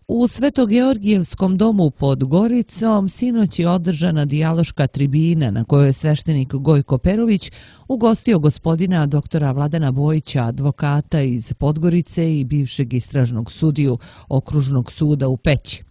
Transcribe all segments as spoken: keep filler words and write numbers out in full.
U Svetogeorgijevskom domu pod Goricom sinoć je održana dijaloška tribina na kojoj je sveštenik Gojko Perović ugostio gospodina doktora Vladana Bojića, advokata iz Podgorice i bivšeg istražnog sudiju Okružnog suda u Peći,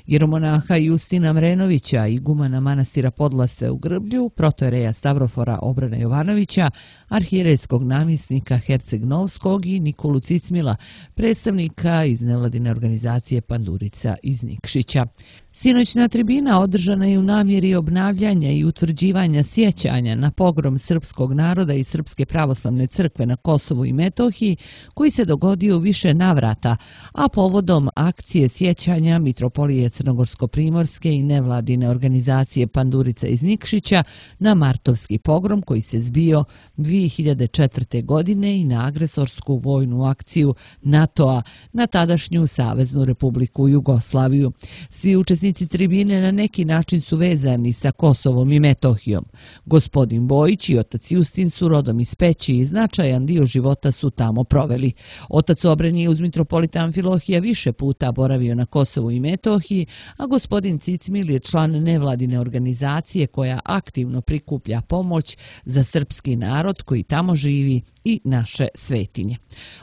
jeromonaha Justina Mrenovića, igumana manastira Podlase u Grblju, protojereja Stavrofora Obrana Jovanovića, arhijerejskog namjesnika Herceg Novskog i Nikolu Cicmila, predstavnika iz nevladine organizacije Pandurica iz Nikšića. Sinoćna tribina održana je u namjeri obnavljanja i utvrđivanja sjećanja na pogrom srpskog naroda i Srpske pravoslavne crkve na Kosovu i Metohiji, koji se dogodio u više navrata, a povodom akcije sjećanja Mitropolije Crnogorsko-primorske i nevladine organizacije Pandurica iz Nikšića na martovski pogrom koji se zbio dvije hiljade četvrte. godine i na agresorsku vojnu akciju NATO-a na tadašnju Saveznu Republiku Jugoslaviju. Svi učesnici tribine na neki način su vezani sa Kosovom i Metohijom. Gospodin Bojić i otac Justin su rodom iz Peći i značajan dio života su tamo proveli. Otac Obren je uz mitropolita Amfilohija više puta boravio na Kosovu i Metohiji, a gospodin Cicmil je član nevladine organizacije koja aktivno prikuplja pomoć za srpski narod koji tamo živi i naše svetinje.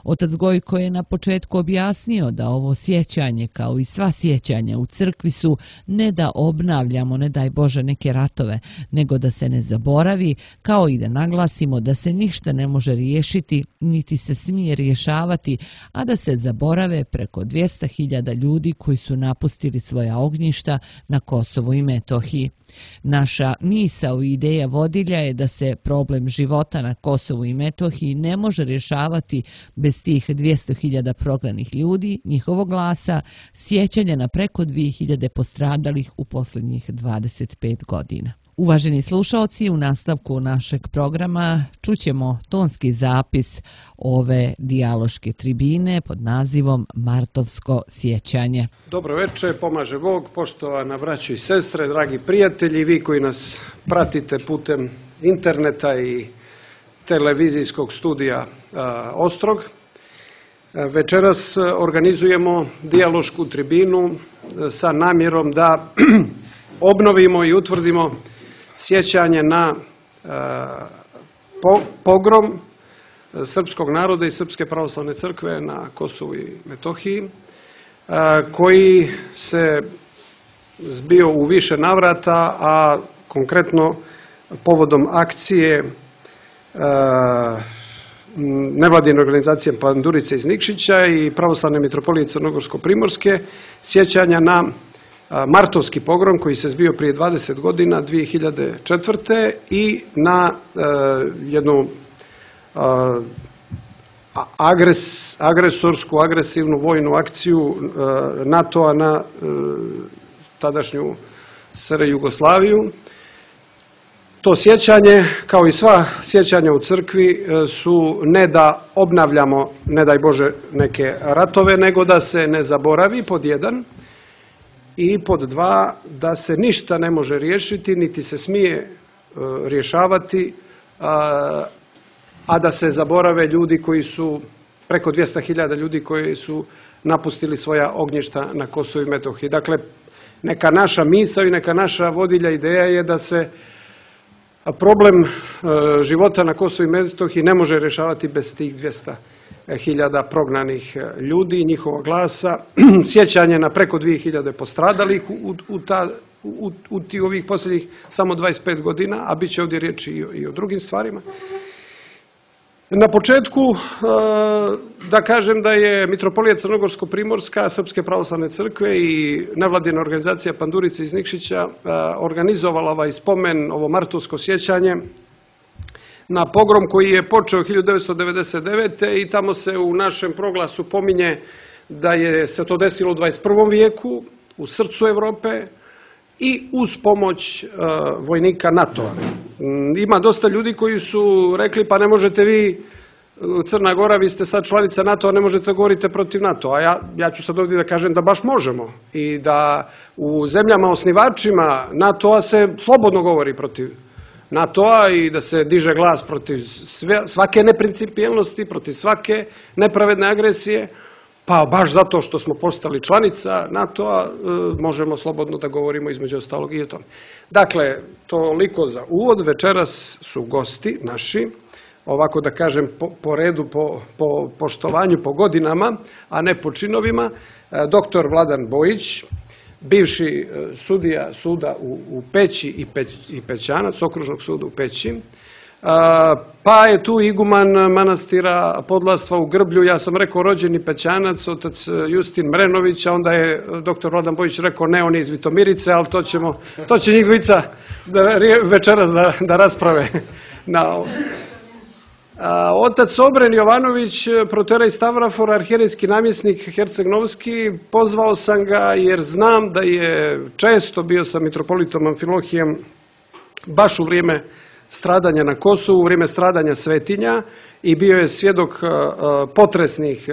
Otac Gojko je na početku objasnio da ovo sjećanje, kao i sva sjećanja u crkvi, su ne da obnavljamo, ne daj Bože, neke ratove, nego da se ne zaboravi, kao i da naglasimo da se ništa ne može riješiti, niti se smije rješavati, a da se zaborave preko dvjesto hiljada ljudi koji su napustili svoja ognjišta na Kosovu i Metohiji. Naša misao i ideja vodilja je da se problem života na Kosovu i Metohiji ne može rješavati bez tih dvjesto hiljada prognanih ljudi, njihovog glasa, sjećanja na preko dvije hiljade postradalih u posljednjih dvadeset pet godina. Uvaženi slušaoci, u nastavku našeg programa čućemo tonski zapis ove dijaloške tribine pod nazivom Martovsko sjećanje. Dobro večer, pomaže Bog, poštovana braćo i sestre, dragi prijatelji, vi koji nas pratite putem interneta i televizijskog studija a, Ostrog. Večeras organizujemo dijalošku tribinu sa namjerom da obnovimo i utvrdimo sjećanje na pogrom srpskog naroda i Srpske pravoslavne crkve na Kosovu i Metohiji, koji se zbio u više navrata, a konkretno povodom akcije nevladine organizacije Pandurice iz Nikšića i Pravoslavne mitropolije Crnogorsko-primorske, sjećanja na martovski pogrom koji se zbio prije dvadeset godina, dvije hiljade četvrte. i na e, jednu e, agres, agresorsku, agresivnu vojnu akciju e, NATO-a na e, tadašnju S R Jugoslaviju. To sjećanje, kao i sva sjećanja u crkvi, su ne da obnavljamo, ne daj Bože, neke ratove, nego da se ne zaboravi, pod jedan, i pod dva, da se ništa ne može riješiti, niti se smije rješavati, a da se zaborave ljudi koji su, preko dvjesto hiljada ljudi koji su napustili svoja ognjišta na Kosovu i Metohiji. Dakle, neka naša misao i neka naša vodilja ideja je da se problem života na Kosovu i Metohiji ne može rješavati bez tih dvjesto hiljada prognanih ljudi, njihovog glasa, sjećanje na preko dvije hiljade postradalih u, u, ta, u, u ti ovih posljednjih samo dvadeset pet godina, a bit će ovdje riječi i o, i o drugim stvarima. Na početku da kažem da je Mitropolija Crnogorsko-primorska Srpske pravoslavne crkve i nevladina organizacija Pandurice iz Nikšića organizovala ovaj spomen, ovo martovsko sjećanje na pogrom koji je počeo hiljadu devetsto devedeset devete. i tamo se u našem proglasu pominje da je se to desilo u dvadeset prvom vijeku, u srcu Europe i uz pomoć vojnika NATO-a. Ima dosta ljudi koji su rekli pa ne možete vi, Crna Gora, vi ste sad članica NATO-a, ne možete govoriti protiv NATO-a. A ja, ja ću sad ovdje da kažem da baš možemo i da u zemljama osnivačima NATO-a se slobodno govori protiv NATO-a i da se diže glas protiv sve, svake neprincipijelnosti, protiv svake nepravedne agresije. pa baš zato što smo postali članica NATO-a, možemo slobodno da govorimo između ostalog i o tome. Dakle, toliko za uvod. Večeras su gosti naši, ovako da kažem po redu, po poštovanju, po godinama, a ne po činovima, doktor Vladan Bojić, bivši sudija suda u Peći i Pećanac, okružnog suda u Peći, pa je tu iguman manastira Podlastva u Grblju, ja sam rekao rođeni Pećanac, otac Justin Mrenović, a onda je doktor Vladan Bojić rekao ne, on je iz Vitomirice, ali to ćemo, to će njih dvojica večeras da rasprave. Otac Obren Jovanović, protorej Stavrafor, arhijerejski namjesnik Herceg-Novski, pozvao sam ga jer znam da je često bio sa mitropolitom Amfilohijem baš u vrijeme stradanja na Kosovu, u vrijeme stradanja svetinja i bio je svjedok potresnih,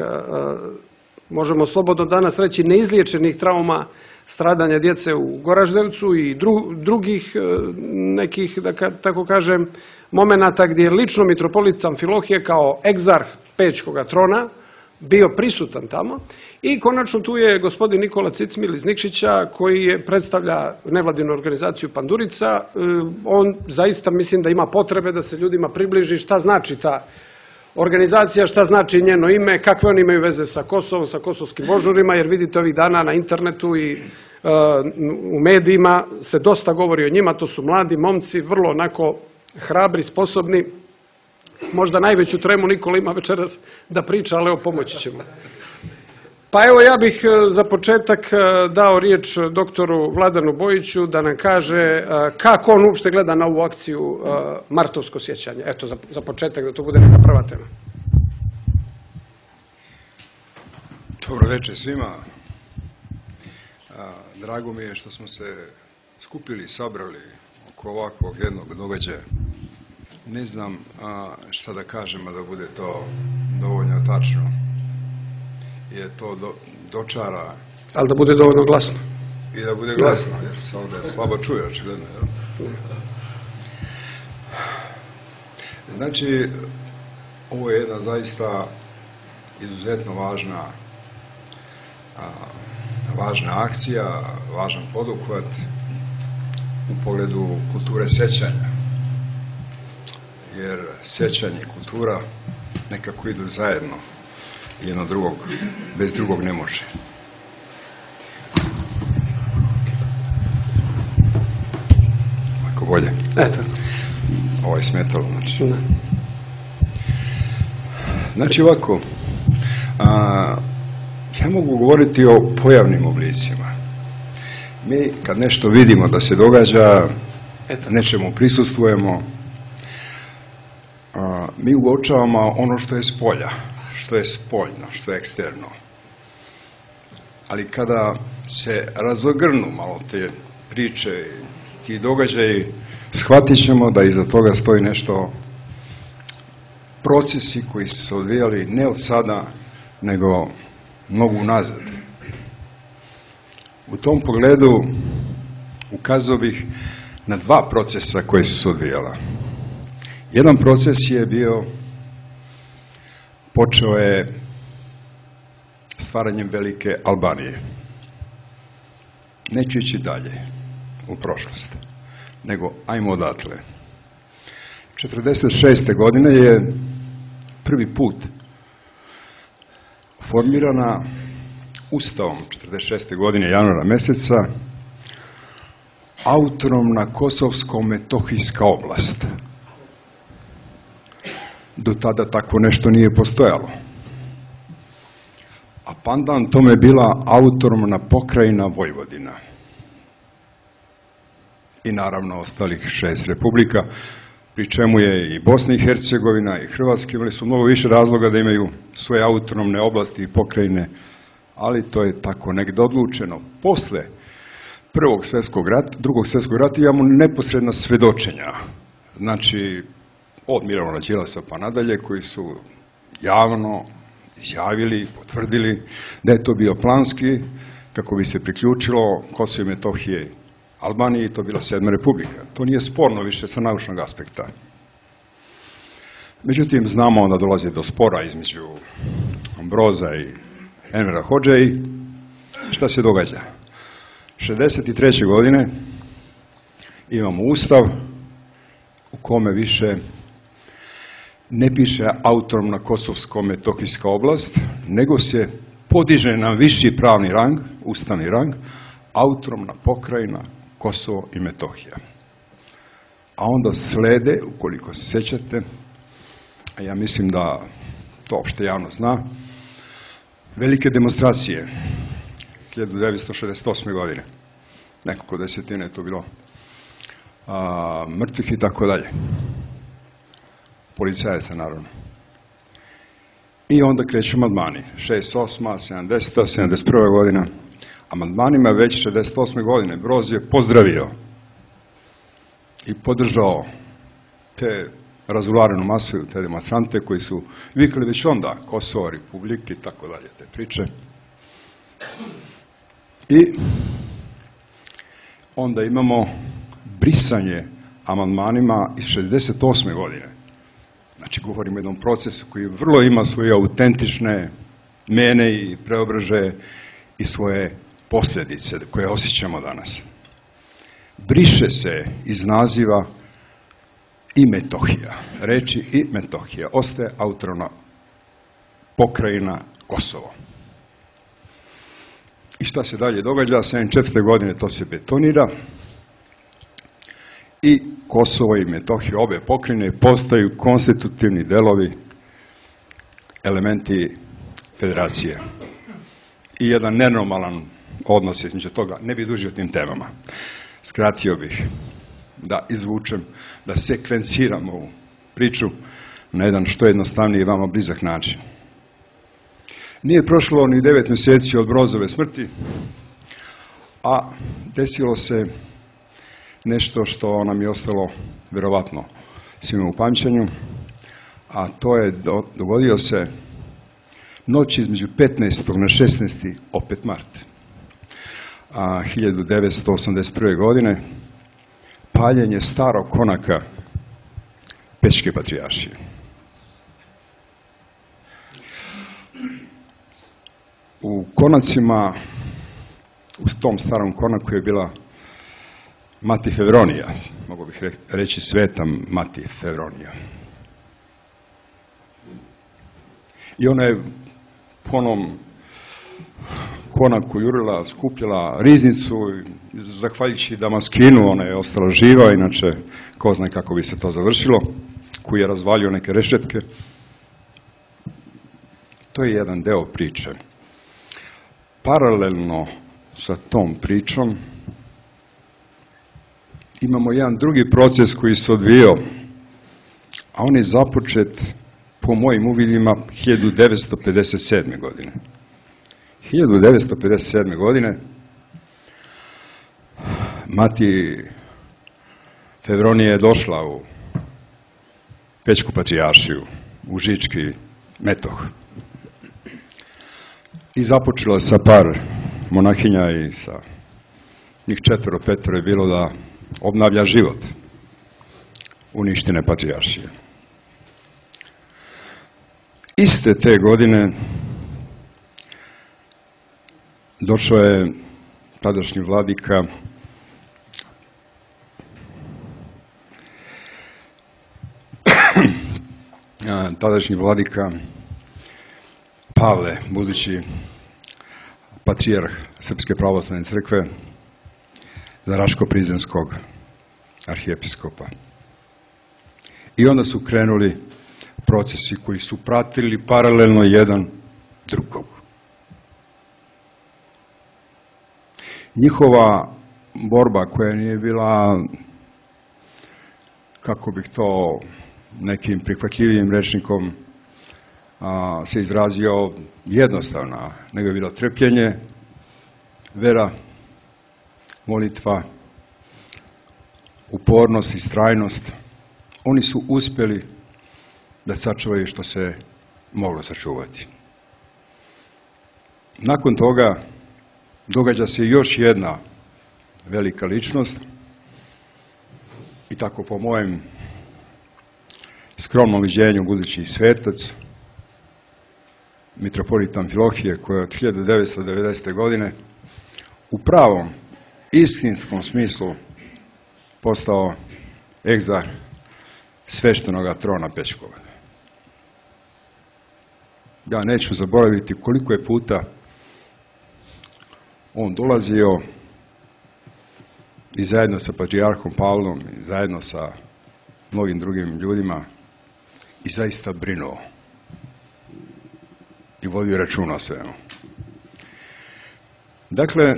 možemo slobodno danas reći, neizliječenih trauma stradanja djece u Goraždevcu i drugih nekih, da tako kažem, momenata gdje je lično mitropolit Amfilohije kao egzarh Pećkoga trona bio prisutan tamo. I konačno tu je gospodin Nikola Cicmil iz Nikšića koji predstavlja nevladinu organizaciju Pandurica. On zaista mislim da ima potrebe da se ljudima približi šta znači ta organizacija, šta znači njeno ime, kakve oni imaju veze sa Kosovom, sa kosovskim božurima, jer vidite ovih dana na internetu i u medijima se dosta govori o njima. To su mladi momci, vrlo onako hrabri, sposobni. Možda najveću tremu Nikola ima večeras da priča, ali evo pomoći ćemo. Pa evo ja bih za početak dao riječ doktoru Vladanu Bojiću da nam kaže kako on uopšte gleda na ovu akciju Martovsko sjećanje. Eto, za početak da to bude neka prva tema. Dobro večer svima. Drago mi je što smo se skupili i sabrali oko ovakvog jednog događaja. Ne znam šta da kažem, a da bude to dovoljno tačno. Je to dočara. Ali da bude dovoljno glasno. I da bude glasno, jer se ovdje slabo čuje, očigledno. Znači, ovo je jedna zaista izuzetno važna važna akcija, važan poduhvat u pogledu kulture sjećanja. Jer sjećanje i kultura nekako idu zajedno. Jedno drugog, bez drugog ne može. Ako bolje. Eto. Ovo je smetalo, znači. Znači ovako, a, ja mogu govoriti o pojavnim oblicima. Mi kad nešto vidimo da se događa, Eto. nečemu prisustvujemo, a, mi uočavamo ono što je s polja, što je spoljno, što je eksterno. Ali kada se razogrnu malo te priče, ti događaji, shvatit ćemo da iza toga stoji nešto, procesi koji su se odvijali ne od sada, nego mnogo unazad. U tom pogledu ukazao bih na dva procesa koji su se odvijala. Jedan proces je bio, počeo je stvaranjem velike Albanije. Neću ići dalje u prošlost, nego ajmo odatle. četrdeset šeste godine je prvi put formirana Ustavom četrdeset šeste godine januara mjeseca autonomna Kosovsko-Metohijska oblast. Do tada tako nešto nije postojalo. A pandan tome je bila autonomna pokrajina Vojvodina. I naravno ostalih šest republika, pri čemu je i Bosna i Hercegovina i Hrvatska imali su mnogo više razloga da imaju svoje autonomne oblasti i pokrajine, ali to je tako negdje odlučeno. Posle prvog svjetskog rata, drugog svjetskog rata imamo neposredna svedočenja. Znači, od Mirovana Đilasa pa nadalje, koji su javno izjavili, potvrdili da je to bio planski, kako bi se priključilo Kosovo i Metohije Albaniji, i to bila sedma republika. To nije sporno više sa naučnog aspekta. Međutim, znamo da dolazi do spora između Ambroza i Envera Hodže i šta se događa? šezdeset treće godine imamo ustav u kome više ne piše autonomna kosovsko-metohijska oblast, nego se podiže na viši pravni rang, ustavni rang, autonomna pokrajina Kosovo i Metohija. A onda slede, ukoliko se sjećate, a ja mislim da to opšte javno zna, velike demonstracije hiljadu devetsto šezdeset osme. godine. Nekoliko desetine je to bilo a, mrtvih i tako dalje. Policajaca, naravno. I onda kreću amandmani. šezdeset osma, sedamdeseta, sedamdeset prva. godina. Amandmanima već šezdeset osme. godine Broz je pozdravio i podržao te razularenu masu, te demonstrante koji su vikali već onda Kosovo, Republike i tako dalje, te priče. I onda imamo brisanje amandmanima iz šezdeset osme. godine. Znači, govorimo o jednom procesu koji vrlo ima svoje autentične mene i preobražaje i svoje posljedice koje osjećamo danas. Briše se iz naziva i Metohija, reči i Metohija. Ostaje autonomna pokrajina Kosovo. I šta se dalje događa? sedamdeset četvrte. godine to se betonira i Kosovo i Metohija, obe pokrajine, postaju konstitutivni delovi, elementi federacije. I jedan nenormalan odnos između toga. Ne bih dužio tim temama. Skratio bih da izvučem, da sekvenciram ovu priču na jedan što jednostavniji i vama blizak način. Nije prošlo ni devet mjeseci od Brozove smrti, a desilo se nešto što nam je ostalo vjerovatno svima u pamćenju, a to je dogodio se noć između petnaestog na šesnaesti opet mart a, hiljadu devetsto osamdeset prve. godine paljenje starog konaka Pećke patrijaršije. U konacima, u tom starom konaku je bila Mati Fevronija, mogu bih reći sveta Mati Fevronija. I ona je po onom konaku jurila, skupljala riznicu, zahvaljujući Damaskinu, ona je ostala živa, inače ko zna kako bi se to završilo, koji je razvalio neke rešetke. To je jedan deo priče. Paralelno sa tom pričom imamo jedan drugi proces koji se odvijao, a on je započet po mojim uvidima hiljadu devetsto pedeset sedme. godine. hiljadu devetsto pedeset sedme. godine Mati Fevronija je došla u Pećku patrijaršiju, u Žički metoh. I započela sa par monahinja i sa njih četvero, petero je bilo da obnavlja život uništene patrijaršije. Iste te godine došao je tadašnji vladika tadašnji vladika Pavle, budući patrijarh Srpske pravoslavne crkve, za Raško-Prizrenskog arhijepiskopa. I onda su krenuli procesi koji su pratili paralelno jedan drugog. Njihova borba koja nije bila, kako bih to nekim prihvatljivijim rečnikom a, se izrazio, jednostavna, nego je bilo trpljenje, vera, molitva, upornost i strajnost. Oni su uspjeli da sačuvaju što se moglo sačuvati. Nakon toga događa se još jedna velika ličnost i tako po mojem skromnom viđenju budući svetac, mitropolit Amfilohije, koji je od hiljadu devetsto devedesete. godine u pravom istinskom smislu postao egzar sveštenoga trona Pećkog. Ja neću zaboraviti koliko je puta on dolazio i zajedno sa patrijarhom Pavlom i zajedno sa mnogim drugim ljudima i zaista brinuo i vodio računa o svemu. Dakle,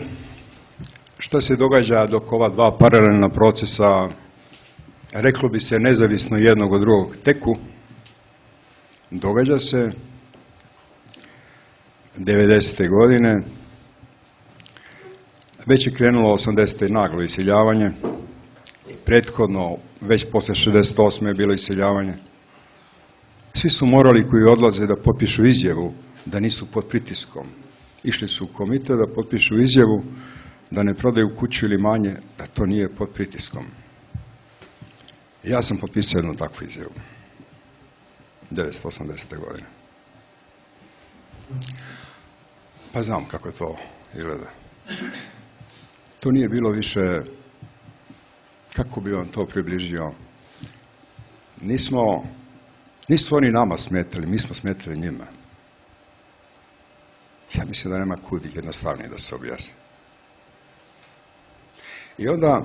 što se događa dok ova dva paralelna procesa, reklo bi se nezavisno jednog od drugog, teku? Događa se devedesete. godine, već je krenulo osamdesete. naglo iseljavanje, prethodno, već posle šezdeset osme. je bilo iseljavanje. Svi su morali koji odlaze da potpišu izjavu da nisu pod pritiskom. Išli su u komitet da potpišu izjavu da ne prodaju kuću ili manje, da to nije pod pritiskom. Ja sam potpisao jednu takvu izjavu. devetsto osamdesete. godine. Pa znam kako to izgleda. To nije bilo više, kako bi vam to približio, nismo, nisu oni nama smetali, mi smo smetali njima. Ja mislim da nema kud jednostavnije da se objasni. I onda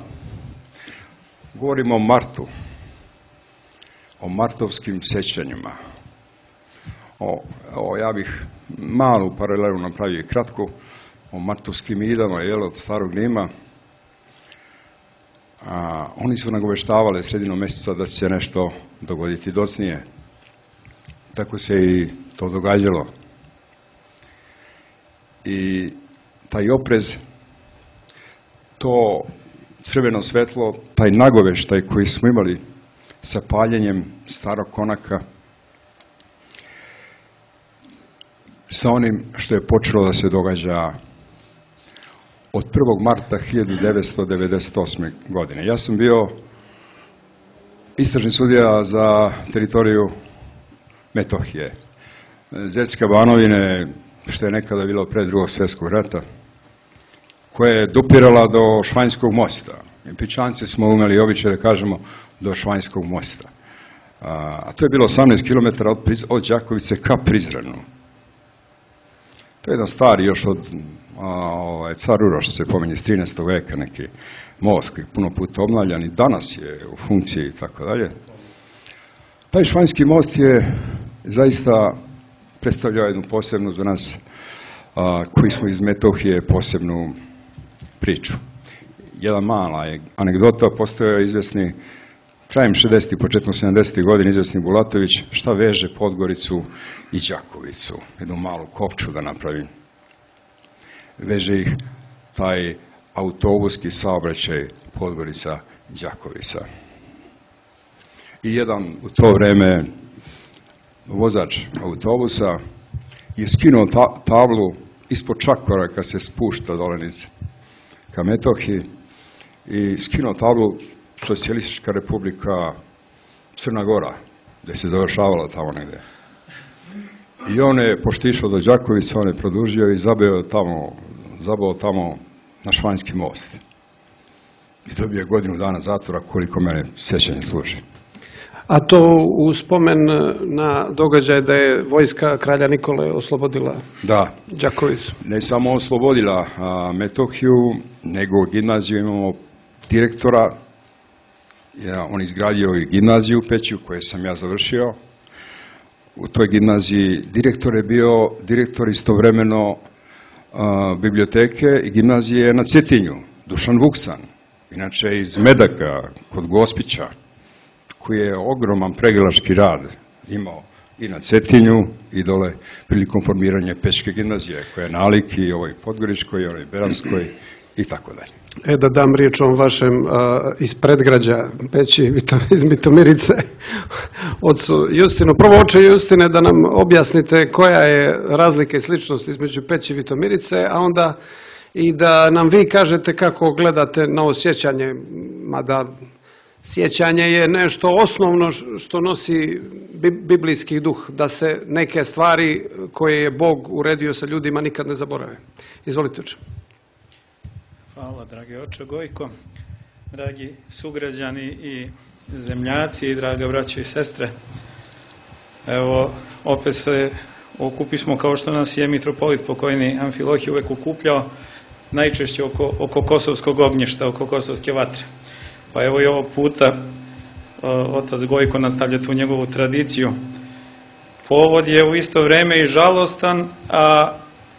govorimo o martu, o martovskim sećanjima. O, o, ja bih malu paralelu napravio i kratku, o martovskim idama, jel, od starog Rima. A, oni su nagoveštavali sredinom mjeseca da će se nešto dogoditi docnije. Tako se i to događalo. I taj oprez, to crveno svetlo, taj nagoveštaj koji smo imali sa paljenjem starog konaka, sa onim što je počelo da se događa od prvog marta hiljadu devetsto devedeset osme. godine. Ja sam bio istražni sudija za teritoriju Metohije, Zećke Banovine, što je nekada bilo pre drugog svjetskog rata, koja je dopirala do Švanjskog mosta. I Pičanci smo umeli običaj da kažemo do Švanjskog mosta. A to je bilo osamnaest kilometara od, od Đakovice ka Prizrenu. To je jedan stari još od a, ovaj, car Uroš se pominje iz trinaestog. veka, neki most koji je puno puta obnavljan i danas je u funkciji i tako dalje. Taj Švanjski most je zaista predstavljao jednu posebnu za nas a, koji smo iz Metohije posebnu priču. Jedan mala je anegdota, postojao je izvesni krajem šezdesetih, početkom sedamdesetih. godina izvesni Bulatović, šta veže Podgoricu i Đakovicu, jednu malu kopču da napravim. Veže ih taj autobuski saobraćaj Podgorica-Đakovica. I jedan u to vreme vozač autobusa je skinuo ta tablu ispod čakora kad se spušta dolenice ka Metohiji i skinuo tablu Socijalistička republika Crna Gora, gdje se završavala tamo negdje. I on je, pošto išao do Đakovica, on je produžio i zabeo tamo, zabao tamo na Švanjski most. I dobio je godinu dana zatvora, koliko mene sjećanje služi. A to u spomen na događaj da je vojska kralja Nikole oslobodila da. Đakovicu. Ne samo oslobodila a, Metohiju, nego u gimnaziju imamo direktora. Ja, on izgradio i gimnaziju u Peću, koju sam ja završio. U toj gimnaziji direktor je bio direktor istovremeno a, biblioteke i gimnazije na Cetinju, Dušan Vuksan, inače iz Medaka, kod Gospića, koji je ogroman pregalački rad imao i na Cetinju i dole prilikom formiranja Pećke gimnazije, koja je nalik i ovoj Podgoričkoj, i onoj Beranskoj i tako dalje. E, da dam riječ o vašem a, iz predgrađa Peći, iz Mitomirice, ocu Justinu. Prvo, oče Justine, da nam objasnite koja je razlika i sličnost između Peći i Vitomirice, a onda i da nam vi kažete kako gledate na ovo sjećanje, mada Sjećanje je nešto osnovno što nosi biblijski duh, da se neke stvari koje je Bog uredio sa ljudima nikad ne zaborave. Izvolite, oče. Hvala, dragi oče Gojko, dragi sugrađani i zemljaci i draga braćo i sestre. Evo, opet se okupismo kao što nas je mitropolit pokojni Amfilohije uvek okupljao, najčešće oko, oko kosovskog ognjišta, oko kosovske vatre. Pa evo i ovog puta otac Gojko nastavlja tu njegovu tradiciju. Povod je u isto vreme i žalostan, a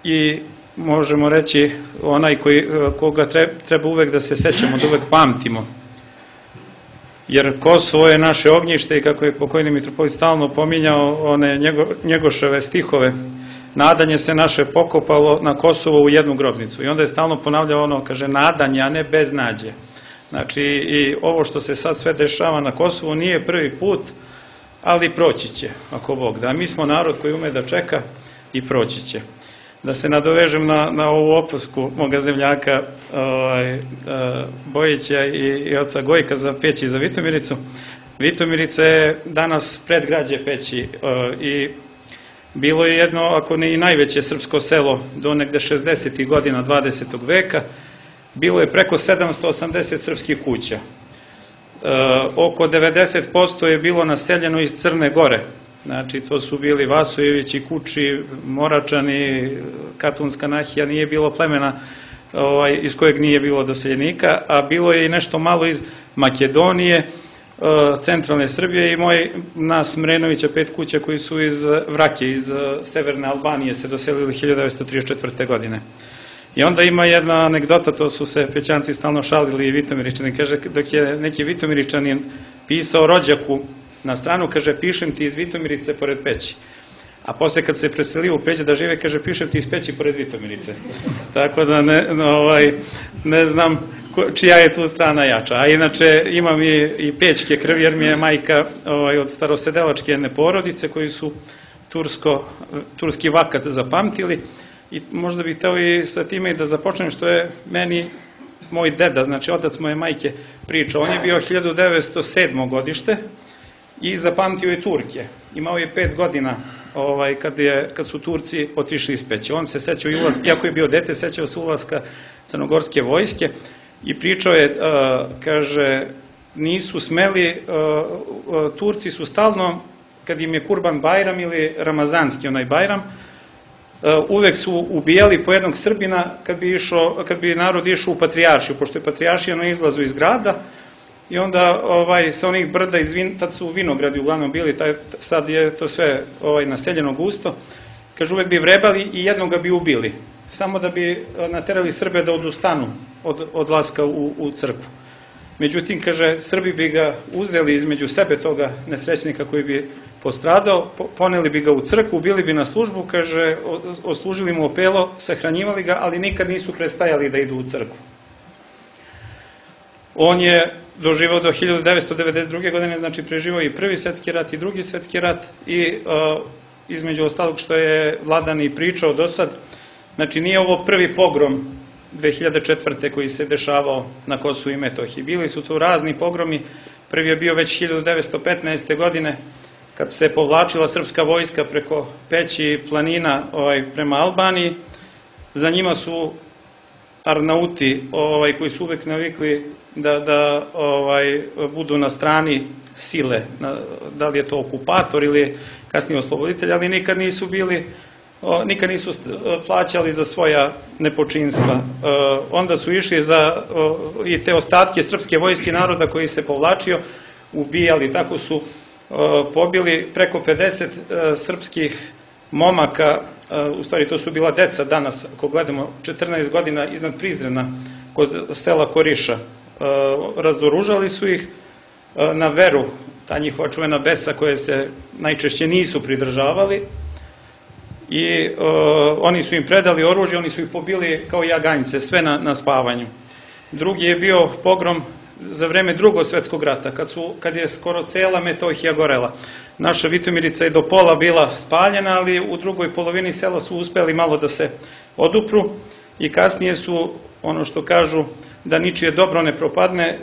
i možemo reći onaj koji, koga treba uvek da se sećamo, da uvek pamtimo. Jer Kosovo je naše ognjište i kako je pokojni mitropolit stalno pominjao one njego, Njegoševe stihove, nadanje se naše pokopalo na Kosovo u jednu grobnicu. I onda je stalno ponavljao ono, kaže, nadanje, a ne beznađe. Znači, i ovo što se sad sve dešava na Kosovu nije prvi put, ali proći će, ako Bog da. Mi smo narod koji ume da čeka i proći će. Da se nadovežem na, na ovu opasku moga zemljaka ovaj, Bojića i, i oca Gojka za Peći i za Vitomiricu. Vitomirica je danas predgrađe Peći i bilo je jedno, ako ne i najveće srpsko selo do negde šezdesetih godina dvadesetog veka. Bilo je preko sedamsto osamdeset srpskih kuća. E, oko devedeset posto je bilo naseljeno iz Crne Gore. Znači, to su bili Vasojevići, Kuči, Moračani, Katunska nahija, nije bilo plemena ovaj, iz kojeg nije bilo doseljenika, a bilo je i nešto malo iz Makedonije, e, centralne Srbije i moj nas Mrenovića, pet kuća koji su iz Vrake, iz severne Albanije se doselili hiljadu devetsto trideset četvrte. godine. I onda ima jedna anegdota, to su se Pećanci stalno šalili i Vitomiričani, kaže, dok je neki Vitomiričanin pisao rođaku na stranu, kaže, pišem ti iz Vitomirice pored Peći. A posle kad se preselio u Peć da žive, kaže, pišem ti iz Peći pored Vitomirice. Tako da ne, ovaj, ne znam čija je tu strana jača. A inače imam i, i pećke krvi, jer mi je majka ovaj, od starosedelačke jedne porodice koji su tursko, turski vakat zapamtili. I možda bih hteo i sa time da započnem što je meni moj deda, znači otac moje majke, pričao. On je bio hiljadu devetsto sedmo. godište i zapamtio je Turke. Imao je pet godina ovaj, kad, je, kad su Turci otišli iz Peći. On se sećao i ulaska, iako je bio dete, sećao se ulaska crnogorske vojske i pričao je, uh, kaže, nisu smeli, uh, uh, Turci su stalno, kad im je Kurban Bajram ili Ramazanski onaj Bajram, uvek su ubijali po jednog Srbina kad bi, išao, kad bi narod išao u Patrijaršiju, pošto je Patrijaršija na izlazu iz grada i onda ovaj, sa onih brda, iz vin, tad su vinogradi uglavnom bili, taj, sad je to sve ovaj, naseljeno gusto, kaže uvek bi vrebali i jednoga bi ubili, samo da bi naterali Srbe da odustanu od odlaska u, u crkvu. Međutim, kaže, Srbi bi ga uzeli između sebe toga nesrećnika koji bi postradao, poneli bi ga u crkvu, bili bi na službu, kaže, oslužili mu opelo, sahranjivali ga, ali nikad nisu prestajali da idu u crkvu. On je doživao do hiljadu devetsto devedeset druge. godine, znači preživao i prvi svetski rat i drugi svetski rat i uh, između ostalog što je Vladan i pričao do sad, znači nije ovo prvi pogrom dve hiljade četvrte. koji se dešavao na Kosovu i Metohiji. Bili su tu razni pogromi, prvi je bio već hiljadu devetsto petnaeste. godine, kad se povlačila srpska vojska preko Peći i planina ovaj, prema Albaniji. Za njima su Arnauti ovaj, koji su uvek navikli da, da ovaj, budu na strani sile, na, da li je to okupator ili kasnije osloboditelj, ali nikad nisu bili, o, nikad nisu plaćali za svoja nepočinstva. O, onda su išli za o, i te ostatke srpske vojske naroda koji se povlačio, ubijali, tako su pobili preko pedeset srpskih momaka, u stvari to su bila deca danas, ako gledamo, četrnaest godina iznad Prizrena, kod sela Koriša. Razoružali su ih na veru, ta njihova čuvena besa koje se najčešće nisu pridržavali i oni su im predali oružje, oni su ih pobili kao jaganjce, sve na, na spavanju. Drugi je bio pogrom za vreme Drugog svetskog rata, kad, su, kad je skoro cela Metohija gorela. Naša Vitomirica je do pola bila spaljena, ali u drugoj polovini sela su uspeli malo da se odupru i kasnije su, ono što kažu, da ničije dobro ne propadne.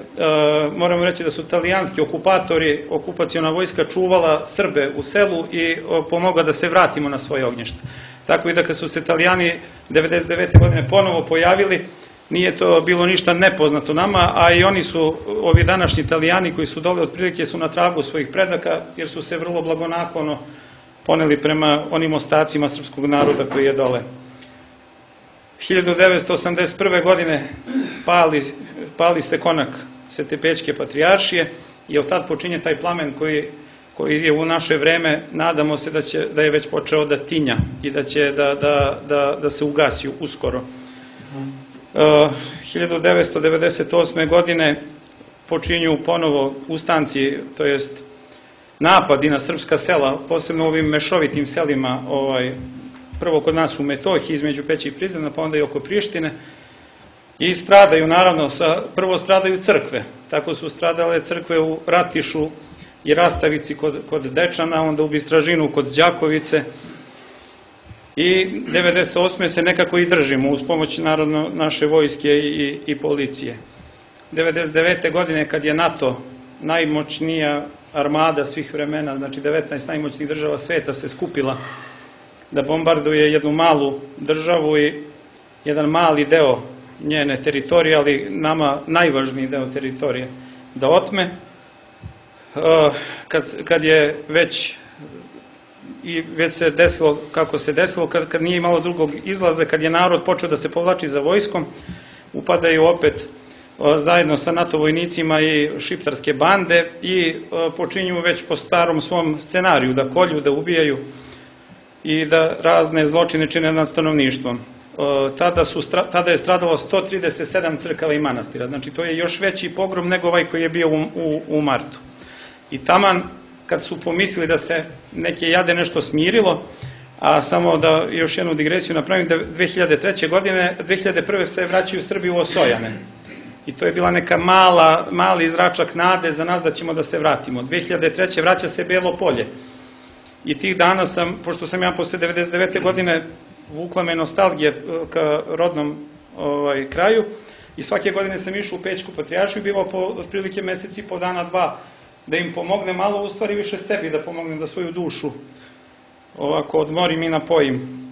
Moramo reći da su italijanski okupatori, okupaciona vojska čuvala Srbe u selu i pomogla da se vratimo na svoje ognjište. Tako i da kad su se Italijani devedeset devete godine ponovo pojavili, nije to bilo ništa nepoznato nama, a i oni su, ovi današnji Italijani koji su dole otprilike su na tragu svojih predaka, jer su se vrlo blagonaklono poneli prema onim ostacima srpskog naroda koji je dole. hiljadu devetsto osamdeset prve. godine pali, pali se konak Svete Pećke patrijaršije i od tad počinje taj plamen koji, koji je u naše vreme, nadamo se da, će, da je već počeo da tinja i da će da, da, da, da se ugasi uskoro. Uh, hiljadu devetsto devedeset osme. godine počinju ponovo ustanci, to jest napadi na srpska sela, posebno u ovim mešovitim selima, ovaj, prvo kod nas u Metohiji, između Peći i Prizrena, pa onda i oko Prištine, i stradaju, naravno, sa, prvo stradaju crkve, tako su stradale crkve u Ratišu i Rastavici kod, kod Dečana, onda u Bistražinu kod Đakovice, i devedeset osme. se nekako i držimo uz pomoć naravno naše vojske i, i policije. devedeset devete. godine kad je NATO, najmoćnija armada svih vremena, znači devetnaest najmoćnijih država sveta, se skupila da bombarduje jednu malu državu i jedan mali deo njene teritorije, ali nama najvažniji deo teritorije da otme, kad, kad je već i već se desilo kako se desilo, kad, kad nije imalo drugog izlaza, kad je narod počeo da se povlači za vojskom, upadaju opet o, zajedno sa NATO vojnicima i šiptarske bande i o, počinju već po starom svom scenariju da kolju, da ubijaju i da razne zločine čine nad stanovništvom. O, tada, su, tada je stradalo sto trideset sedam crkava i manastira, znači to je još veći pogrom nego ovaj koji je bio u, u, u martu. I taman kad su pomislili da se neke jade nešto smirilo, a samo da još jednu digresiju napravim, da dve hiljade treće. godine, dve hiljade prve. se vraćaju Srbi u Osojane. I to je bila neka mala, mali zračak nade za nas da ćemo da se vratimo. dve hiljade treće. vraća se Belo Polje. I tih dana sam, pošto sam ja posle devedeset devete. godine vukla me nostalgije ka rodnom ovaj, kraju, i svake godine sam išao u Pećku patrijaršiju i bivao po otprilike meseci po dana, dva, da im pomogne malo, u stvari više sebi da pomognem, da svoju dušu ovako odmorim i napojim.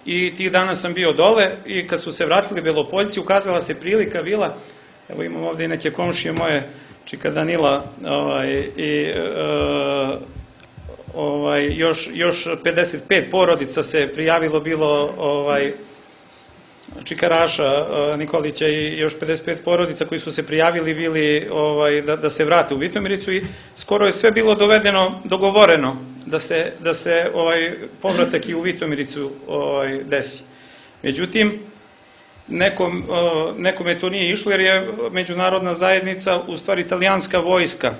I tih dana sam bio dole i kad su se vratili Belopoljci, ukazala se prilika, vila, evo imam ovde i neke komšije moje, čika Danila, ovaj, i uh, ovaj, još, još pedeset pet porodica se prijavilo, bilo ovaj, Čikaraša, Nikolića i još pedeset pet porodica koji su se prijavili bili ovaj, da, da se vrate u Vitomiricu, i skoro je sve bilo dovedeno, dogovoreno da se, da se ovaj, povratak i u Vitomiricu ovaj, desi. Međutim, nekom, nekome to nije išlo, jer je međunarodna zajednica, u stvari italijanska vojska,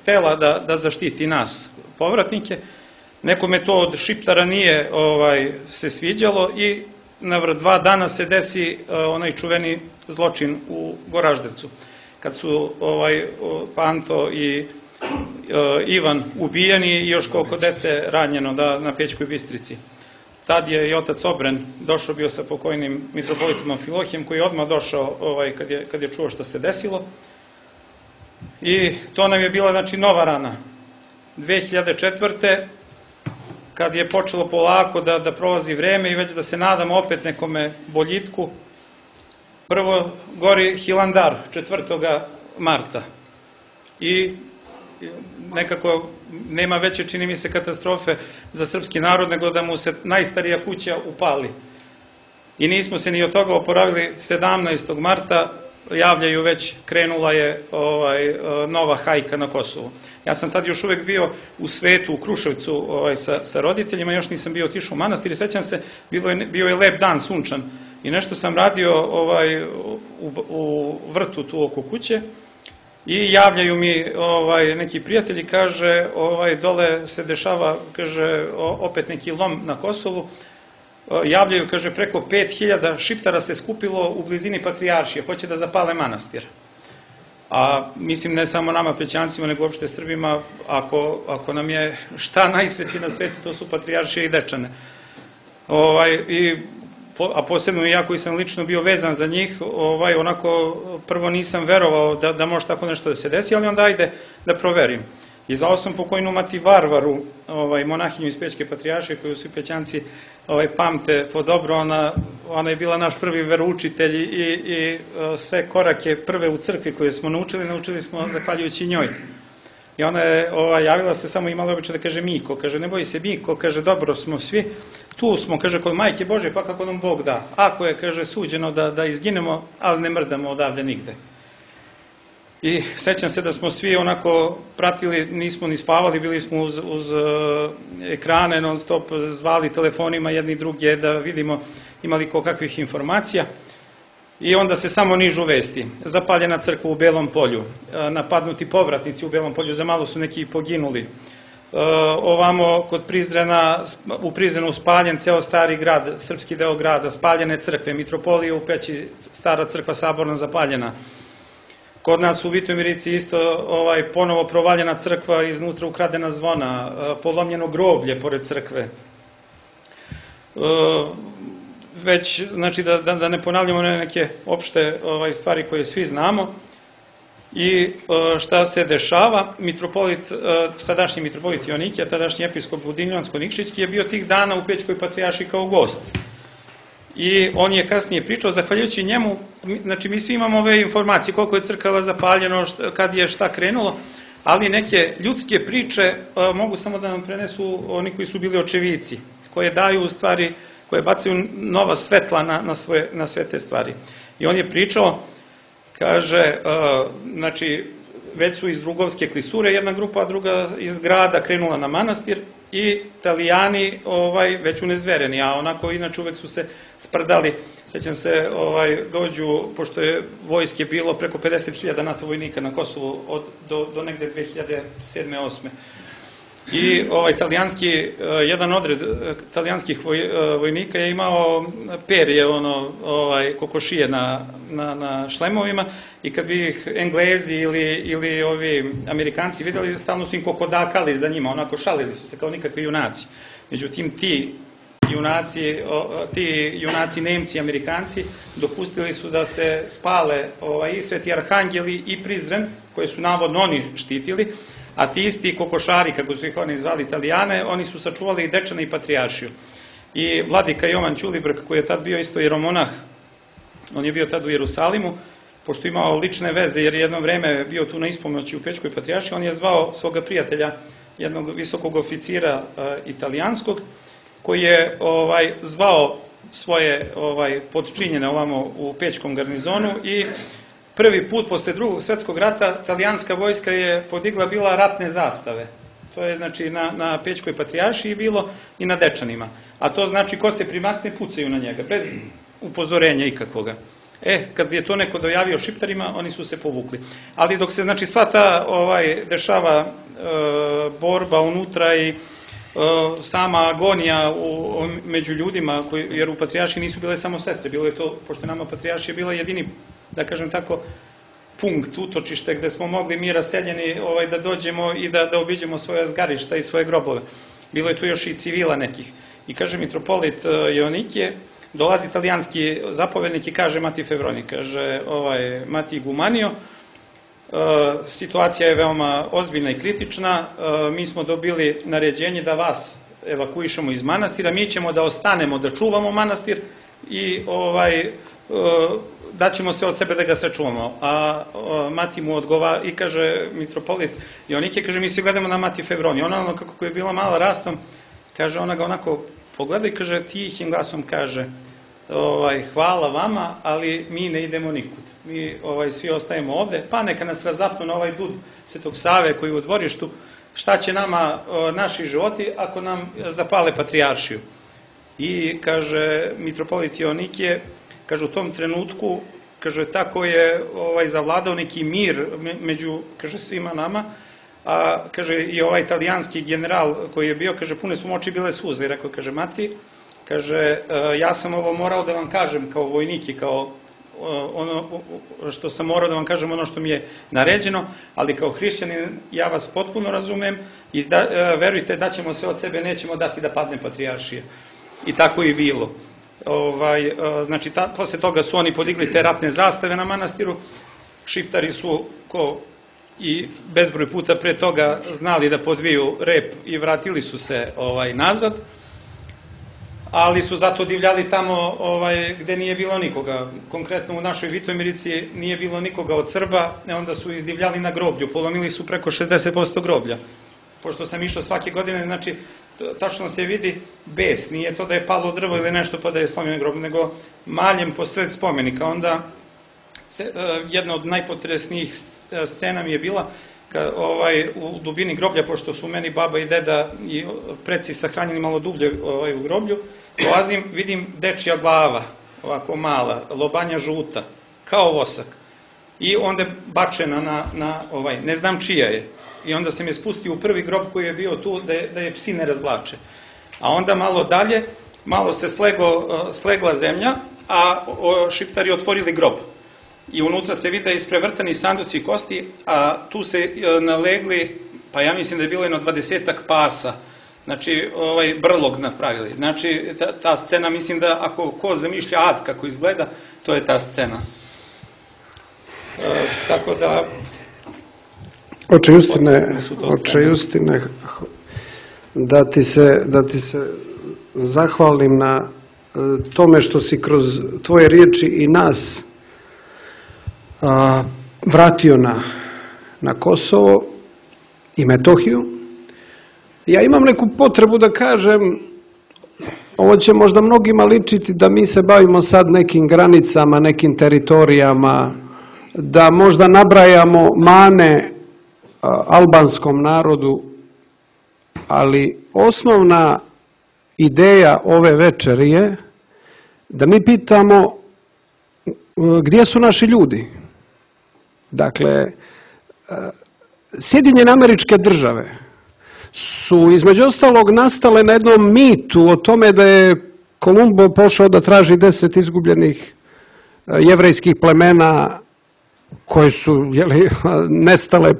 htela da, da zaštiti nas, povratnike. Nekome to od Šiptara nije ovaj, se sviđalo i na dva dana se desi uh, onaj čuveni zločin u Goraždevcu, kad su ovaj, Panto i uh, Ivan ubijeni i još koliko dece ranjeno da, na Pećkoj Bistrici. Tad je i otac Obren došao, bio sa pokojnim mitropolitom Amfilohijem, koji je odmah došao ovaj, kad, je, kad je čuo šta se desilo. I to nam je bila, znači, nova rana. dve hiljade četvrte. kad je počelo polako da, da prolazi vreme i već da se nadamo opet nekome boljitku, prvo gori Hilandar četvrtoga marta. I nekako nema veće, čini mi se, katastrofe za srpski narod nego da mu se najstarija kuća upali. I nismo se ni od toga oporavili. sedamnaestog marta javljaju već, krenula je ovaj, nova hajka na Kosovu. Ja sam tad još uvek bio u svetu, u Kruševcu ovaj, sa, sa roditeljima, još nisam bio otišao u manastir i sećam se, bilo je, bio je lep dan, sunčan, i nešto sam radio ovaj, u, u vrtu tu oko kuće i javljaju mi ovaj, neki prijatelji, kaže, ovaj, dole se dešava, kaže, opet neki lom na Kosovu, javljaju, kaže, preko pet hiljada Šiptara se skupilo u blizini Patrijaršije, hoće da zapale manastir. A mislim, ne samo nama Pećancima, nego uopšte Srbima, ako, ako nam je šta najsvetiji na svetu, to su Patrijaršije i Dečane. Ovaj, I a posebno ja koji sam lično bio vezan za njih, ovaj, onako prvo nisam verovao da, da može tako nešto da se desi, ali onda ajde da proverim. I zvao sam pokojnu Mati Varvaru, ovaj, monahinju iz Pećke patrijaršije, koju svi Pećanci ovaj, pamte po dobro. Ona, ona je bila naš prvi veroučitelj i, i sve korake prve u crkvi koje smo naučili, naučili smo zahvaljujući njoj. I ona je ovaj, javila se, samo imala običaj da kaže Miko, kaže ne boji se Miko, kaže dobro smo svi, tu smo, kaže kod Majke Bože, pa kako nam Bog da. Ako je, kaže, suđeno da, da izginemo, ali ne mrdamo odavde nigde. I sećam se da smo svi onako pratili, nismo ni spavali, bili smo uz, uz uh, ekrane non stop, zvali telefonima jedni druge da vidimo imali kakvih informacija. I onda se samo nižu vesti. Zapaljena crkva u Belom Polju, napadnuti povratnici u Belom Polju, za malo su neki poginuli. Ovamo kod Prizrena, u Prizrenu spaljen ceo stari grad, srpski deo grada, spaljene crkve, mitropolije u Peći, stara crkva saborna zapaljena. Kod nas u Vitomirici isto ovaj, ponovo provaljena crkva, iznutra ukradena zvona, polomljeno groblje pored crkve. Već, znači da, da, da ne ponavljamo neke opšte ovaj, stvari koje svi znamo. I šta se dešava, mitropolit, sadašnji mitropolit Joanikije, tadašnji episkop Budimljansko-Nikšićki je bio tih dana u Pećkoj patrijaršiji kao gost. I on je kasnije pričao, zahvaljujući njemu, znači mi svi imamo ove informacije, koliko je crkava zapaljeno, kad je šta krenulo, ali neke ljudske priče mogu samo da nam prenesu oni koji su bili očevici, koje daju u stvari, koje bacaju nova svetla na, na, svoje, na sve te stvari. I on je pričao, kaže, uh, znači, već su iz Drugovske klisure jedna grupa, a druga iz grada krenula na manastir i Italijani ovaj, već unezvereni, a onako inače uvek su se sprdali. Sećam se, ovaj, dođu, pošto je vojske bilo preko pedeset hiljada NATO vojnika na Kosovu od, do, do negde dve hiljade sedme osme I ovaj italijanski, jedan odred italijanskih voj, vojnika je imao perje, ono, ovaj, kokošije na, na, na šlemovima i kad bi ih Englezi ili, ili ovi Amerikanci videli, stalno su im kokodakali za njima, onako šalili su se kao nikakvi junaci. Međutim, ti junaci, ti junaci Nemci, Amerikanci, dopustili su da se spale ovaj, i Sveti Arhangeli i Prizren, koje su navodno oni štitili, a ti isti kokošari, kako su ih oni zvali Italijane, oni su sačuvali i Dečane i Patrijaršiju. I vladika Jovan Ćulibrk, koji je tad bio isto jeromonah, on je bio tad u Jerusalimu, pošto imao lične veze, jer jedno vreme bio tu na ispomoći u Pećkoj Patrijaršiji, on je zvao svoga prijatelja, jednog visokog oficira uh, italijanskog, koji je ovaj, zvao svoje ovaj, podčinjene ovamo u Pećkom garnizonu i prvi put posle drugog svetskog rata talijanska vojska je podigla bila ratne zastave. To je znači na, na Pećkoj patrijaršiji bilo i na Dečanima. A to znači ko se primakne pucaju na njega, bez upozorenja ikakvoga. E, kad je to neko dojavio Šiptarima, oni su se povukli. Ali dok se znači sva ta ovaj, dešava e, borba unutra i e, sama agonija u, među ljudima, koji, jer u patrijaršiji nisu bile samo sestre, bilo je to, pošto nama patrijaršija bila jedini, da kažem tako, punkt, utočište gde smo mogli mi raseljeni ovaj, da dođemo i da, da obiđemo svoje zgarišta i svoje grobove. Bilo je tu još i civila nekih. I kaže mitropolit Joanikije, dolazi italijanski zapovednik i kaže Mati Fevroni, kaže ovaj, Mati Gumanio, e, situacija je veoma ozbiljna i kritična, e, mi smo dobili naređenje da vas evakuišemo iz manastira, mi ćemo da ostanemo, da čuvamo manastir i ovaj, e, daćemo se od sebe da ga sačuvamo. A, a Mati mu odgovara i kaže mitropolit Joanikije, kaže mi svi gledamo na Mati Fevroni, ona ono kako je bila mala rastom, kaže ona ga onako pogleda i kaže tihim glasom kaže ovaj, hvala vama, ali mi ne idemo nikud. Mi ovaj, svi ostajemo ovde, pa neka nas razapnu na ovaj dud Svetog Save koji je u dvorištu, šta će nama o, naši životi ako nam zapale patrijaršiju. I kaže mitropolit Joanikije, kaže u tom trenutku, kaže tako je ovaj, zavladao neki mir među, kaže svima nama, a kaže i ovaj italijanski general koji je bio, kaže pune su mu oči bile suze i rekao, kaže Mati, kaže ja sam ovo morao da vam kažem kao vojnik i kao ono što sam morao da vam kažem ono što mi je naređeno, ali kao hrišćanin ja vas potpuno razumem i da, verujte da ćemo sve od sebe, nećemo dati da padne patrijaršija. I tako i bilo. Ovaj, znači, ta, posle toga su oni podigli te ratne zastave na manastiru. Šiptari su, ko i bezbroj puta pre toga, znali da podviju rep i vratili su se ovaj, nazad, ali su zato divljali tamo ovaj, gde nije bilo nikoga. Konkretno u našoj Vitomirici nije bilo nikoga od Srba, onda su izdivljali na groblju, polomili su preko šezdeset posto groblja. Pošto sam išao svake godine, znači, tačno se vidi bes, nije to da je palo drvo ili nešto pa da je slomljeno groblje, nego maljem posred spomenika. Onda se, jedna od najpotresnijih scena mi je bila ka, ovaj, u dubini groblja, pošto su meni baba i deda i preci sahranjeni malo dublje ovaj, u groblju, dolazim, vidim dečija glava, ovako mala, lobanja žuta, kao vosak. I onda je bačena na, na ovaj, ne znam čija je. I onda se mi spustio u prvi grob koji je bio tu, da je, da je psi ne razvlače. A onda malo dalje, malo se slego, slegla zemlja, a o, Šiptari otvorili grob. I unutra se vide isprevrtani sanduci i kosti, a tu se nalegli, pa ja mislim da je bilo jedno dvadesetak pasa, znači ovaj brlog napravili. Znači ta, ta scena, mislim da ako ko zamišlja ad kako izgleda, to je ta scena. E, tako da... Oče Justine, oče Justine, da ti se, da ti se zahvalim na tome što si kroz tvoje riječi i nas a, vratio na, na Kosovo i Metohiju. Ja imam neku potrebu da kažem, ovo će možda mnogima ličiti da mi se bavimo sad nekim granicama, nekim teritorijama, da možda nabrajamo mane albanskom narodu, ali osnovna ideja ove večeri je da mi pitamo gdje su naši ljudi. Dakle, Sjedinjene Američke Države su između ostalog nastale na jednom mitu o tome da je Kolumbo pošao da traži deset izgubljenih jevrejskih plemena koje su jeli, nestale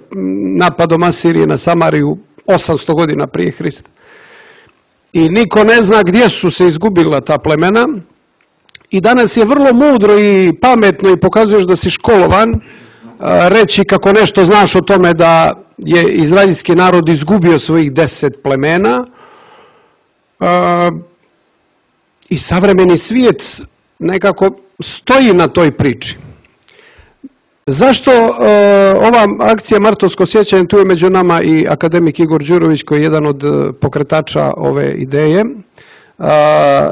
napadom Asirije na Samariju osamsto godina prije Hrista. I niko ne zna gdje su se izgubila ta plemena. I danas je vrlo mudro i pametno i pokazuješ da si školovan reći kako nešto znaš o tome da je izraelski narod izgubio svojih deset plemena i savremeni svijet nekako stoji na toj priči. Zašto uh, ova akcija Martovsko sjećanje, tu je među nama i akademik Igor Đurović koji je jedan od pokretača ove ideje, uh,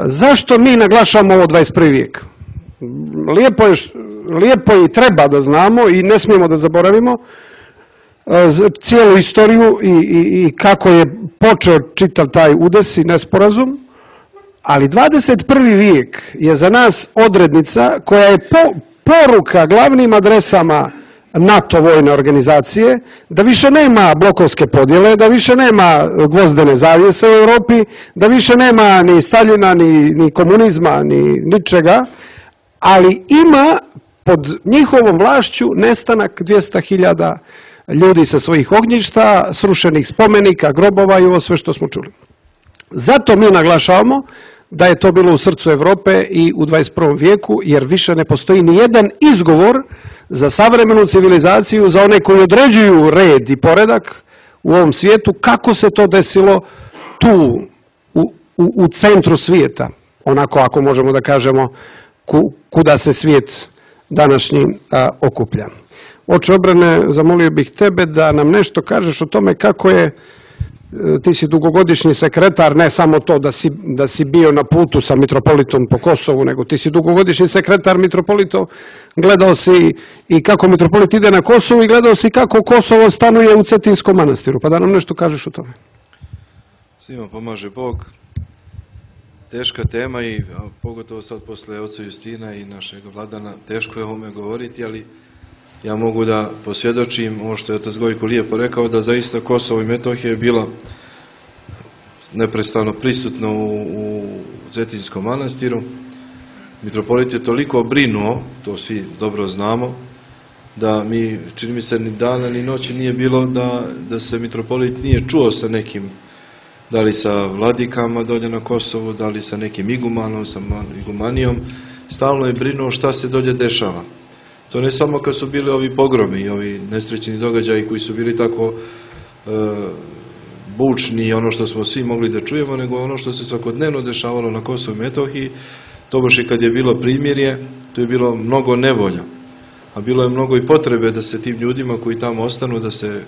zašto mi naglašamo ovo dvadeset prvi vijek? Lijepo, je, lijepo i treba da znamo i ne smijemo da zaboravimo uh, cijelu istoriju i, i, i kako je počeo čitav taj udes i nesporazum, ali dvadeset prvi vijek je za nas odrednica koja je po poruka glavnim adresama NATO vojne organizacije, da više nema blokovske podjele, da više nema gvozdene zavjese u Europi, da više nema ni Staljina, ni, ni komunizma, ni ničega, ali ima pod njihovom vlašću nestanak dvjesto hiljada ljudi sa svojih ognjišta, srušenih spomenika, grobova i ovo sve što smo čuli. Zato mi naglašavamo da je to bilo u srcu Evrope i u dvadeset prvom vijeku, jer više ne postoji ni jedan izgovor za savremenu civilizaciju, za one koji određuju red i poredak u ovom svijetu, kako se to desilo tu, u, u, u centru svijeta, onako ako možemo da kažemo ku, kuda se svijet današnji a, okuplja. Oče Obrane, zamolio bih tebe da nam nešto kažeš o tome kako je, ti si dugogodišnji sekretar, ne samo to da si, da si bio na putu sa mitropolitom po Kosovu, nego ti si dugogodišnji sekretar mitropolitov, gledao si i kako mitropolit ide na Kosovu i gledao si kako Kosovo stanuje u Cetinskom manastiru, pa da nam nešto kažeš o tome. Svima pomaže Bog. Teška tema i pogotovo sad posle oca Justina i našeg Vladana, teško je o ovome govoriti, ali ja mogu da posvjedočim ovo što je otac Gojko lijepo rekao, da zaista Kosovo i Metohija je bila neprestano prisutno u, u Cetinskom manastiru. Mitropolit je toliko brinuo, to svi dobro znamo, da mi, čini mi se, ni dana ni noći nije bilo da, da se mitropolit nije čuo sa nekim da li sa vladikama dolje na Kosovu, da li sa nekim igumanom, sa igumanijom, stalno je brinuo šta se dolje dešava. To ne samo kad su bili ovi pogromi i ovi nesrećni događaji koji su bili tako e, bučni i ono što smo svi mogli da čujemo, nego ono što se svakodnevno dešavalo na Kosovu i Metohiji. Tobož i kad je bilo primirje, tu je bilo mnogo nevolja, a bilo je mnogo i potrebe da se tim ljudima koji tamo ostanu, da se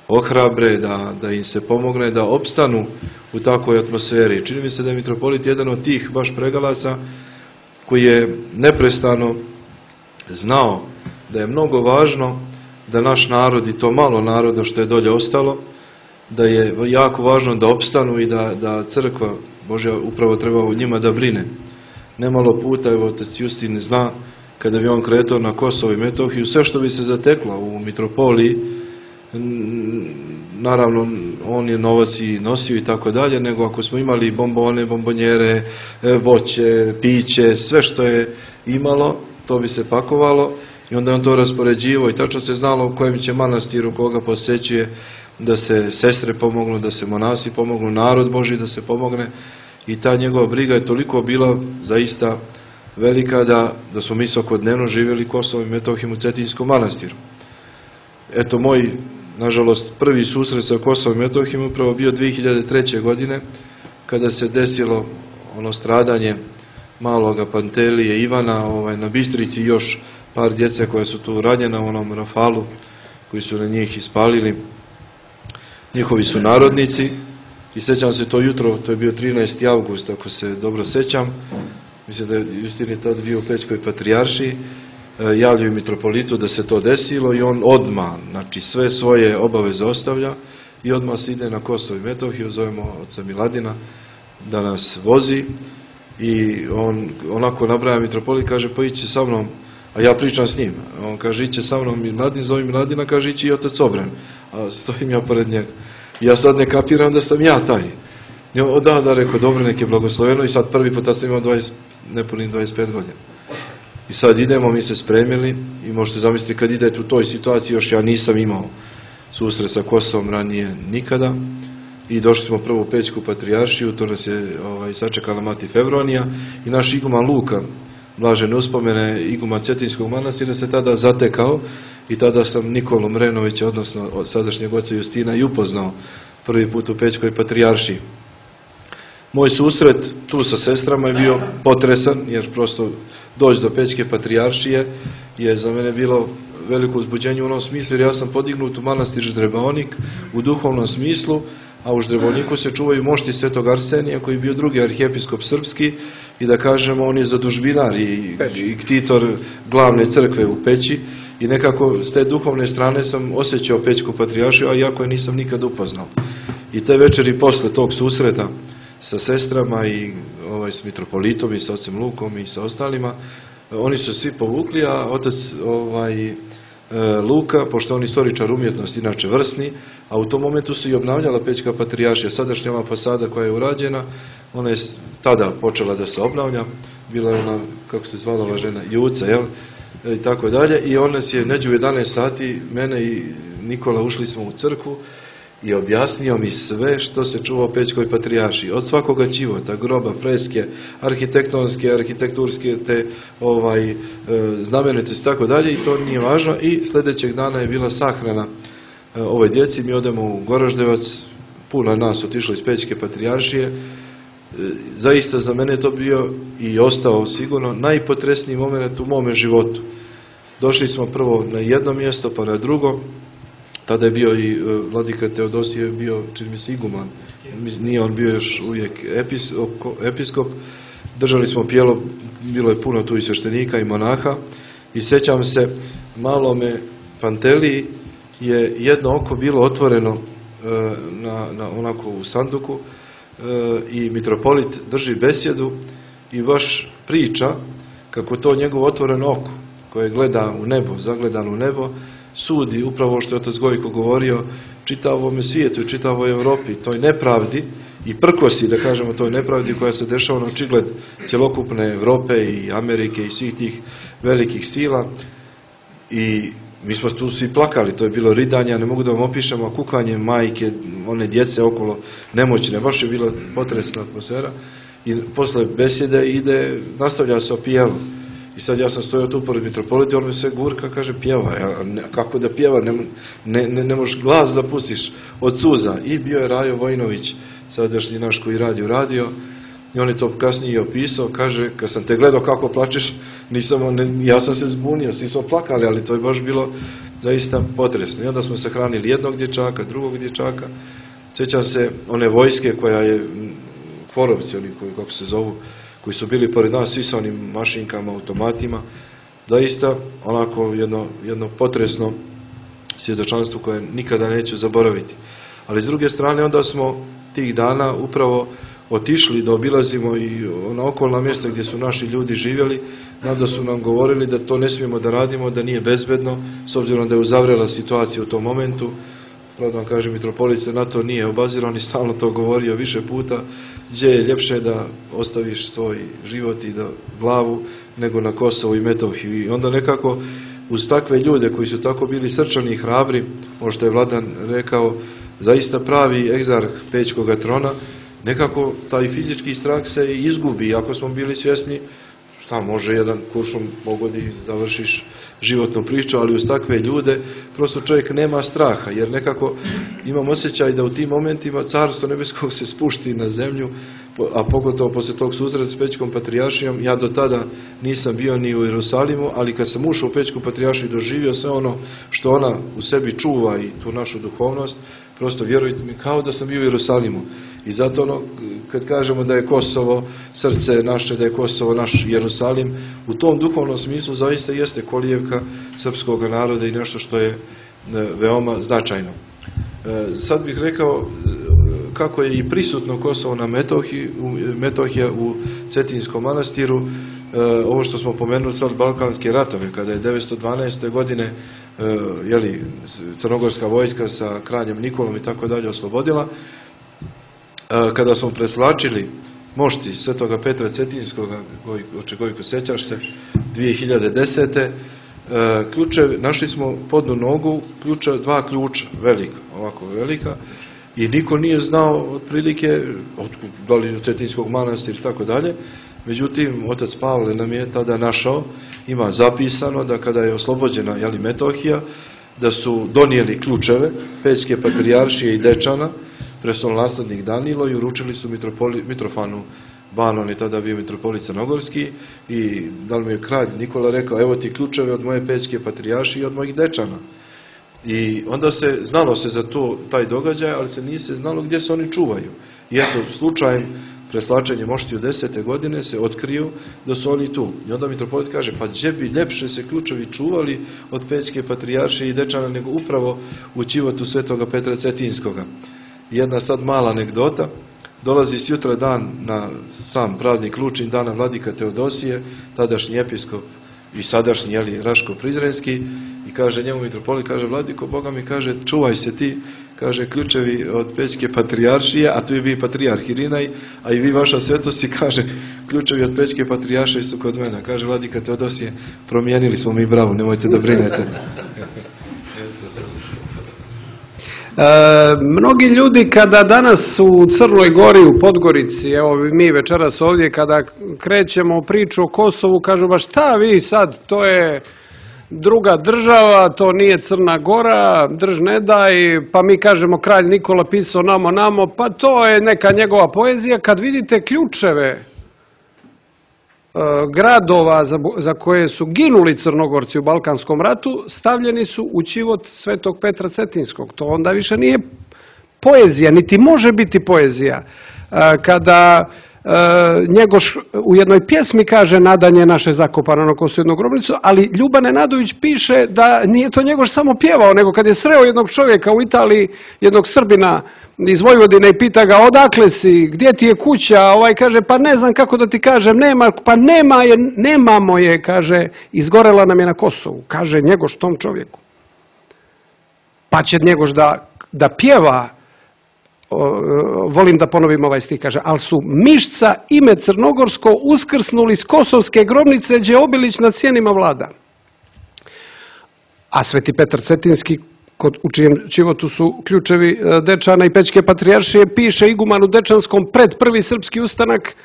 ohrabre, da, da im se pomogne, da opstanu u takvoj atmosferi. Čini mi se da je mitropolit jedan od tih baš pregalaca koji je neprestano znao da je mnogo važno da naš narod i to malo naroda što je dolje ostalo, da je jako važno da opstanu i da, da crkva Božja upravo treba u njima da brine. Nemalo puta, evo otac Justin zna, kada bi on kretao na Kosovo i Metohiju, sve što bi se zateklo u mitropoliji, naravno on je novac i nosio i tako dalje, nego ako smo imali bombone, bombonjere, voće, piće, sve što je imalo, to bi se pakovalo i onda on to raspoređivao i tačno se znalo u kojem će manastiru koga posećuje, da se sestre pomognu, da se monasi pomognu, narod Božji da se pomogne i ta njegova briga je toliko bila zaista velika da, da smo mi svakodnevno živjeli Kosovom i Metohijom u Cetinskom manastiru. Eto, moj, nažalost, prvi susret sa Kosovom i Metohijom upravo bio dvije hiljade treće. godine, kada se desilo ono stradanje maloga Pantelije Ivana ovaj, na Bistrici i još par djece koja su tu ranjena u onom rafalu koji su na njih ispalili. Njihovi su narodnici i sećam se to jutro, to je bio trinaesti avgust, ako se dobro sećam, mislim da je Justin je tad bio u Pećkoj patrijaršiji, javljaju mitropolitu da se to desilo i on odmah, znači sve svoje obaveze ostavlja i odmah se ide na Kosovo i Metohiju, zovemo oca Miladina da nas vozi i on onako nabraja mitropolit, kaže pa iće sa mnom, a ja pričam s njim, on kaže iće sa mnom Miladin, zove Miladina, kaže iće i otac Obren, a stojim ja pored njega. Ja sad ne kapiram da sam ja taj. Ja, da, da, rekao, dobro, nek je blagosloveno i sad prvi put sam imao dvadeset, nepunih dvadeset pet godina. I sad idemo, mi se spremili i možete zamisliti kad idete u toj situaciji, još ja nisam imao susret sa Kosovom ranije nikada i došli smo prvo u Pećku patrijaršiju, to nas je ovaj, sačekala mati Fevronija i naš iguman Luka, blažene uspomene iguman Cetinskog manastira, se tada zatekao i tada sam Nikolu Mrenovića, odnosno sadašnjeg oca Justina, i upoznao prvi put u Pećkoj patrijaršiji. Moj susret tu sa sestrama je bio potresan, jer prosto doći do Pećke patrijaršije je za mene bilo veliko uzbuđenje u onom smislu, jer ja sam podignut u manastir Ždrebaonik u duhovnom smislu, a u Ždrebaoniku se čuvaju mošti Svetog Arsenija, koji je bio drugi arhijepiskop srpski i da kažemo on je zadužbinar i, i ktitor glavne crkve u Peći i nekako s te duhovne strane sam osjećao Pećku patrijaršiju, a iako je nisam nikad upoznao. I te večeri posle tog susreta sa sestrama i ovaj, s mitropolitom i sa ocem Lukom i sa ostalima, oni su svi povukli, a otac ovaj, Luka, pošto on istoričar umjetnosti, inače vrsni, a u tom momentu se i obnavljala Pećka patrijaršija. Sadašnja ova fasada koja je urađena, ona je tada počela da se obnavlja, bila je ona, kako se zvala ova žena, Juca, jel? I tako dalje, i on nas je neđe u jedanaest sati, mene i Nikola ušli smo u crkvu i objasnio mi sve što se čuva u Pećkoj patrijaršiji, od svakoga ćivota, groba, freske, arhitektonske, arhitekturske, te ovaj, e, znamenitosti i tako dalje, i to nije važno. I sljedećeg dana je bila sahrana e, ovoj djeci, mi odemo u Goraždevac, puno nas otišlo iz Pećke patrijaršije. E, zaista za mene to bio i ostao sigurno najpotresniji moment u mome životu. Došli smo prvo na jedno mjesto, pa na drugo. Tada je bio i vladika Teodosije, bio, čini mi se, iguman. Nije on bio još uvijek episkop. Držali smo pjelo, bilo je puno tu i sveštenika i monaha. I sećam se, malome Panteliji je jedno oko bilo otvoreno na, na, onako u sanduku i mitropolit drži besjedu i baš priča kako to njegovo otvoreno oko koje gleda u nebo, zagledano u nebo, sudi upravo što je otac Gojko govorio čitavome svijetu i čitavoj Evropi, toj nepravdi i prkosi, da kažemo, toj nepravdi koja se dešava na očigled cjelokupne Evrope i Amerike i svih tih velikih sila. I mi smo tu svi plakali, to je bilo ridanje, ne mogu da vam opišem, a kukanje majke, one djece okolo nemoćne, baš je bila potresna atmosfera. I posle besjede ide, nastavlja se o pjevu. I sad ja sam stojao tu pored mitropolita, on mi sve gurka, kaže pjeva. Ja, ne, kako da pjeva, ne, ne, ne, ne možeš glas da pustiš od suza. I bio je Rajo Vojnović, sadašnji naš koji radi u radio, i on je to kasnije opisao, kaže, kad sam te gledao kako plačeš, nisam, ne, ja sam se zbunio, svi smo plakali, ali to je baš bilo zaista potresno. I onda smo sahranili jednog dječaka, drugog dječaka. Sjećam se one vojske koja je, Kvorovci, oni koji, kako se zovu, koji su bili pored nas, svi sa onim mašinkama, automatima, zaista onako jedno, jedno potresno svjedočanstvo koje nikada neću zaboraviti. Ali s druge strane, onda smo tih dana upravo otišli da obilazimo i ona okolna mjesta gdje su naši ljudi živjeli, onda su nam govorili da to ne smijemo da radimo, da nije bezbedno, s obzirom da je uzavrela situacija u tom momentu. Pravda vam kažem, mitropolit se na to nije obazirao, on je stalno to govorio više puta, gdje je ljepše da ostaviš svoj život i da glavu nego na Kosovu i Metohiju. I onda nekako uz takve ljude koji su tako bili srčani i hrabri, ono što je Vladan rekao, zaista pravi egzarh Pećkoga trona, nekako taj fizički strah se izgubi. Ako smo bili svjesni šta može jedan kuršum pogodi, završiš životnu priču, ali uz takve ljude prosto čovjek nema straha, jer nekako imam osjećaj da u tim momentima Carstvo nebeskog se spušti na zemlju, a pogotovo poslije tog susreta s Pećkom patrijaršijom. Ja do tada nisam bio ni u Jerusalimu, ali kad sam ušao u Pećku patrijaršiju i doživio sve ono što ona u sebi čuva i tu našu duhovnost, prosto vjerujte mi, kao da sam bio u Jerusalimu. I zato ono, kad kažemo da je Kosovo srce naše, da je Kosovo naš Jerusalim, u tom duhovnom smislu zaista jeste kolijevka srpskog naroda i nešto što je veoma značajno. Sad bih rekao kako je i prisutno Kosovo na Metohiji, Metohija u Cetinskom manastiru, ovo što smo pomenuli sad balkanske ratove, kada je devetsto dvanaeste. godine jeli, crnogorska vojska sa kraljem Nikolom i tako dalje oslobodila, kada smo preslačili mošti Svetoga Petra Cetinskoga, oče Gojko, sjećaš se, dvije hiljade desete. ključevi, našli smo podnu nogu, ključa, dva ključa, velika, ovako velika, i niko nije znao otprilike, otkud, da li od Cetinskog manastira i tako dalje. Međutim, otac Pavle nam je tada našao, ima zapisano da kada je oslobođena jeli, Metohija, da su donijeli ključeve Pećke patrijaršije i Dečana, prestolonaslednik Danilo, i uručili su Mitrofanu Banon, je tada bio mitropolit crnogorski, i da li mi je kralj Nikola rekao, evo ti ključeve od moje Pećke patrijaršije i od mojih Dečana. I onda se, znalo se za to, taj događaj, ali se nije se znalo gdje se oni čuvaju. I eto, slučajem preslačenje moštiju desete godine se otkriju da su oni tu. I onda mitropolit kaže, pa gdje bi ljepše se ključevi čuvali od Pećke patrijaršije i Dečana nego upravo u ćivotu Svetoga Petra Cetinskoga. Jedna sad mala anegdota, dolazi sjutra dan na sam praznik Lučin, dana vladika Teodosije, tadašnji episkop i sadašnji jeli, Raško Prizrenski, i kaže njemu mitropolit, kaže, vladiko, Boga mi, kaže, čuvaj se ti, kaže, ključevi od Pećke patrijaršije, a tu je bio patrijarh Irinaj, a i vi, vaša svetost, i kaže, ključevi od Pećke patrijaršije su kod mene. Kaže vladika Teodosije, promijenili smo mi bravu, nemojte da brinete. E, mnogi ljudi kada danas u Crnoj Gori, u Podgorici, evo mi večeras ovdje, kada krećemo priču o Kosovu, kažu, ba šta vi sad, to je druga država, to nije Crna Gora, drž ne daj, pa mi kažemo kralj Nikola pisao namo namo, pa to je neka njegova poezija. Kad vidite ključeve e, gradova za, za koje su ginuli Crnogorci u Balkanskom ratu, stavljeni su u ćivot Svetog Petra Cetinskog. To onda više nije poezija, niti može biti poezija. E, kada E, Njegoš u jednoj pjesmi kaže, nadanje naše zakopano na Kosovu jednu grobnicu, ali Ljuban Nenadović piše da nije to Njegoš samo pjevao, nego kad je sreo jednog čovjeka u Italiji, jednog Srbina iz Vojvodine, i pita ga, odakle si, gdje ti je kuća, ovaj kaže, pa ne znam kako da ti kažem, nema, pa nema je, nemamo je, kaže, izgorela nam je na Kosovu, kaže Njegoš tom čovjeku. Pa će Njegoš da, da pjeva, volim da ponovim ovaj stih, kaže, ali su mišca ime crnogorsko uskrsnuli s kosovske grobnice, gdje Obilić nad sjenima vlada. a Sveti Petar Cetinski, u čijem životu su ključevi Dečana i Pećke patrijaršije, piše igumanu Dečanskom pred prvi srpski ustanak,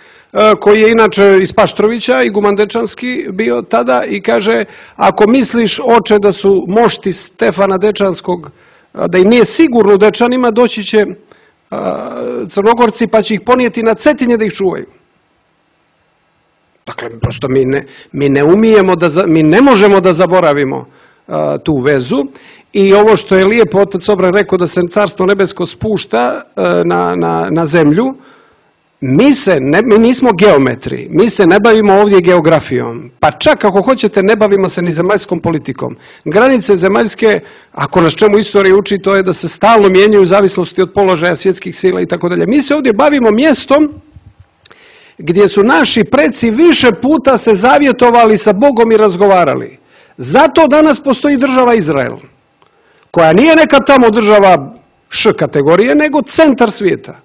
koji je inače iz Paštrovića, iguman Dečanski bio tada, i kaže: ako misliš, oče, da su mošti Stefana Dečanskog, da im nije sigurno u Dečanima, doći će Crnogorci pa će ih ponijeti na Cetinje da ih čuvaju. Dakle, prosto mi ne, mi ne umijemo, da, mi ne možemo da zaboravimo a, tu vezu. I ovo što je lijepo otac Obran rekao, da se Carstvo nebesko spušta a, na, na, na zemlju, mi, se ne, mi nismo geometri, mi se ne bavimo ovdje geografijom, pa čak ako hoćete ne bavimo se ni zemaljskom politikom. Granice zemaljske, ako nas čemu istorija uči, to je da se stalno mijenjaju u zavisnosti od položaja svjetskih sila i tako dalje. Mi se ovdje bavimo mjestom gdje su naši preci više puta se zavjetovali sa Bogom i razgovarali. Zato danas postoji država Izrael, koja nije neka tamo država š kategorije, nego centar svijeta.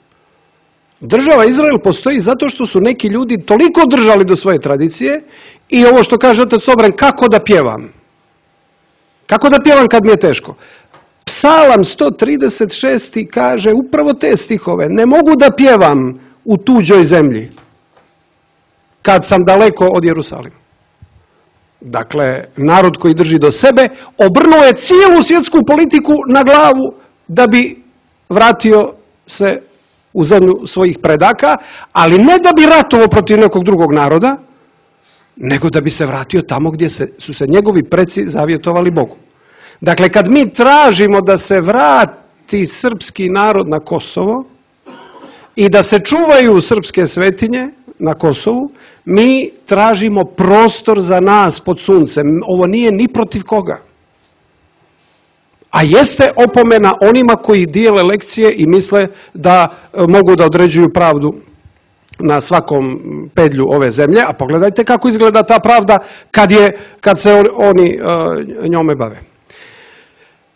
Država Izrael postoji zato što su neki ljudi toliko držali do svoje tradicije, i ovo što kaže otac Obran, kako da pjevam? Kako da pjevam kad mi je teško? Psalam sto trideset šest kaže upravo te stihove: ne mogu da pjevam u tuđoj zemlji kad sam daleko od Jerusalima. Dakle, narod koji drži do sebe obrnuo je cijelu svjetsku politiku na glavu da bi vratio se u zemlju svojih predaka, ali ne da bi ratovao protiv nekog drugog naroda, nego da bi se vratio tamo gdje se, su se njegovi preci zavjetovali Bogu. Dakle, kad mi tražimo da se vrati srpski narod na Kosovo i da se čuvaju srpske svetinje na Kosovu, mi tražimo prostor za nas pod suncem. Ovo nije ni protiv koga. A jeste opomena onima koji dijele lekcije i misle da mogu da određuju pravdu na svakom pedlju ove zemlje. A pogledajte kako izgleda ta pravda kad, je, kad se oni uh, njome bave.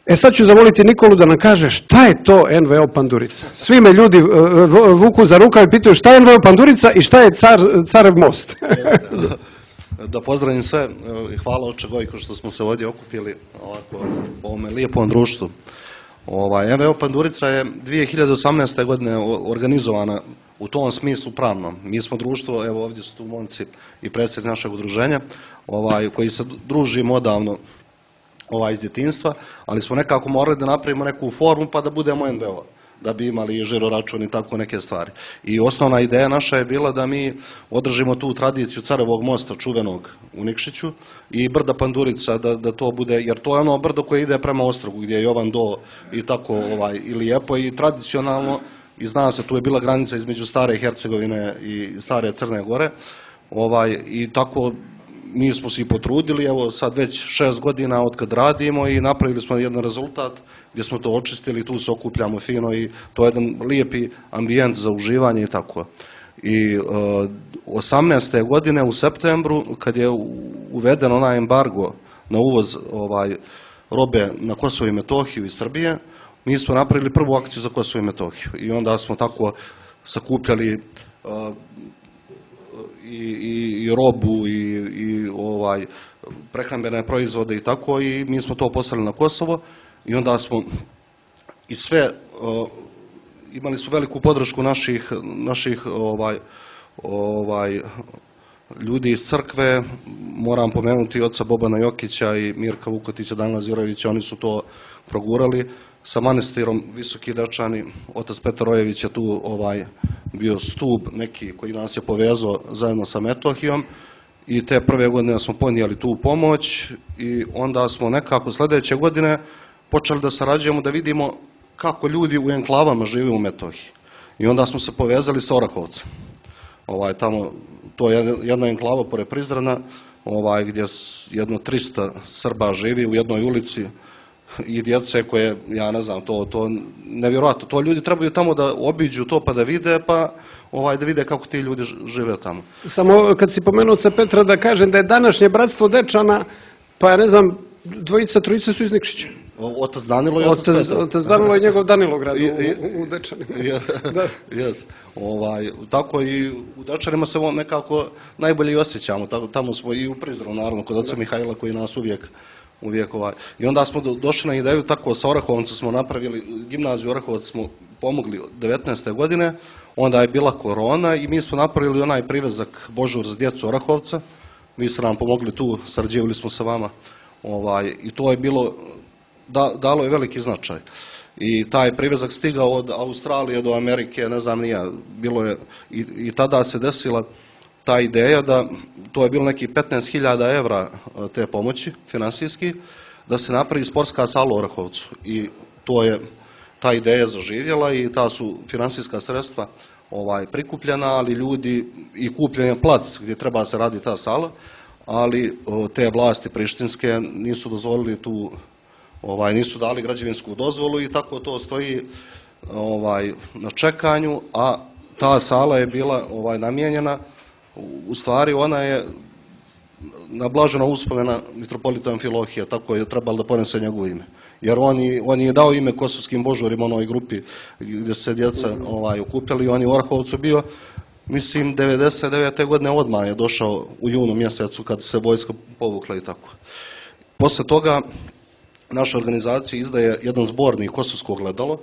E sad ću zamoliti Nikolu da nam kaže šta je to N V O Pandurica. Svi me ljudi uh, vuku za rukav i pitaju šta je N V O Pandurica i šta je car, Carev most. Da pozdravim sve i hvala oče Gojko što smo se ovdje okupili ovako u ovome lijepom društvu. Ovaj, N V O Pandurica je dvije hiljade osamnaeste. godine organizovana u tom smislu pravnom. Mi smo društvo, evo ovdje su tu momci i predsjednik našeg udruženja, ovaj, koji se družimo odavno ovaj, iz djetinjstva, ali smo nekako morali da napravimo neku formu pa da budemo N V O, da bi imali žiro račun i tako neke stvari. I osnovna ideja naša je bila da mi održimo tu tradiciju Carevog mosta čuvenog u Nikšiću i brda Pandurica, da, da to bude, jer to je ono brdo koje ide prema Ostrogu gdje je Jovan Do i tako ovaj, i lijepo i tradicionalno, i zna se, tu je bila granica između Stare Hercegovine i Stare Crne Gore, ovaj, i tako mi smo se i potrudili, evo sad već šest godina od kad radimo i napravili smo jedan rezultat gdje smo to očistili, tu se okupljamo fino i to je jedan lijepi ambijent za uživanje i tako. I uh, osamnaeste. godine u septembru, kad je uveden onaj embargo na uvoz ovaj, robe na Kosovo i Metohiju iz Srbije, mi smo napravili prvu akciju za Kosovo i Metohiju i onda smo tako sakupljali uh, i, i, i robu i, i ovaj, prehrambene proizvode i tako, i mi smo to poslali na Kosovo i onda smo i sve uh, imali su veliku podršku naših, naših ovaj, ovaj, ljudi iz crkve. Moram pomenuti oca Bobana Jokića i Mirka Vukotića, Danila Zirovića, oni su to progurali. Sa manastirom Visoki Dečani, otac Petar Ojević je tu ovaj, bio stup neki koji nas je povezao zajedno sa Metohijom i te prve godine smo ponijeli tu pomoć i onda smo nekako sljedeće godine počeli da sarađujemo, da vidimo kako ljudi u enklavama žive u Metohiji. I onda smo se povezali sa Orahovcem. Ovaj, tamo, to je jedna enklava pored Prizrena, ovaj, gdje jedno tristo Srba živi u jednoj ulici i djece koje, ja ne znam, to, to nevjerojatno. To ljudi trebaju tamo da obiđu to pa da vide, pa ovaj, da vide kako ti ljudi žive tamo. Samo kad si pomenuo oca Petra da kažem da je današnje bratstvo Dečana, pa ja ne znam, dvojica, trojica su iz Nikšića. Otac Danilo i otac, otac Petar. Otac Danilo i njegov Danilograd u, u Dečanima. Da. Yes. Ovaj, tako i u Dečanima se nekako najbolje i osjećamo. Tamo smo i u Prizrenu, naravno, kod oca Mihajla koji nas uvijek uvijek ovaj. I onda smo došli na ideju, tako sa Orahovcem smo napravili, gimnaziju Orahovac smo pomogli devetnaeste godine, onda je bila korona i mi smo napravili onaj privezak Božur za djecu Orahovca, vi ste nam pomogli tu, sarađivali smo sa vama, ovaj, i to je bilo, da, dalo je veliki značaj. I taj privezak stigao od Australije do Amerike, ne znam nija, bilo je, i, i tada se desila ta ideja da, to je bilo neki petnaest hiljada evra te pomoći, finansijski, da se napravi sportska sala u Orahovcu. I to je, ta ideja zaživjela i ta su finansijska sredstva ovaj, prikupljena, ali ljudi, i kupljen je plac gdje treba se radi ta sala, ali o, te vlasti prištinske nisu dozvolili tu, ovaj, nisu dali građevinsku dozvolu i tako to stoji ovaj, na čekanju, a ta sala je bila ovaj, namijenjena, u stvari ona je nablažena uspomena mitropolita Amfilohija, tako je trebalo da ponese njegovo ime. Jer on je, on je dao ime kosovskim božurima onoj grupi gdje se djeca ovaj, okupili, on je u Orahovcu bio, mislim, devedeset devete godine odmah je došao u junu mjesecu kad se vojska povukla i tako. Posle toga naša organizacija izdaje jedan zbornik Kosovsko ogledalo,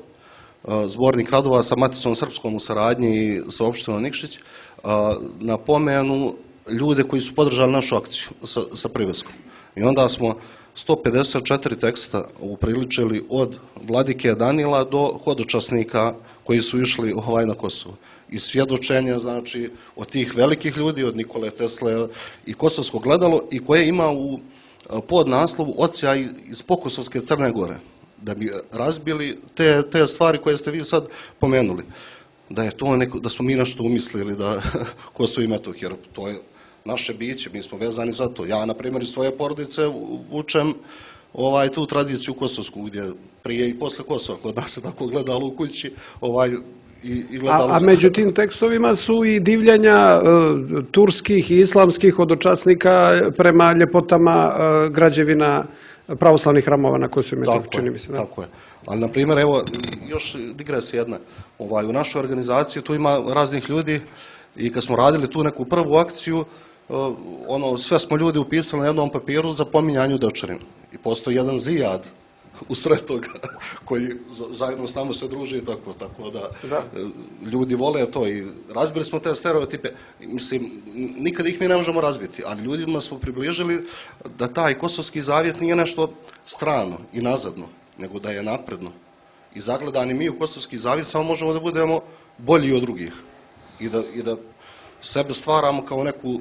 zbornik radova sa Maticom Srpskom u saradnji i sa opštinom Nikšić, na pomenu ljude koji su podržali našu akciju sa, sa priveskom. I onda smo sto pedeset četiri teksta upriličili od Vladike Danila do hodočasnika koji su išli ovaj na Kosovo. I svjedočenja, znači, od tih velikih ljudi, od Nikole Tesle i Kosovsko gledalo, i koje ima u podnaslovu Ocija iz Pokosovske Crne Gore, da bi razbili te, te stvari koje ste vi sad pomenuli. Da je to neko, da smo mi nešto umislili da Kosovo i Metohija, jer to je naše biće, mi smo vezani za to. Ja, na primjer, iz svoje porodice vučem ovaj, tu tradiciju kosovsku, gdje prije i posle Kosova, kod nas se tako gledalo u kući, ovaj, i, i gledalo a, a među tim tekstovima su i divljanja uh, turskih i islamskih hodočasnika prema ljepotama uh, građevina pravoslavnih hramova na Kosovu i Metohiji, čini mi se. Da? Tako je. Ali, na primjer, evo, još digresija jedna. Ovaj, u našoj organizaciji tu ima raznih ljudi i kad smo radili tu neku prvu akciju, ono, sve smo ljudi upisali na jednom papiru za pominjanju Dečarina. I postoji jedan Zijad u sred toga koji zajedno s nama se druži i tako, tako da, da ljudi vole to i razbili smo te stereotipe. Mislim, nikad ih mi ne možemo razbiti, ali ljudima smo približili da taj kosovski zavjet nije nešto strano i nazadno, nego da je napredno. I zagledani mi u kosovski zavjet samo možemo da budemo bolji od drugih i da, i da sebe stvaramo kao neku,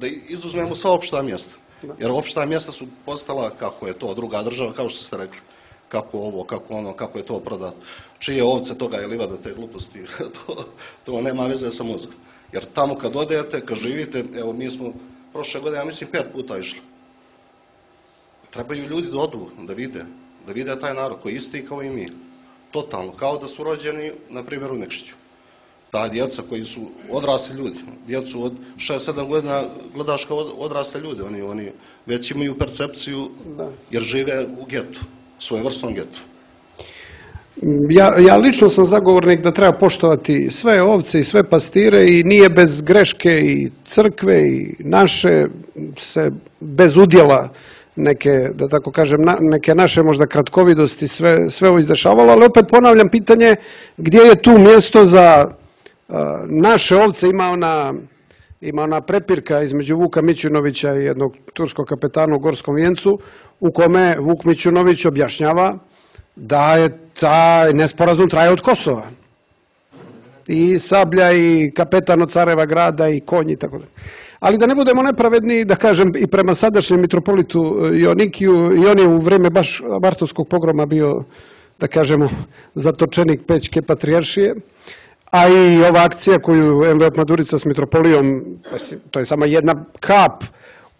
da izuzmemo sva opšta mjesta. Jer opšta mjesta su postala, kako je to druga država, kao što ste rekli, kako ovo, kako ono, kako je to prodato. Čije ovce toga je livada, te gluposti, to, to nema veze sa mozgom. Jer tamo kad odete, kad živite, evo mi smo prošle godine, ja mislim, pet puta išli. Trebaju ljudi da odu, da vide, da vide taj narod koji je isti kao i mi. Totalno, kao da su rođeni, na primjer, u Nikšiću. Ta djeca koji su odrasli ljudi, djecu od šest sedam godina gledaš kao odrasle ljude, oni, oni već imaju percepciju jer žive u getu, svojevrsnom getu. Ja, ja lično sam zagovornik da treba poštovati sve ovce i sve pastire i nije bez greške i crkve i naše se bez udjela neke, da tako kažem, na, neke naše možda kratkovidosti sve, sve ovo izdešavalo, ali opet ponavljam pitanje gdje je tu mjesto za naše ovce. Ima ona, ima ona prepirka između Vuka Mićunovića i jednog turskog kapetana u Gorskom Vijencu, u kome Vuk Mićunović objašnjava da je taj nesporazum traje od Kosova. I Sablja i kapetan od Careva grada i konji i tako da. Ali da ne budemo nepravedni, da kažem, i prema sadašnjem mitropolitu Jonikiju, i on je u vrijeme baš Martovskog pogroma bio, da kažemo, zatočenik Pećke patrijaršije. A i ova akcija koju M V O Madurica s mitropolijom, to je samo jedna kap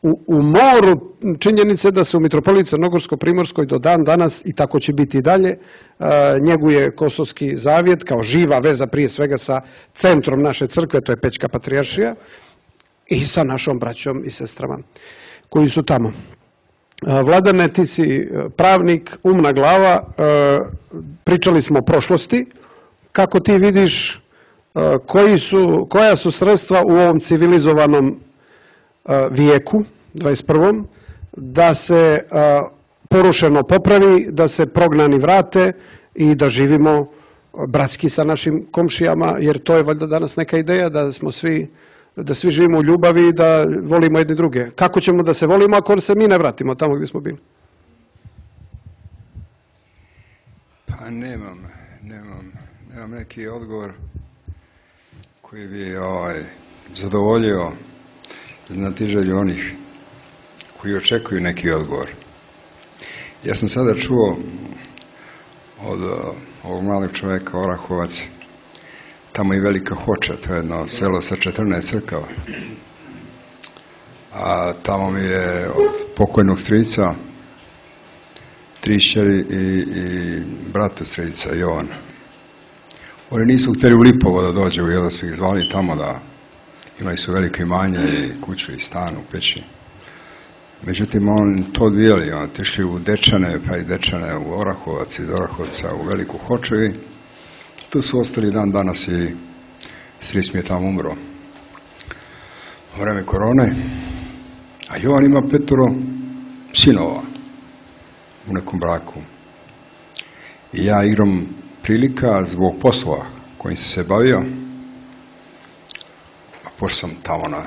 u, u moru činjenice da se u mitropoliji Crnogorsko-Primorskoj do dan danas, i tako će biti i dalje, njeguje kosovski zavjet kao živa veza prije svega sa centrom naše crkve, to je Pećka patrijaršija, i sa našom braćom i sestrama koji su tamo. Vladane, ti si pravnik, umna glava, pričali smo o prošlosti. Kako ti vidiš koji su, koja su sredstva u ovom civilizovanom vijeku, dvadeset prvom, da se porušeno popravi, da se prognani vrate i da živimo bratski sa našim komšijama, jer to je valjda danas neka ideja da smo svi, da svi živimo u ljubavi i da volimo jedni druge. Kako ćemo da se volimo ako se mi ne vratimo tamo gdje smo bili? Pa nemam, nemam, nemam neki odgovor koji bi ovaj, zadovoljio znatiželju onih koji očekuju neki odgovor. Ja sam sada čuo od ovog malog čovjeka Orahovac, tamo je Velika Hoča, to je jedno selo sa četrnaest crkava. A tamo mi je od pokojnog strica tri šćeri i, i bratu strica Jovan. Oni nisu htjeli u Lipovo da dođu, jer da su ih zvali tamo da imali su veliko imanje i kuću i stan u Peći. Međutim, on to odvijali, on tešli u Dečane, pa i Dečane u Orahovac, iz Orahovca u Veliku Hoču i tu su ostali dan danas i stric mi je tamo umro u vreme korone. A Jovan ima petoro sinova u nekom braku. I ja igram prilika zbog poslova kojim sam se bavio, a pošto sam tamo na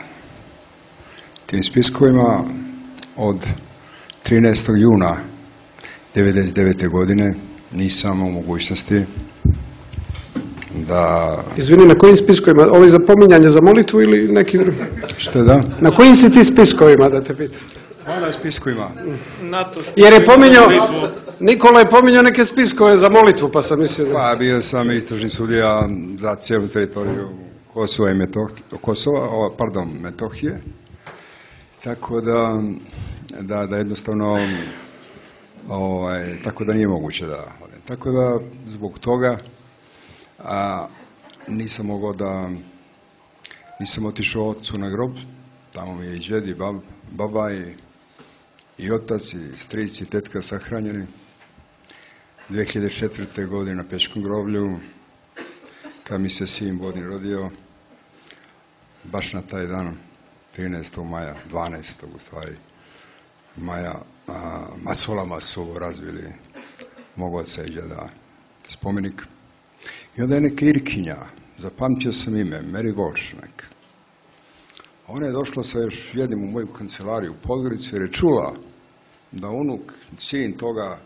tim spiskovima, od trinaestog juna devedeset devete. godine nisam u mogućnosti da... Izvini, na kojim spiskovima? Ovo je za pominjanje za molitvu ili neki drugi? Što da? Na kojim si ti spiskovima, da te pitam? Na spiskovima. Jer je pominjao, Nikola je pominjao neke spiskove za molitvu, pa sam mislio da... Pa bio sam istražni sudija za cijelu teritoriju Kosova i Metohije, Kosova, pardon, Metohije. Tako da, da, da jednostavno, ovaj, tako da nije moguće da odem. Tako da, zbog toga, a, nisam mogao da, nisam otišao ocu na grob, tamo mi je i džed i bab, baba i, i otac i stric i tetka sahranjeni. dvije hiljade četvrte. godine na Pečkom groblju, kad mi se sin Bodin rodio, baš na taj dan, trinaestog maja, dvanaestog u stvari maja, a, macolama su razvili mog oca i džeda spomenik. I onda je neka Irkinja, zapamtio sam ime, Mary Volšnek. Ona je došla sa još jednim u moju kancelariju u Podgoricu jer je čula da unuk, sin toga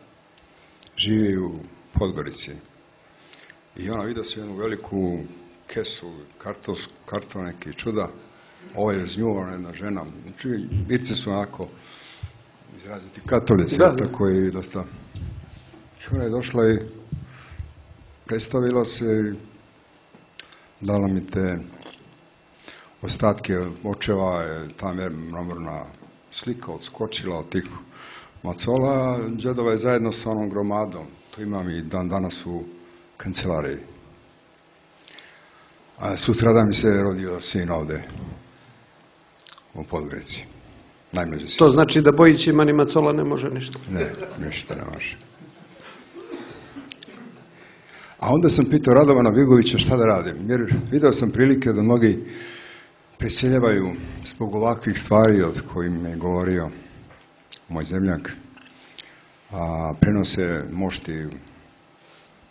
živi u Podgorici. I ona vidio se jednu veliku kesu, kartos, karton neki čuda. Ovo je znjuvana jedna žena. Znači, Irci su onako izraziti katolici, da, tako i dosta. I ona je došla i predstavila se i dala mi te ostatke očeva, je ta mramorna slika odskočila od tih macola. Džedova je zajedno sa onom gromadom. To imam i dan danas u kancelariji. A sutra da mi se rodio sin ovde u Podgorici. Najmlađi sin. To znači da Bojić ima ni macola ne može ništa? Ne, ništa ne može. A onda sam pitao Radovana Vigovića šta da radim, jer video sam prilike da mnogi preseljavaju zbog ovakvih stvari od kojim je govorio moj zemljak, a prenose mošti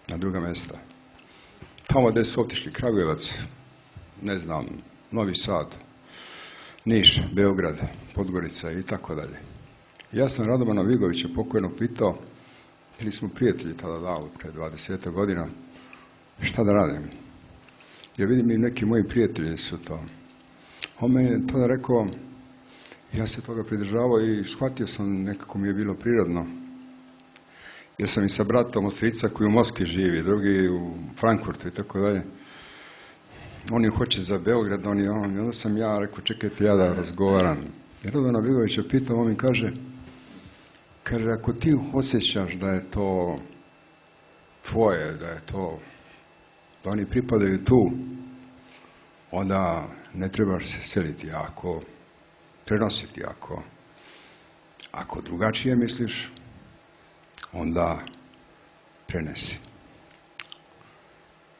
na druga mjesta. Tamo gdje su otišli Kragujevac, ne znam, Novi Sad, Niš, Beograd, Podgorica i tako dalje. Ja sam Radovana Vigovića pokojnog pitao, bili smo prijatelji tada davno, pre dvadeset godina, šta da radim? Jer vidim i neki moji prijatelji su to. On meni je tada rekao, ja se toga pridržavao i shvatio sam, nekako mi je bilo prirodno. Jer sam i sa bratom od strica koji u Moskvi živi, drugi u Frankfurtu i tako dalje. Oni hoće za Beograd, oni on. I onda sam ja rekao, čekajte ja da razgovaram. Jer Radovana Vigovića pitao, on mi kaže, kaže, ako ti osjećaš da je to tvoje, da je to, da oni pripadaju tu, onda ne trebaš se seliti, ako prenositi, ako, ako drugačije misliš, onda prenesi.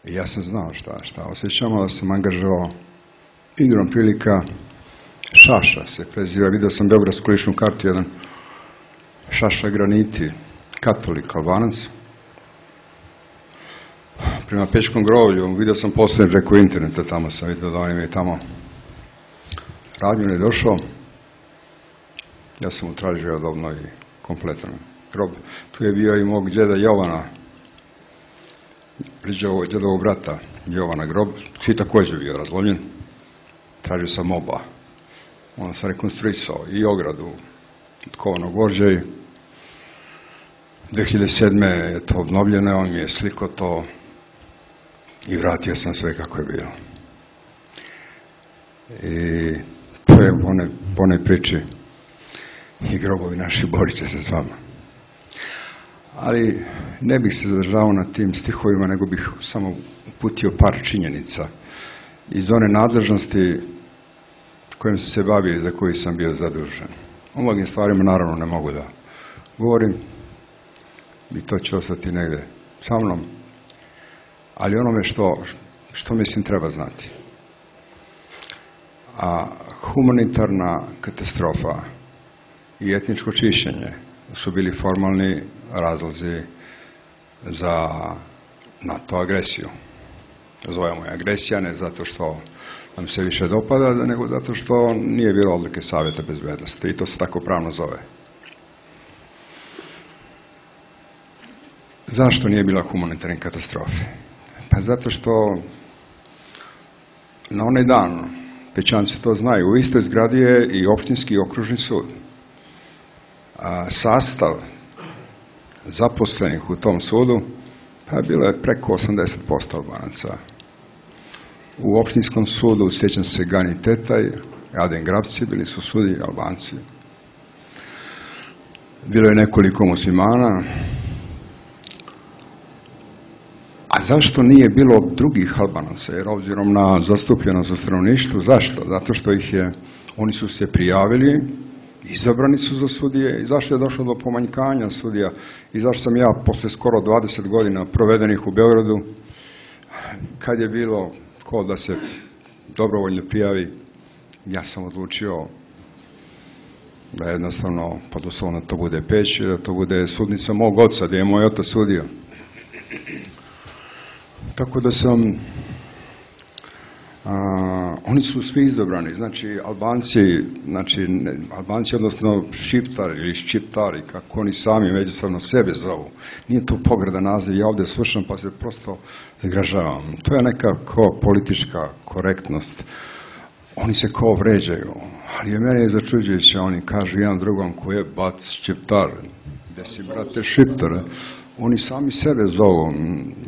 I ja sam znao šta, šta osjećam, da sam angažovao igrom prilika, Šaša se preziva, vidio sam beogradsku ličnu kartu, jedan Šaša Graniti, katolik, Albanac. Prema Pećkom groblju, vidio sam poslije preko interneta, tamo sam vidio da on im je tamo radnju ne došao. Ja sam mu tražio da obnovi kompletan grob. Tu je bio i mog džeda Jovana, džedovog brata Jovana grob, svi također bio razlomljen. Tražio sam oba. Onda sam rekonstruisao i ogradu od kovanog gvožđa i dvije hiljade sedme je to obnovljeno, on mi je sliko to i vratio sam sve kako je bilo. I to je po one, po one priči i grobovi naši borit će se s vama. Ali ne bih se zadržavao na tim stihovima, nego bih samo uputio par činjenica iz one nadležnosti kojim sam se bavio i za koji sam bio zadužen. O mnogim stvarima naravno ne mogu da govorim i to će ostati negdje sa mnom, ali onome što, što mislim treba znati. A humanitarna katastrofa i etničko čišćenje su bili formalni razlozi za NATO agresiju. Zovemo je agresija ne zato što nam se više dopada, nego zato što nije bilo odluke Savjeta bezbednosti i to se tako pravno zove. Zašto nije bila humanitarne katastrofe? Pa zato što na onaj dan, Pećanci to znaju, u istoj zgradi je i opštinski i okružni sud. A sastav zaposlenih u tom sudu pa bilo je preko osamdeset posto Albanaca. U opštinskom sudu, sjećam se, Gani Tetaj, Aden Grabci, bili su sudi Albanci. Bilo je nekoliko muslimana. A zašto nije bilo drugih Albanaca? Jer obzirom na zastupljenost u stanovništvu, zašto? Zato što ih je, oni su se prijavili, izabrani su za sudije i zašto je došlo do pomanjkanja sudija i zašto sam ja posle skoro dvadeset godina provedenih u Beogradu, kad je bilo ko da se dobrovoljno prijavi, ja sam odlučio da jednostavno pod uslovom da to bude Peć, da to bude sudnica mog oca, gdje je moj otac sudio. Tako da sam, a, oni su svi izabrani, znači Albanci, znači ne, Albanci odnosno Šiptari ili Ščiptari, kako oni sami međusobno sebe zovu. Nije to pogreda naziv, ja ovdje slušam pa se prosto zgražavam. To je nekako politička korektnost. Oni se kao vređaju, ali je mene je začuđujuće, oni kažu jedan drugom ko je bac Ščiptar, gdje si brate Šiptar. Oni sami sebe zovu.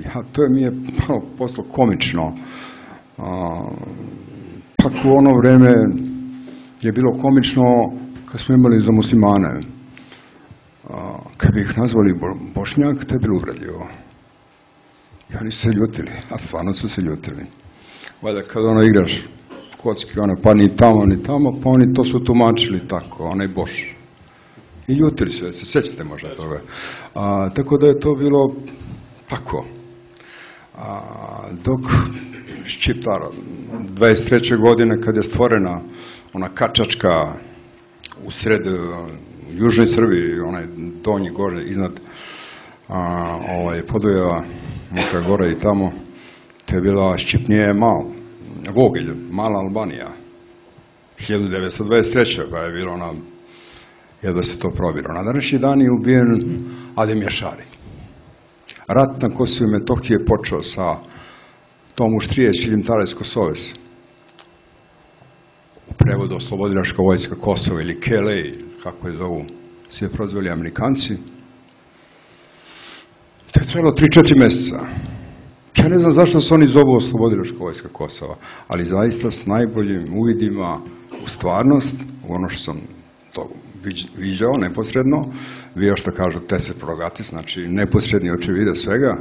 Ja, to je mi je poslo komično. A, pak u ono vreme je bilo komično kad smo imali za muslimane. A, kad bi ih nazvali bo, Bošnjak, to je bilo uvredljivo. I oni su se ljutili, a stvarno su se ljutili. Valjda kad ono igraš kocki, ono, pa ni tamo, ni tamo, pa oni to su tumačili tako, onaj Boš. I ljutili su, se sjećate možda toga. A, tako da je to bilo tako. A, dok Ščiptar, dvadeset treće godine kad je stvorena ona kačačka u sred, u južnoj Srbiji, onaj donji gore iznad a, ovaj, Podujeva, Mokra Gora i tamo, to je bila Ščipnije mal, Vogelj, mala Albanija. hiljadu devetsto dvadeset treće pa je bilo ona jedva se to probilo. Na današnji dan je ubijen Adem Jašari. Rat na Kosovu i Metohiji je počeo sa tom Uštrije Čilimtares Kosoves. U prevodu Oslobodilačka vojska Kosova ili K L A, kako je zovu, se je prozvali Amerikanci. To je trebalo tri četiri mjeseca. Ja ne znam zašto se oni zovu Oslobodilačka vojska Kosova, ali zaista s najboljim uvidima u stvarnost, u ono što sam to viđao neposredno, bio što kažu tese progatis, znači neposredni očevide svega.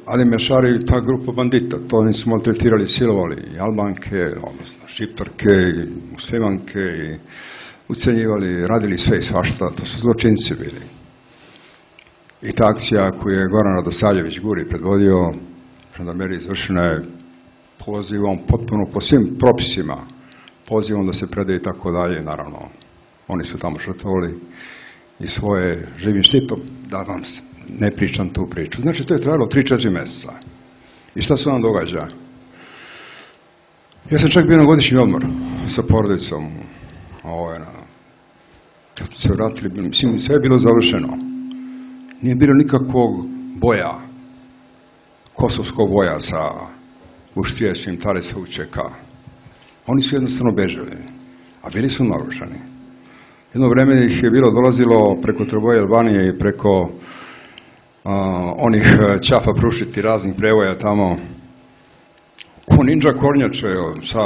Adem Jašari i ta grupa bandita, to oni su maltretirali, silovali i Albanke, odnosno Šiptarke, i Muslimanke, i ucenjivali, radili sve i svašta, to su zločinci bili. I ta akcija koju je Goran Radosavljević Guri predvodio, žandarmerija izvršena je pozivom potpuno po svim propisima, pozivom da se predaju i tako dalje, naravno, Oni su tamo žrtvovali i svoje živim štitom, da vam ne pričam tu priču. Znači, to je trajalo tri četiri mjeseca. I šta se vam događa? Ja sam čak bio na godišnji odmor sa porodicom. Ovo, na, kad se vratili, mislim, sve je bilo završeno. Nije bilo nikakvog boja, kosovskog boja sa uštijećim Tarisovčeka. Oni su jednostavno bežali, a bili su naoružani. Jedno vreme ih je bilo dolazilo preko Troboje Albanije i preko a, onih ćafa prušiti raznih prevoja tamo. Ko ninja kornjače, sa,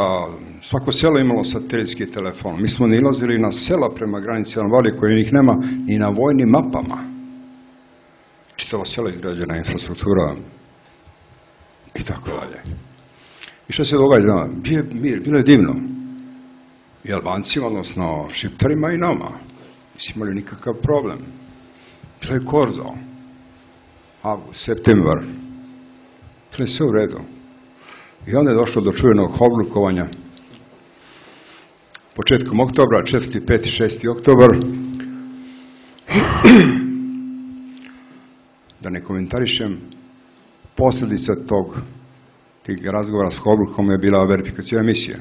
svako selo imalo satelitski telefon. Mi smo nilazili na sela prema granici Albanije koje njih nema ni na vojnim mapama. Čitava sela izgrađena infrastruktura i tako dalje. I što se događa? Bilo je divno. I Albancima, odnosno Šiptarima i nama. Nisi imali nikakav problem. Bilo je korzo. Avgust, septembar. Bilo je sve u redu. I onda je došlo do čuvenog oblikovanja. Početkom oktobra, četvrti, peti, šesti oktobar. Da ne komentarišem, posljedica tog tih razgovora s Hoblukom je bila verifikacija misija.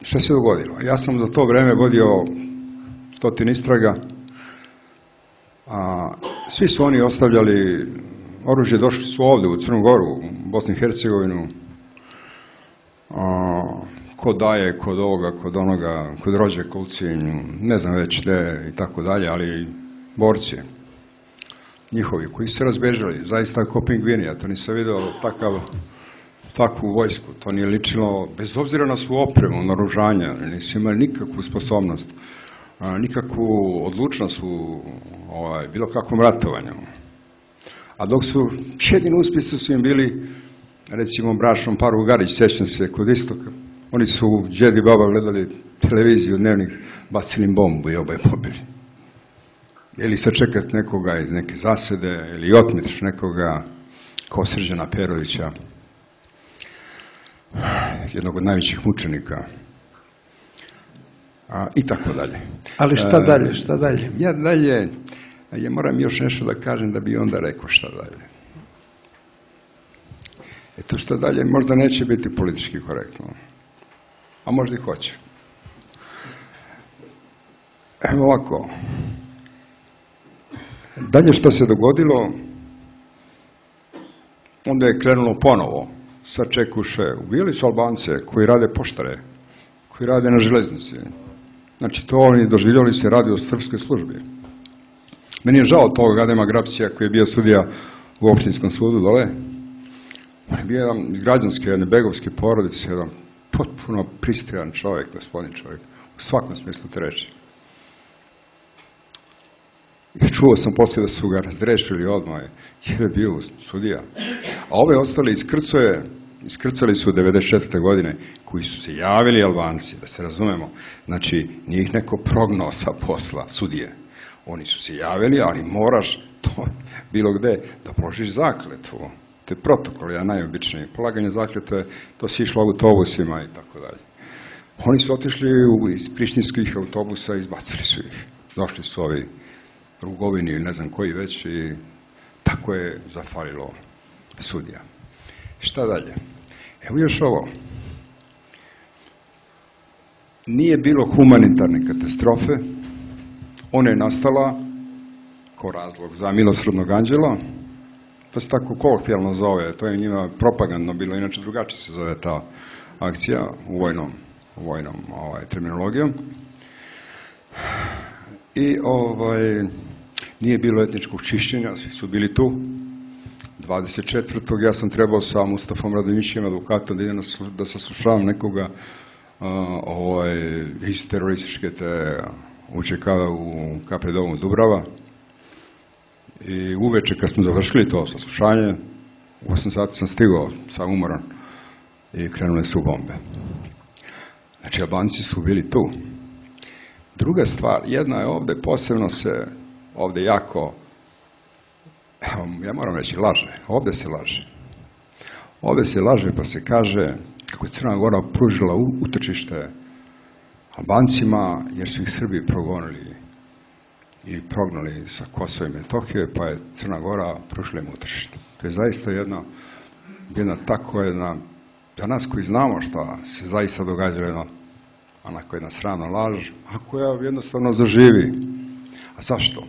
Šta se dogodilo? Ja sam do to vreme vodio stotin istraga, a svi su oni ostavljali oružje, došli su ovdje u Crnu Goru, u Bosnu i Hercegovinu, a, ko daje, kod ovoga, kod onoga, kod Rođe, Kulcinju, ne znam već gdje i tako dalje, ali borci njihovi koji su se razbežali, zaista kao pingvini, ja to nisam vidio takav, takvu vojsku, to nije ličilo, bez obzira na svu opremu, naoružanja, nisu imali nikakvu sposobnost, a, nikakvu odlučnost u ovaj, bilo kakvom ratovanju. A dok su, jedini uspjesi su im bili, recimo, bračnom paru Garić, sjećam se, kod istoka, oni su džed i baba gledali televiziju, dnevnik, bacili im bombu i oboje pobili. Ili sačekati nekoga iz neke zasede, ili otmetiš nekoga kao Srđana Perovića, jednog od najvećih mučenika, a, i tako dalje. Ali šta dalje, šta dalje? Ja dalje, ja moram još nešto da kažem da bi onda rekao šta dalje. E to šta dalje možda neće biti politički korektno, a možda i hoće. Evo ovako. Dalje što se dogodilo, onda je krenulo ponovo. Sačekuše, ubijali su Albance koji rade poštare, koji rade na železnici. Znači to oni doživljali se radi o srpskoj službi. Meni je žao tog Adema Grapcija koji je bio sudija u opštinskom sudu dole. On je bio jedan iz građanske, jedne begovske porodice, jedan potpuno pristojan čovjek, gospodin čovjek, u svakom smislu te reči. I čuo sam poslije da su ga razrešili odmah, jer je bio sudija. A ove ostale iskrcoje, iskrcali su devedeset četvrte godine, koji su se javili Albanci, da se razumemo. Znači, nije ih neko prognao sa posla, sudije. Oni su se javili, ali moraš to bilo gde da položiš zakletvu. To je protokol, ja najobičniji. Polaganje zakletve, to si išlo autobusima i tako dalje. Oni su otišli iz prištinskih autobusa i izbacili su ih. Došli su ovi Rugovini ili ne znam koji već i tako je zafalilo sudija. Šta dalje? Evo još ovo. Nije bilo humanitarne katastrofe, ona je nastala kao razlog za milosrdnog anđela, to se tako kolokvijalno zove, to je njima propagandno bilo, inače drugačije se zove ta akcija u vojnom, u vojnom ovaj, terminologijom. I ovaj, nije bilo etničkog čišćenja, svi su bili tu. dvadeset četvrtog ja sam trebao sa Mustafom Radonjićem, advokatom, da idem da saslušavam nekoga uh, ovaj, iz terorističke te UČK u Kapredovom Dubrava. I uveče kad smo završili to saslušanje, u osam sati sam stigao, sam umoran, i krenule su bombe. Znači, Albanci su bili tu. Druga stvar, jedna je ovdje, posebno se ovdje jako, ja moram reći, laže. Ovdje se laže. Ovdje se laže pa se kaže kako je Crna Gora pružila utočište Albancima, jer su ih Srbi progonili i prognali sa Kosova i Metohije, pa je Crna Gora prošla im u tržište. To je zaista jedna, jedna tako jedna, za nas koji znamo šta se zaista događa, jedna, onako jedna sramna laž, a koja jednostavno zaživi. A zašto?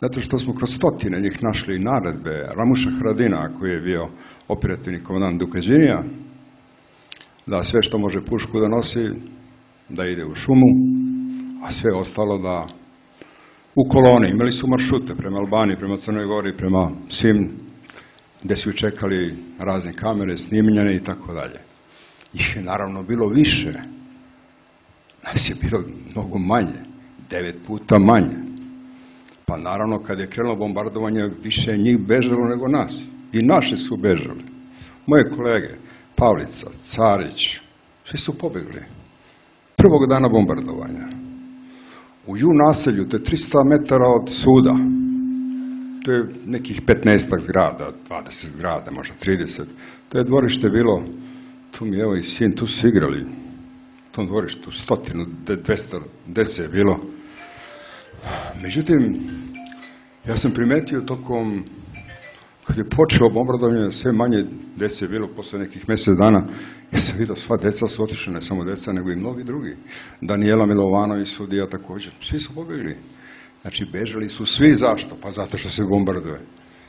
Zato što smo kroz stotine njih našli naredbe Ramuša Haradina, koji je bio operativni komandant Dukađinija, da sve što može pušku da nosi, da ide u šumu, a sve ostalo da u koloni. Imali su maršrute prema Albaniji, prema Crnoj Gori, prema svim gde su čekali razne kamere, snimljene i tako dalje. Ih je naravno bilo više. Nas je bilo mnogo manje, devet puta manje. Pa naravno kad je krenulo bombardovanje, više je njih bežalo nego nas. I naši su bežali. Moje kolege, Pavlica, Carić, svi su pobegli. Prvog dana bombardovanja. U Ju naselju, to je tristo metara od suda, to je nekih petnaestak zgrada, dvadeset zgrada, možda trideset. To je dvorište bilo, tu mi evo i sin, tu su igrali, u tom dvorištu stotinu, dvesta deset je bilo. Međutim, ja sam primetio tokom, kad je počelo bombardovanje, sve manje dece je bilo posle nekih mjesec dana, ja sam vidio sva deca su otišla, ne samo deca, nego i mnogi drugi. Danijela Milovanović, sudija također, svi su pobjegli. Znači, bežali su svi, zašto? Pa zato što se bombarduje.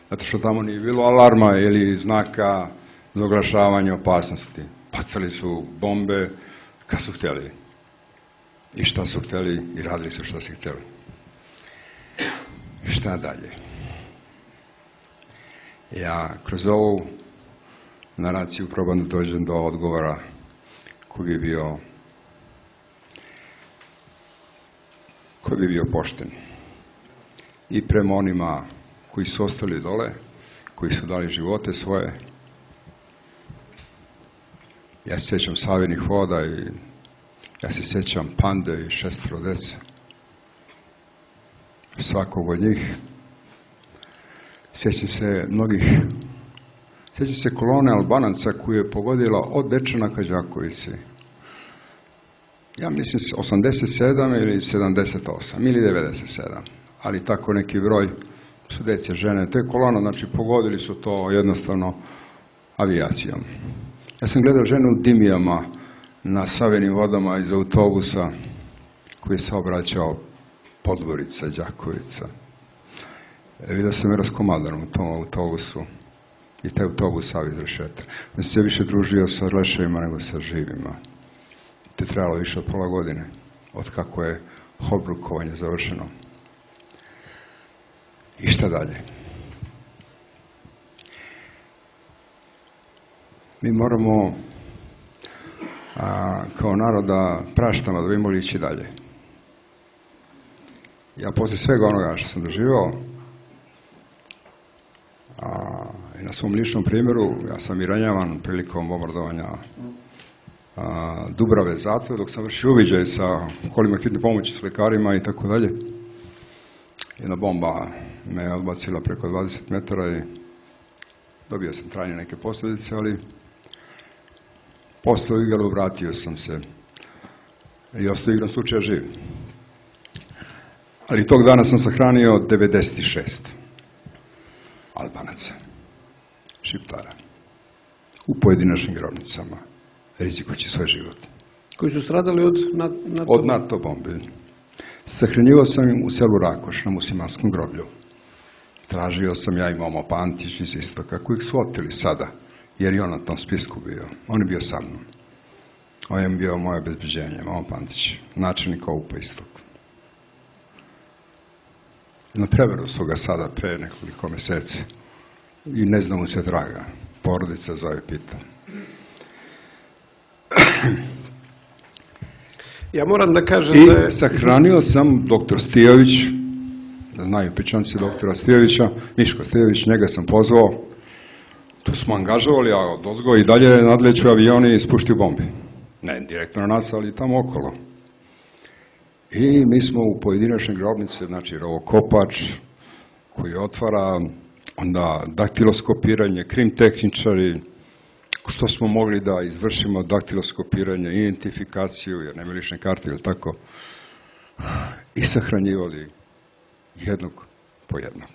Zato što tamo nije bilo alarma ili znaka za oglašavanje opasnosti. Bacali su bombe kad su htjeli. I šta su htjeli i radili su šta su htjeli. Šta dalje? Ja kroz ovu naraciju probam da dođem do odgovora koji bi bio koji bi bio pošten i prema onima koji su ostali dole, koji su dali živote svoje. Ja se sjećam Savinih voda i ja se sjećam Pande i šestero dece. Svakog od njih. Sjećam se mnogih, sjećam se kolone Albanaca koju je pogodila od Dečana ka Đakovici. Ja mislim osamdeset sedam ili sedamdeset osam ili devedeset sedam, ali tako neki broj su dece, žene. To je kolona, znači pogodili su to jednostavno avijacijom. Ja sam gledao ženu u Dimijama na Savinim vodama iz autobusa koji se obraćao Podgorica, Đakovica. E, vidio sam je raskomadan u tom autobusu i taj autobus sav iz rešeta. On se više družio sa leševima nego sa živima. To je trebalo više od pola godine, od kako je obrukovanje završeno. I šta dalje? Mi moramo a, kao narod da praštamo, da bi mogli ići dalje. Ja poslije svega onoga što sam doživao, a, i na svom ličnom primjeru, ja sam i ranjavan prilikom bombardovanja a, Dubrave zatvora, dok sam vršio uviđaj sa kolima hitne pomoći, s lekarima i tako dalje. Jedna bomba me je odbacila preko dvadeset metara i dobio sam trajne neke posljedice, ali postao igralo, vratio sam se i ostao igrom slučaja živ. Ali tog dana sam sahranio devedeset šest Albanaca, Šiptara, u pojedinačnim grobnicama, rizikujući svoj život. Koji su stradali od NATO? Od NATO bombe. Sahranjivao sam im u selu Rakoš, na muslimanskom groblju. Tražio sam ja i Momo Pantić iz Istoka, kojeg su oteli sada, jer je on na tom spisku bio. On je bio sa mnom. On je bio moje obezbeđenje, Momo Pantić, načelnik Oupa Istok. Na preveru su ga sada pre nekoliko mjeseci i ne znam mu se draga. Porodica zove pita. Ja moram da kažem I da je... sahranio sam doktor Stijović, da znaju pičanci doktora Stijovića, Miško Stijović, njega sam pozvao. Tu smo angažovali, a od ozgo i dalje nadleću avioni i spuštio bombe. Ne direktno na nas, ali tamo okolo. I mi smo u pojedinačne grobnice, znači rovokopač koji otvara, onda daktiloskopiranje, krim tehničari, što smo mogli da izvršimo daktiloskopiranje, identifikaciju, jer nema lične karte, ili tako, i sahranjivali jednog po jednog.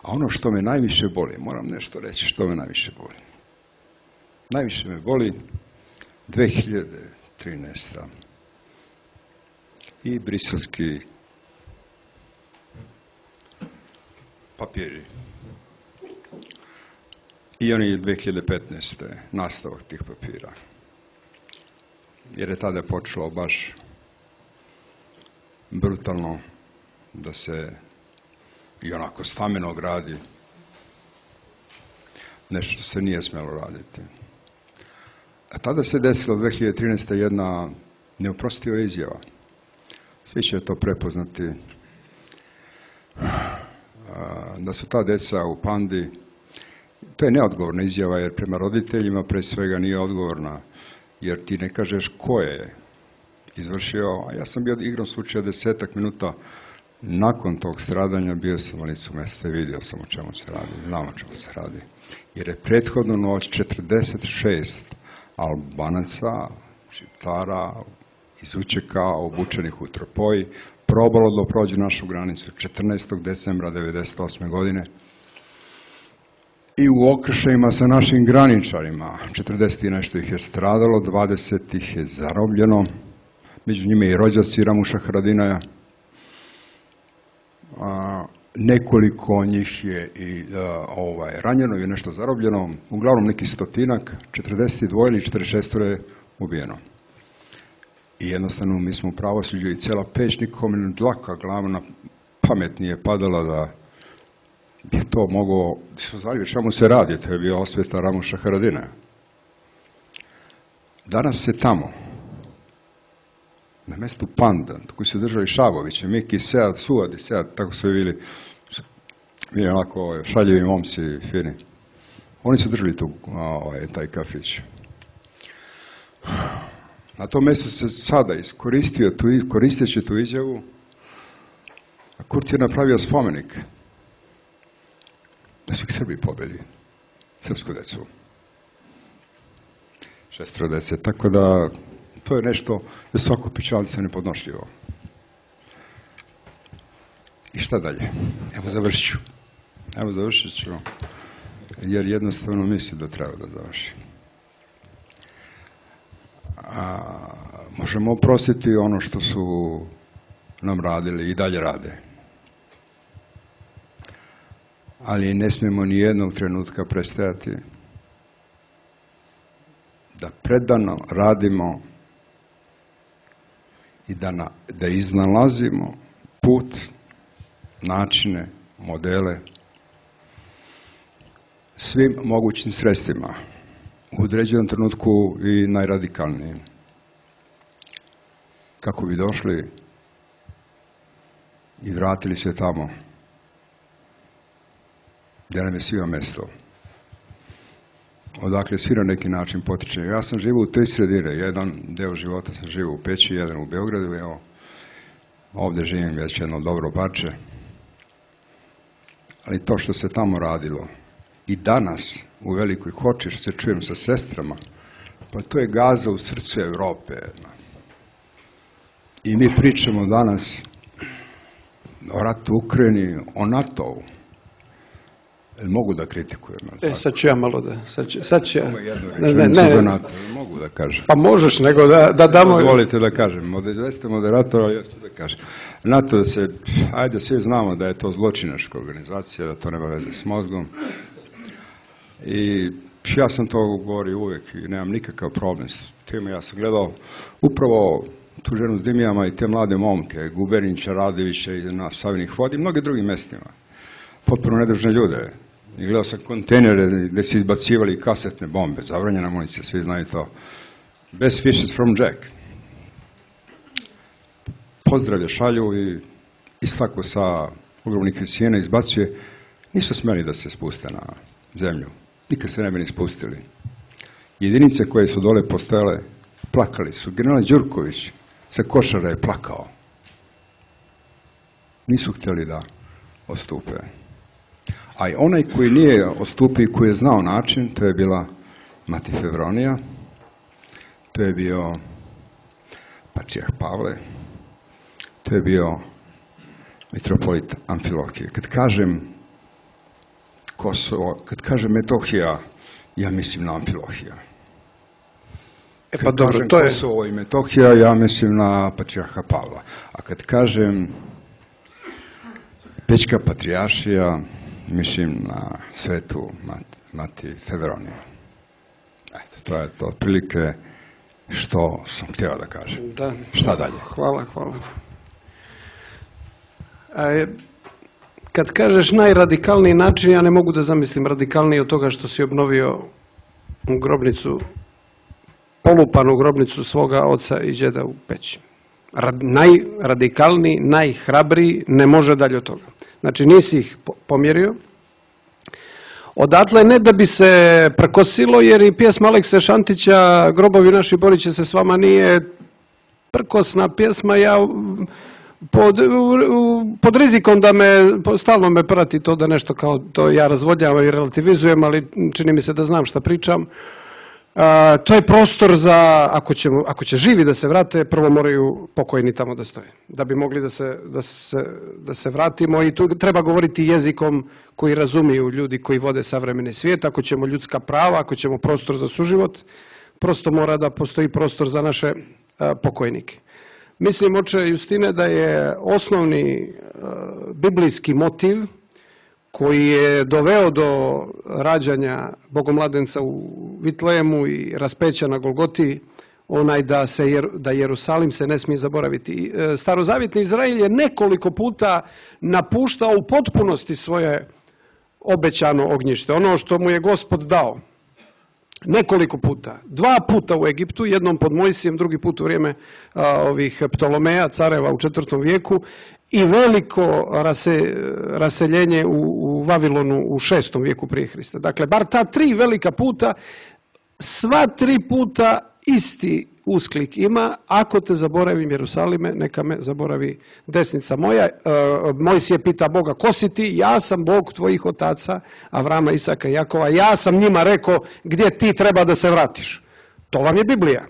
A ono što me najviše boli, moram nešto reći što me najviše boli. Najviše me boli dve hiljade trinaesta. i briselski papiri. I oni dve hiljade petnaeste. nastavak tih papira. Jer je tada počelo baš brutalno da se i onako stameno gradi nešto se nije smjelo raditi. A tada se desilo dve hiljade trinaeste. jedna neoprostiva izjava. Svi će to prepoznati da su ta deca u Pandi. To je neodgovorna izjava jer prema roditeljima pre svega nije odgovorna jer ti ne kažeš ko je izvršio, a ja sam bio igrom slučaja desetak minuta nakon tog stradanja, bio sam na licu mesta i vidio sam o čemu se radi, znam o čemu se radi. Jer je prethodno noć četrdeset šest Albanaca, Šiptara, iz Učeka, obučenih u Tropoji, probalo da prođe našu granicu četrnaestog decembra devedeset osme. godine i u okršajima sa našim graničarima. četrdeset i nešto ih je stradalo, dvadeset ih je zarobljeno, među njima i rođaci Ramuša Haradinaja. A, nekoliko njih je i a, ovaj, ranjeno i nešto zarobljeno, uglavnom neki stotinak, četrdeset dva ili četrdeset šest je ubijeno. I jednostavno mi smo u pravosuđu i cela Peć, nikom dlaka glavna pamet nije padala da je to moglo, su zvali čemu se radi, to je bio osveta Ramuša Haradinaja. Danas se tamo, na mestu Panda, koji su držali Šaboviće, Miki, Sead, Suad i Sead, tako su bili, bili onako šaljivi momci, fini. Oni su držali tu, ovaj, taj kafić. Na tom mjestu se sada iskoristio, tu, koristeći tu izjavu, a Kurti je napravio spomenik da su ih Srbi pobili, srpsku decu. Šestro dece, tako da to je nešto za svaku pičalicu nepodnošljivo. I šta dalje? Evo završit ću. Evo završit ću, jer jednostavno mislim da treba da završim. A, možemo oprostiti ono što su nam radili i dalje rade. Ali ne smijemo ni jednog trenutka prestajati da predano radimo i da, na, da iznalazimo put, načine, modele svim mogućim sredstvima, u određenom trenutku i najradikalnijim, kako bi došli i vratili se tamo gdje nam je svima mjesto. Odakle svi na neki način potiče. Ja sam živio u tri sredine, jedan deo života sam živio u Peći, jedan u Beogradu, evo, ovdje živim već jedno dobro parče. Ali to što se tamo radilo i danas u Velikoj Hoči, što se čujem sa sestrama, pa to je Gaza u srcu Evrope. I mi pričamo danas o ratu u Ukrajini, o NATO-u. Mogu da kritikujem? E, sad ću ja malo da... Sad ću, sad ću ja... Samo jednu rečenicu za NATO, mogu da kažem. Pa možeš, nego da, da damo... Dozvolite da kažem, jeste moderator, ali ja ću da kažem. NATO da se, ajde, svi znamo da je to zločinačka organizacija, da to nema veze s mozgom. I ja sam to govorio uvijek i nemam nikakav problem s tim. Ja sam gledao upravo tu ženu s Dimijama i te mlade momke, Guberinića, Radevića i na Savinih vodi i mnoge drugim mjestima. Potpuno nedružne ljude. I gledao sam kontejnere gdje su izbacivali kasetne bombe, zabranjena municija, svi znaju to. Best wishes from Jack. Pozdravlja šalju i istako sa ogromnih visina izbacuje. Nisu smjeli da se spuste na zemlju. Nikad se ne bi ni spustili. Jedinice koje su dole postojale, plakali su. General Đurković sa Košara je plakao. Nisu htjeli da ostupe. A i onaj koji nije ostupio i koji je znao način, to je bila mati Fevronija, to je bio patrijarh Pavle, to je bio mitropolit Amfilohije. Kad kažem Kosovo, kad kažem Metohija, ja mislim na Amfilohija. E pa kad dobro, kažem to je... Kosovo i Metohija, ja mislim na patrijarha Pavla. A kad kažem Pećka patrijaršija, mislim na svetu mati, mati Fevroniju. Eto, to je to otprilike što sam htio da kažem. Da. Šta dalje? Hvala, hvala. A, kad kažeš najradikalniji način, ja ne mogu da zamislim radikalniji od toga što si obnovio grobnicu, polupanu grobnicu svoga oca i đeda u Peći. Rad, najradikalniji, najhrabriji, ne može dalje od toga. Znači nisi ih pomjerio. Odatle ne da bi se prkosilo, jer i pjesma Alekse Šantića Grobovi naši borit će se s vama nije prkosna pjesma. Ja pod, pod rizikom da me, stalno me prati to da nešto kao to ja razvodnjavam i relativizujem, ali čini mi se da znam šta pričam. A, to je prostor za, ako, ćemo, ako će živi da se vrate, prvo moraju pokojni tamo da stoje. Da bi mogli da se, da se, da se vratimo i tu treba govoriti jezikom koji razumiju ljudi koji vode savremeni svijet. Ako ćemo ljudska prava, ako ćemo prostor za suživot, prosto mora da postoji prostor za naše a, pokojnike. Mislim, oče Justine, da je osnovni a, biblijski motiv koji je doveo do rađanja Bogomladenca u Vitlejemu i raspeća na Golgoti, onaj da, se, da Jerusalim se ne smije zaboraviti. Starozavjetni Izrael je nekoliko puta napuštao u potpunosti svoje obećano ognjište, ono što mu je Gospod dao. Nekoliko puta. Dva puta u Egiptu, jednom pod Mojsijem, drugi put u vrijeme a, ovih Ptolomeja, careva u četvrtom vijeku, i veliko rase, raseljenje u, u Vavilonu u šestom vijeku prije Hrista. Dakle, bar ta tri velika puta, sva tri puta isti usklik ima: ako te zaboravim Jerusalime, neka me zaboravi desnica moja. E, Mojsije pita Boga: ko si ti? Ja sam Bog tvojih otaca, Avrama, Isaka i Jakova. Ja sam njima rekao gdje ti treba da se vratiš. To vam je Biblija.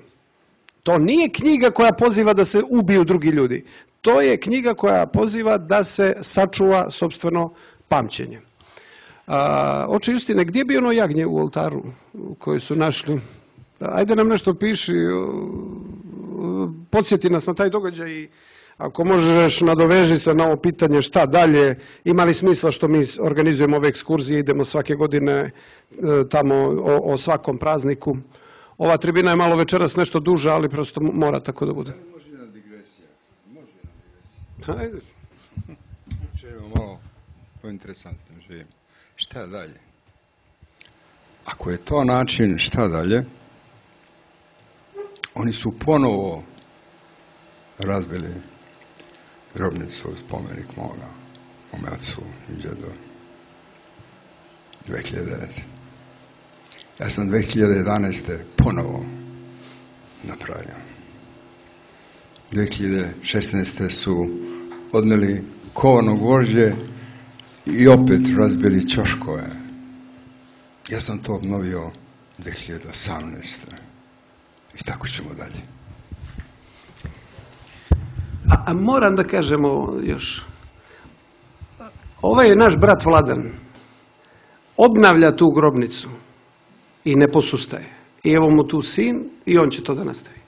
To nije knjiga koja poziva da se ubiju drugi ljudi. To je knjiga koja poziva da se sačuva sopstveno pamćenje. A, oče Justine, gdje bi ono jagnje u oltaru koje su našli? Ajde nam nešto piši, podsjeti nas na taj događaj i ako možeš nadoveži se na ovo pitanje šta dalje, ima li smisla što mi organizujemo ove ekskurzije, idemo svake godine tamo o, o svakom prazniku. Ova tribina je malo večeras nešto duža, ali prosto mora tako da bude. Može na digresija. Može na digresija. Ajde. Čujemo malo pointeresantno živim. Šta dalje? Ako je to način šta dalje, oni su ponovo razbili grobnicu, spomenik moga, mome ocu i djedu, dvije hiljade devete. Ja sam dvije hiljade jedanaeste ponovo napravio. dvije hiljade šesnaeste su odneli kovano gvožđe i opet razbili ćoškove. Ja sam to obnovio dvije hiljade osamnaeste. I tako ćemo dalje. A, a moram da kažemo još. Ovaj je naš brat Vladan. Obnavlja tu grobnicu i ne posustaje. I evo mu tu sin i on će to da nastavi.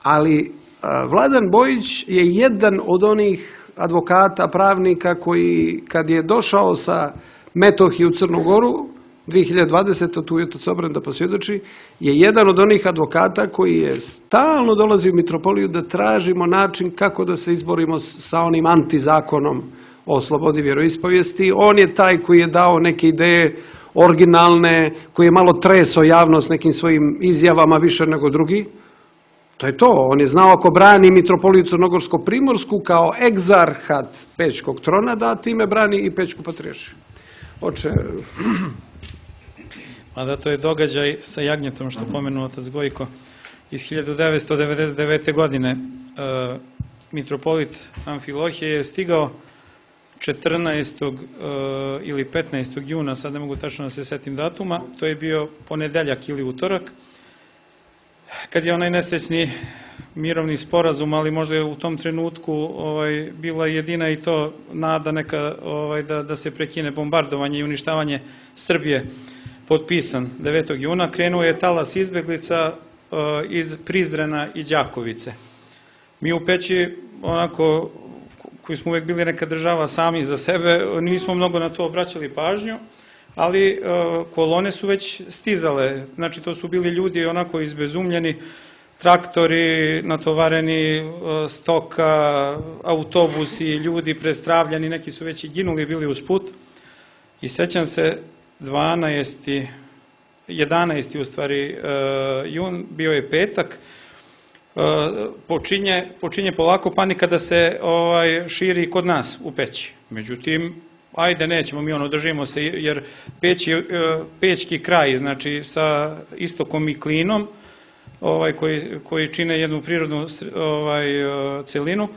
Ali a, Vladan Bojić je jedan od onih advokata, pravnika koji kad je došao sa Metohije u Crnu Goru dvije hiljade dvadesete. tu je otac Obran da posvjedoči, je jedan od onih advokata koji je stalno dolazi u mitropoliju da tražimo način kako da se izborimo sa onim antizakonom o slobodi vjeroispovijesti. On je taj koji je dao neke ideje originalne, koji je malo tresao javnost nekim svojim izjavama više nego drugi. To je to. On je znao ako brani mitropoliju Crnogorsko-Primorsku kao egzarhat Pećkog trona, da time brani i Pećku patrijaršiju. Oče... Mada to je događaj sa jagnjetom što pomenuo otac Gojko iz hiljadu devetsto devedeset devete. godine. E, mitropolit Amfilohije je stigao četrnaestog ili petnaestog juna, sad ne mogu tačno da se setim datuma, to je bio ponedeljak ili utorak, kad je onaj nesrećni mirovni sporazum, ali možda je u tom trenutku ovaj, bila jedina i to nada neka ovaj, da, da se prekine bombardovanje i uništavanje Srbije, potpisan devetog juna, krenuo je talas izbeglica uh, iz Prizrena i Đakovice. Mi u Peći, onako, koji smo uvek bili neka država sami za sebe, nismo mnogo na to obraćali pažnju, ali uh, kolone su već stizale, znači to su bili ljudi onako izbezumljeni, traktori natovareni, stoka, autobusi, ljudi prestravljani, neki su već i ginuli, bili uz put. I sećam se, dvanaesti, jedanaesti u stvari jun, bio je petak, počinje, počinje polako panika da se ovaj, širi kod nas u Peći. Međutim, ajde, nećemo mi ono, držimo se, jer Peć je, pećki kraj, znači sa istokom i Klinom, ovaj, koji, koji čine jednu prirodnu ovaj, celinu,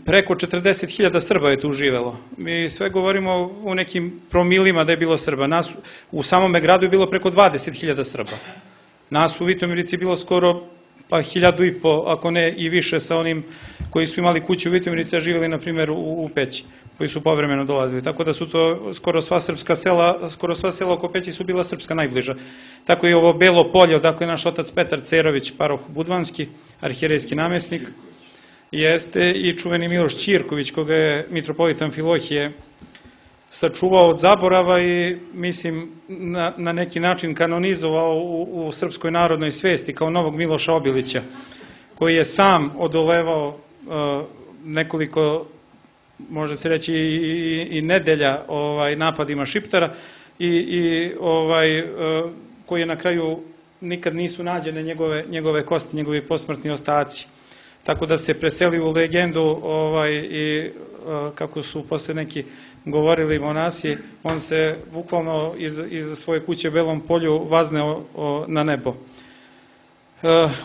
preko četrdeset hiljada Srba je tu živelo. Mi sve govorimo u nekim promilima da je bilo Srba. Nas u samome gradu je bilo preko dvadeset hiljada Srba. Nas u Vitomirici bilo skoro pa hiljadu i po, ako ne i više sa onim koji su imali kuću u Vitomirici, a živjeli, na primjer, u, u Peći, koji su povremeno dolazili. Tako da su to skoro sva srpska sela, skoro sva sela oko Peći su bila srpska najbliža. Tako i ovo Belo polje, odakle naš otac Petar Cerović, paroh budvanski, arhijerejski namjesnik, jeste i čuveni Miloš Ćirković, koga je mitropolit Amfilohije sačuvao od zaborava i, mislim, na, na neki način kanonizovao u, u srpskoj narodnoj svesti kao novog Miloša Obilića, koji je sam odolevao uh, nekoliko, može se reći, i, i, i nedelja ovaj, napadima Šiptara i, i ovaj, uh, koji je na kraju nikad nisu nađene njegove, njegove kosti, njegovi posmrtni ostaci. Tako da se preseli u legendu ovaj, i uh, kako su posle neki govorili monasi, on se bukvalno iz, iz svoje kuće u Belom polju vazneo o, na nebo.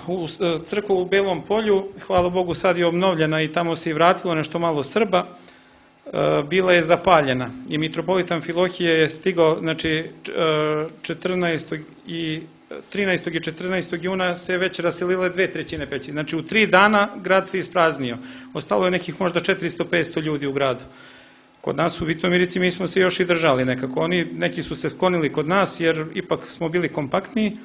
U crkvu u Belom polju, hvala Bogu, sad je obnovljena i tamo se i vratilo nešto malo Srba, bila je zapaljena i mitropolit Amfilohije je stigao, znači četrnaestog i trinaestog i četrnaestog juna se već raselile dve trećine Peći. Znači u tri dana grad se ispraznio. Ostalo je nekih možda četiristo do petsto ljudi u gradu. Kod nas u Vitomirici mi smo se još i držali nekako. Oni, neki su se sklonili kod nas jer ipak smo bili kompaktniji.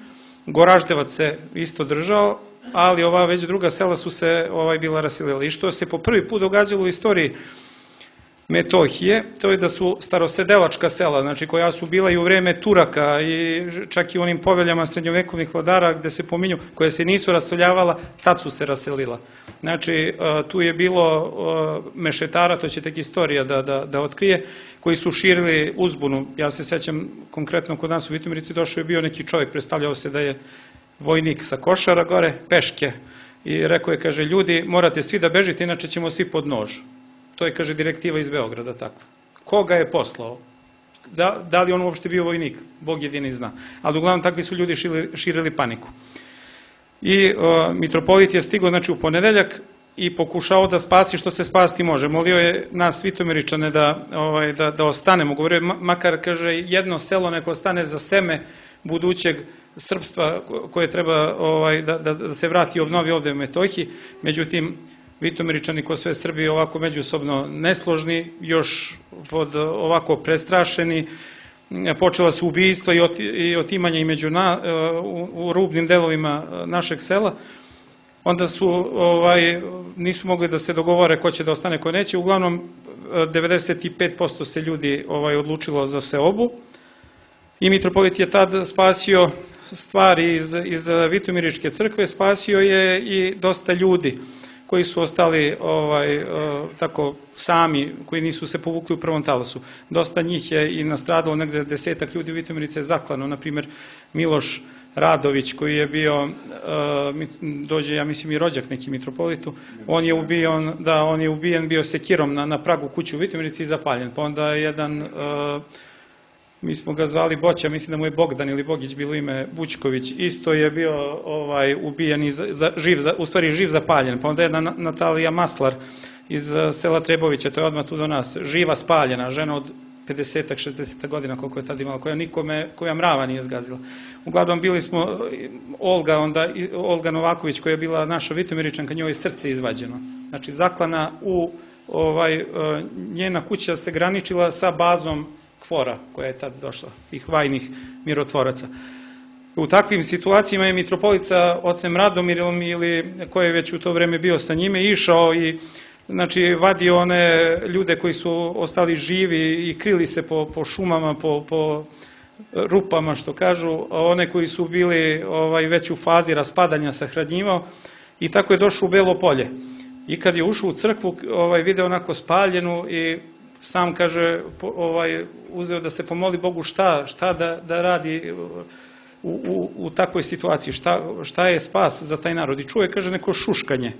Goraždevac se isto držao, ali ova već druga sela su se ovaj, bila raselila. I što se po prvi put događalo u istoriji Metohije, to je da su starosedelačka sela, znači koja su bila i u vreme Turaka i čak i u onim poveljama srednjovekovnih vladara gde se pominju, koje se nisu raseljavala, tad su se raselila. Znači, tu je bilo mešetara, to će tek istorija da, da, da otkrije, koji su širili uzbunu. Ja se sećam, konkretno kod nas u Vitomirici došao je bio neki čovjek, predstavljao se da je vojnik sa Košara gore, peške, i rekao je, kaže, ljudi, morate svi da bežite, inače ćemo svi pod nož. To je, kaže, direktiva iz Beograda, takva. Ko ga je poslao? Da, da li on uopšte bio vojnik? Bog jedini zna. Ali uglavnom takvi su ljudi širili, širili paniku. I o, mitropolit je stigao, znači, u ponedeljak i pokušao da spasi što se spasti može. Molio je nas Vitomiričane da, ovaj, da, da ostanemo. Govorio je, makar, kaže, jedno selo neko ostane za seme budućeg srpstva koje treba ovaj, da, da, da se vrati i obnovi ovde u Metohiji. Međutim, Vitomiričani, ko sve Srbi, ovako međusobno nesložni, još pod ovako prestrašeni, počela su ubijstva i otimanje i među na, u, u rubnim delovima našeg sela. Onda su, ovaj, nisu mogli da se dogovore ko će da ostane, ko neće. Uglavnom, devedeset pet posto se ljudi ovaj, odlučilo za seobu i mitropolit je tad spasio stvari iz, iz Vitomiričke crkve, spasio je i dosta ljudi koji su ostali ovaj, tako sami, koji nisu se povukli u prvom talasu. Dosta njih je i nastradalo, negde desetak ljudi u Vitomirice je zaklano, na primjer Miloš Radović, koji je bio, dođe, ja mislim, i rođak neki mitropolitu, on je ubijen, da, on je ubijen bio sekirom na, na pragu kuće u Vitomirici i zapaljen. Pa onda jedan, mi smo ga zvali Boća, mislim da mu je Bogdan ili Bogić bilo ime, Bućković, isto je bio ovaj, ubijen i za, živ, za, u stvari živ zapaljen. Pa onda jedna Natalija Maslar iz sela Trebovića, to je odmah tu do nas, živa spaljena, žena od pedesetak, šezdesetak godina koliko je tad imala, koja nikome, koja mrava nije zgazila. Uglavnom bili smo, Olga, onda, Olga Novaković koja je bila naša Vitomiričanka, njoj je srce izvađeno. Znači zaklana u, ovaj, njena kuća se graničila sa bazom Kvora koja je tad došla, tih vajnih mirotvoraca. U takvim situacijama je mitropolit sa ocem Radomirom ili koji je već u to vreme bio sa njime išao i znači vadio one ljude koji su ostali živi i krili se po, po šumama, po, po rupama što kažu, a one koji su bili ovaj, već u fazi raspadanja sahranjivao i tako je došao u Belo Polje. I kad je ušao u crkvu, ovaj, video onako spaljenu i sam kaže, ovaj, uzeo da se pomoli Bogu šta, šta da, da radi u, u, u takvoj situaciji, šta, šta je spas za taj narod. I čuje, kaže, neko šuškanje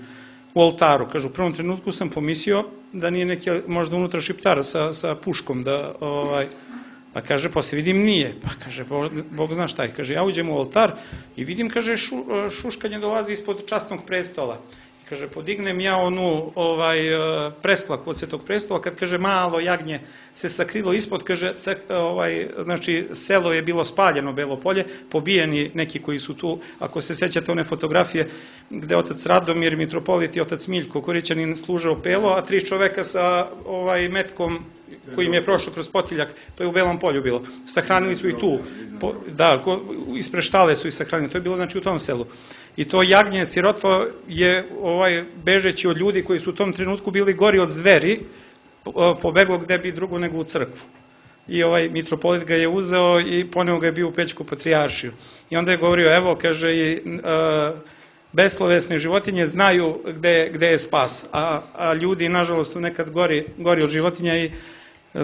u oltaru. Kaže, u prvom trenutku sam pomislio da nije neki možda unutra šiptar sa, sa puškom, da, ovaj, pa kaže, posle vidim nije. Pa kaže, Bog zna šta je. Kaže, ja uđem u oltar i vidim, kaže, šu, šuškanje dolazi ispod časnog prestola. Kaže, podignem ja onu ovaj, preslak od Svetog prestola, kad kaže malo jagnje se sakrilo ispod, kaže, ovaj, znači selo je bilo spaljeno, Belo Polje, pobijeni neki koji su tu, ako se sećate one fotografije gde otac Radomir, mitropolit i otac Miljko Korićanin služao pelo, a tri čoveka sa ovaj, metkom kojim je prošao kroz potiljak, to je u Belom Polju bilo. Sahranili su i tu, po, da, ispred štale su i sahranili, to je bilo znači u tom selu. I to jagnje sirotvo je ovaj, bežeći od ljudi koji su u tom trenutku bili gori od zveri, pobeglo gde bi drugo nego u crkvu. I ovaj mitropolit ga je uzeo i poneo ga je bio u Pećku patrijaršiju. I onda je govorio, evo, kaže, i uh, beslovesne životinje znaju gde, gde je spas, a, a ljudi, nažalost, su nekad gori, gori od životinja i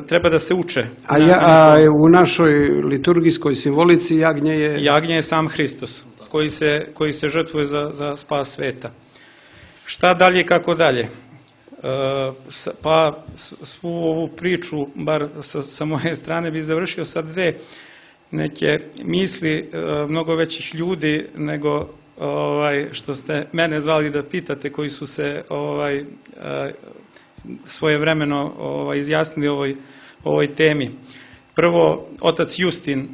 treba da se uče. A, ja, a u našoj liturgijskoj simbolici jagnje je... Jagnje je sam Hristos, koji se, koji se žrtvuje za, za spas sveta. Šta dalje i kako dalje? E, pa svu ovu priču, bar sa, sa moje strane, bi završio sa dve neke misli e, mnogo većih ljudi nego ovaj, što ste mene zvali da pitate, koji su se ovaj, e, svojevremeno ovaj, izjasnili o ovoj, ovoj temi. Prvo, otac Justin,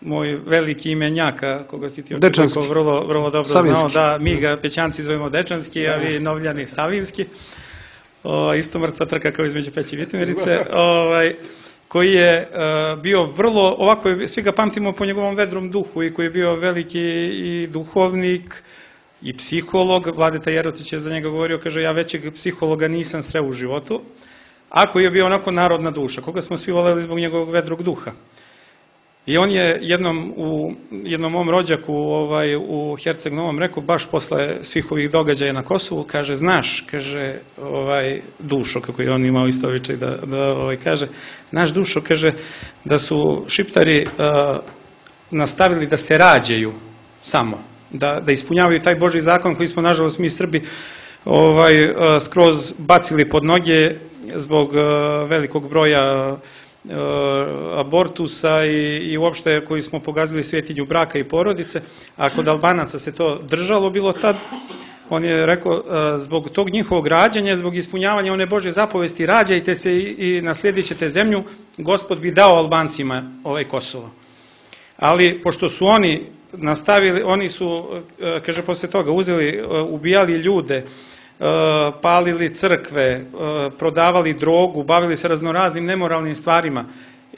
moj veliki imenjaka, koga si ti očekao vrlo, vrlo dobro Savinski. Znao, da mi ga Pećanci zovemo Dečanski, a vi Novljani Savinski, o, isto mrtva trka kao između Peći i Vitomirice, ovaj, koji je uh, bio vrlo, ovako, svi ga pamtimo po njegovom vedrom duhu i koji je bio veliki i duhovnik i psiholog. Vladeta Jerotić je za njega govorio, kaže, ja većeg psihologa nisam sreo u životu, ako je bio onako narodna duša, koga smo svi voleli zbog njegovog vedrog duha. I on je jednom u jednom mom rođaku ovaj, u Herceg Novom rekao, baš posle svih ovih događaja na Kosovu, kaže, znaš, kaže, ovaj, Dušo, kako je on imao isto običaj da, da ovaj, kaže, naš Dušo, kaže, da su Šiptari uh, nastavili da se rađaju samo, da, da ispunjavaju taj Božji zakon koji smo, nažalost, mi Srbi ovaj, uh, skroz bacili pod noge zbog uh, velikog broja abortusa i, i uopšte koji smo pogazili svetinju braka i porodice, a kod Albanaca se to držalo bilo tad, on je rekao, zbog tog njihovog rađanja, zbog ispunjavanja one Božje zapovesti, rađajte se i, i naslijedit ćete zemlju, Gospod bi dao Albancima ovaj Kosovo. Ali, pošto su oni nastavili, oni su, kaže, posle toga uzeli, ubijali ljude, palili crkve, prodavali drogu, bavili se raznoraznim nemoralnim stvarima.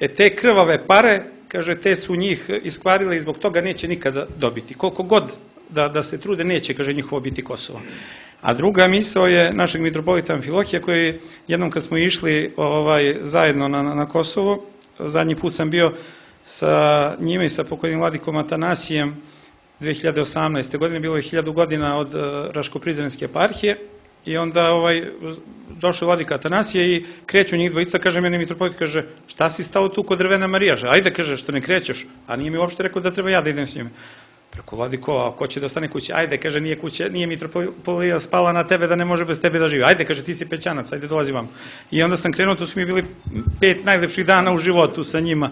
E te krvave pare, kaže, te su njih iskvarile i zbog toga neće nikada dobiti. Koliko god da, da se trude, neće, kaže, njihovo biti Kosovo. A druga misao je našeg mitropolita Amfilohija, koji jednom kad smo išli ovaj, zajedno na, na Kosovo, zadnji put sam bio sa njime i sa pokojnim vladikom Atanasijem dve hiljade osamnaeste. godine, bilo je hiljadu godina od uh, Raško-Prizrenske eparhije i onda ovaj, došao vladika Atanasije i kreću njih dvojica, kaže meni mitropolit, kaže, šta si stao tu kod drvena Marijaža? Ajde, kaže, što ne krećeš, a nije mi uopšte rekao da treba ja da idem s njime. Preko vladiko, a ko će da ostane kuće? Ajde, kaže, nije kuće, nije mitropolija spala na tebe da ne može bez tebe da živi. Ajde, kaže, ti si Pećanac, ajde, dolazi vam. I onda sam krenuo, tu su mi bili pet najlepših dana u životu sa njima.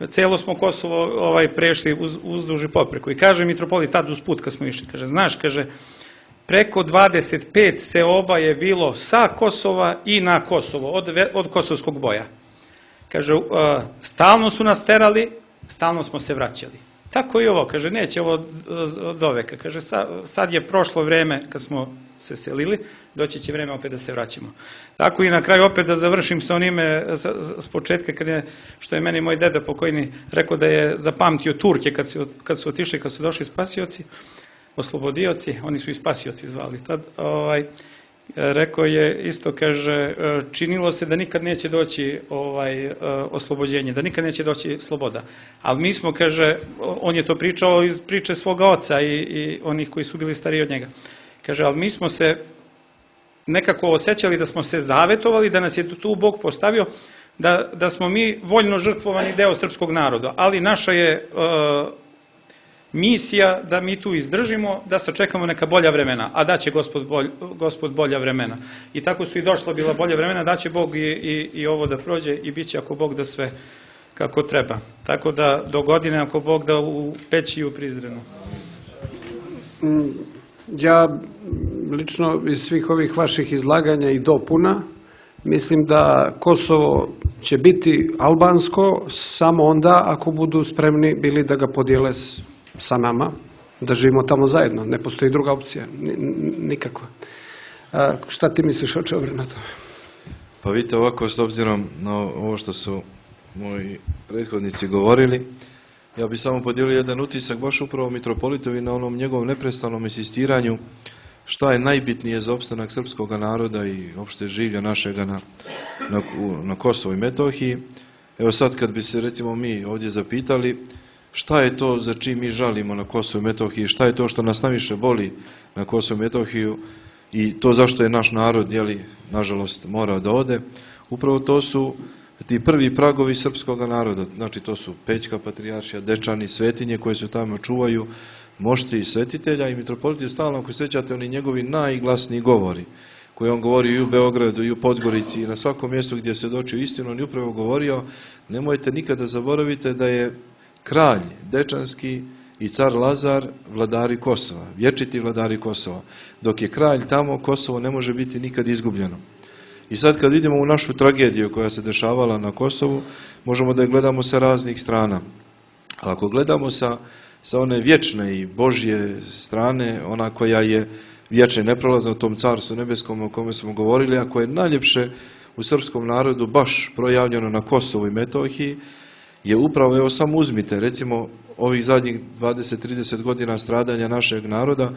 Celo smo Kosovo ovaj, prešli uz, uzduž i popreko. I kaže mitropolit tad uz put kad smo išli, kaže, znaš, kaže, preko dvadeset pet seoba je bilo sa Kosova i na Kosovo, od, od kosovskog boja. Kaže, stalno su nas terali, stalno smo se vraćali. Tako i ovo, kaže, neće ovo do veka. Kaže, sad je prošlo vreme kad smo se selili, doći će vreme opet da se vraćamo. Tako i na kraju opet da završim sa onime s početka, kad je, što je meni moj deda pokojni rekao da je zapamtio Turke kad su, kad su otišli, kad su došli spasioci, oslobodioci, oni su i spasioci zvali tad, ovaj, rekao je isto, kaže, činilo se da nikad neće doći ovaj, oslobođenje, da nikad neće doći sloboda. Ali mi smo, kaže, on je to pričao iz priče svoga oca i, i onih koji su bili stariji od njega. Kaže, ali mi smo se nekako osjećali da smo se zavetovali, da nas je tu Bog postavio, da, da smo mi voljno žrtvovani deo srpskog naroda. Ali naša je uh, misija da mi tu izdržimo, da sačekamo neka bolja vremena, a da će gospod, bolj, gospod bolja vremena. I tako su i došla bila bolja vremena, da će Bog i, i, i ovo da prođe i bit će ako Bog da sve kako treba. Tako da do godine ako Bog da u Peći i u Prizrenu. Ja lično iz svih ovih vaših izlaganja i dopuna mislim da Kosovo će biti albansko samo onda ako budu spremni bili da ga podijele sa nama, da živimo tamo zajedno. Ne postoji druga opcija, nikakva. A, šta ti misliš, Očeobre, na to? Pa vidite, ovako, s obzirom na ovo što su moji prethodnici govorili, ja bih samo podijelio jedan utisak baš upravo mitropolitovi na onom njegovom neprestanom insistiranju šta je najbitnije za opstanak srpskog naroda i opšte življa našega na, na, na Kosovo i Metohiji. Evo sad kad bi se recimo mi ovdje zapitali šta je to za čim mi žalimo na Kosovo i Metohiji, šta je to što nas najviše boli na Kosovo i Metohiju i to zašto je naš narod, jeli, nažalost, morao da ode, upravo to su ti prvi pragovi srpskog naroda, znači to su Pećka patrijaršija, Dečani, svetinje koje se tamo čuvaju, mošti i svetitelja i mitropolit je stalno, ako sećate, oni njegovi najglasniji govori, koje on govorio i u Beogradu i u Podgorici i na svakom mjestu gdje se dočio istinu, on je upravo govorio, nemojte nikada zaboravite da je kralj Dečanski i car Lazar vladari Kosova, vječiti vladari Kosova, dok je kralj tamo, Kosovo ne može biti nikad izgubljeno. I sad kad vidimo u našu tragediju koja se dešavala na Kosovu, možemo da je gledamo sa raznih strana. Ali ako gledamo sa, sa one vječne i Božje strane, ona koja je vječna i neprolazna u tom carstvu nebeskom o kome smo govorili, a koje je najljepše u srpskom narodu baš projavljeno na Kosovu i Metohiji, je upravo, evo samo uzmite, recimo ovih zadnjih dvadeset do trideset godina stradanja našeg naroda,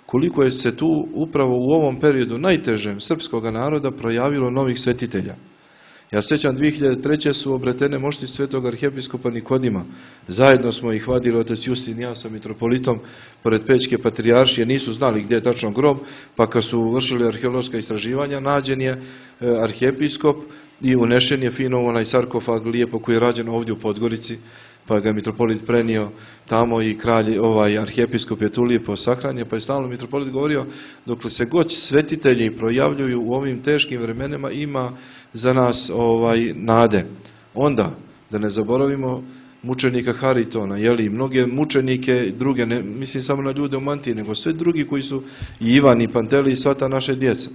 koliko je se tu upravo u ovom periodu najtežem srpskog naroda projavilo novih svetitelja. Ja sećam, dvije hiljade treće su obretene mošti svetog arhijepiskopa Nikodima. Zajedno smo ih vadili, otac Justin i ja sa mitropolitom, pored Pećke patrijaršije, nisu znali gdje je tačno grob, pa kad su vršili arheološka istraživanja, nađen je arhijepiskop i unešen je fino onaj sarkofag lijepo koji je rađen ovdje u Podgorici, pa ga je mitropolit prenio tamo i kralj, ovaj arhijepiskop je tu lijepo sahranjen, pa je stalno mitropolit govorio, dokle se god svetitelji projavljuju u ovim teškim vremenima, ima za nas ovaj nade. Onda, da ne zaboravimo mučenika Haritona, jeli, mnoge mučenike, druge, ne mislim samo na ljude u mantiji, nego sve drugi koji su i Ivan i Panteli i sva ta naša djeca.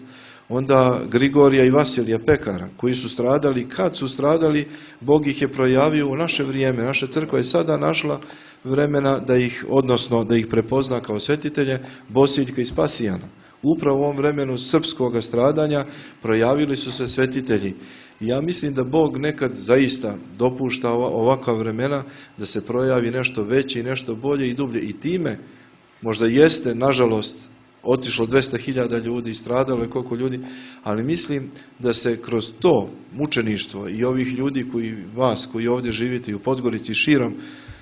Onda Grigorija i Vasilija Pekara, koji su stradali, kad su stradali, Bog ih je projavio u naše vrijeme. Naša crkva je sada našla vremena da ih, odnosno da ih prepozna kao svetitelje, Bosiljka i Spasijana. Upravo u ovom vremenu srpskog stradanja projavili su se svetitelji. I ja mislim da Bog nekad zaista dopušta ovakva vremena da se projavi nešto veće i nešto bolje i dublje. I time možda jeste, nažalost, otišlo dvesta hiljada ljudi, stradalo je koliko ljudi, ali mislim da se kroz to mučeništvo i ovih ljudi koji vas, koji ovdje živite i u Podgorici i širom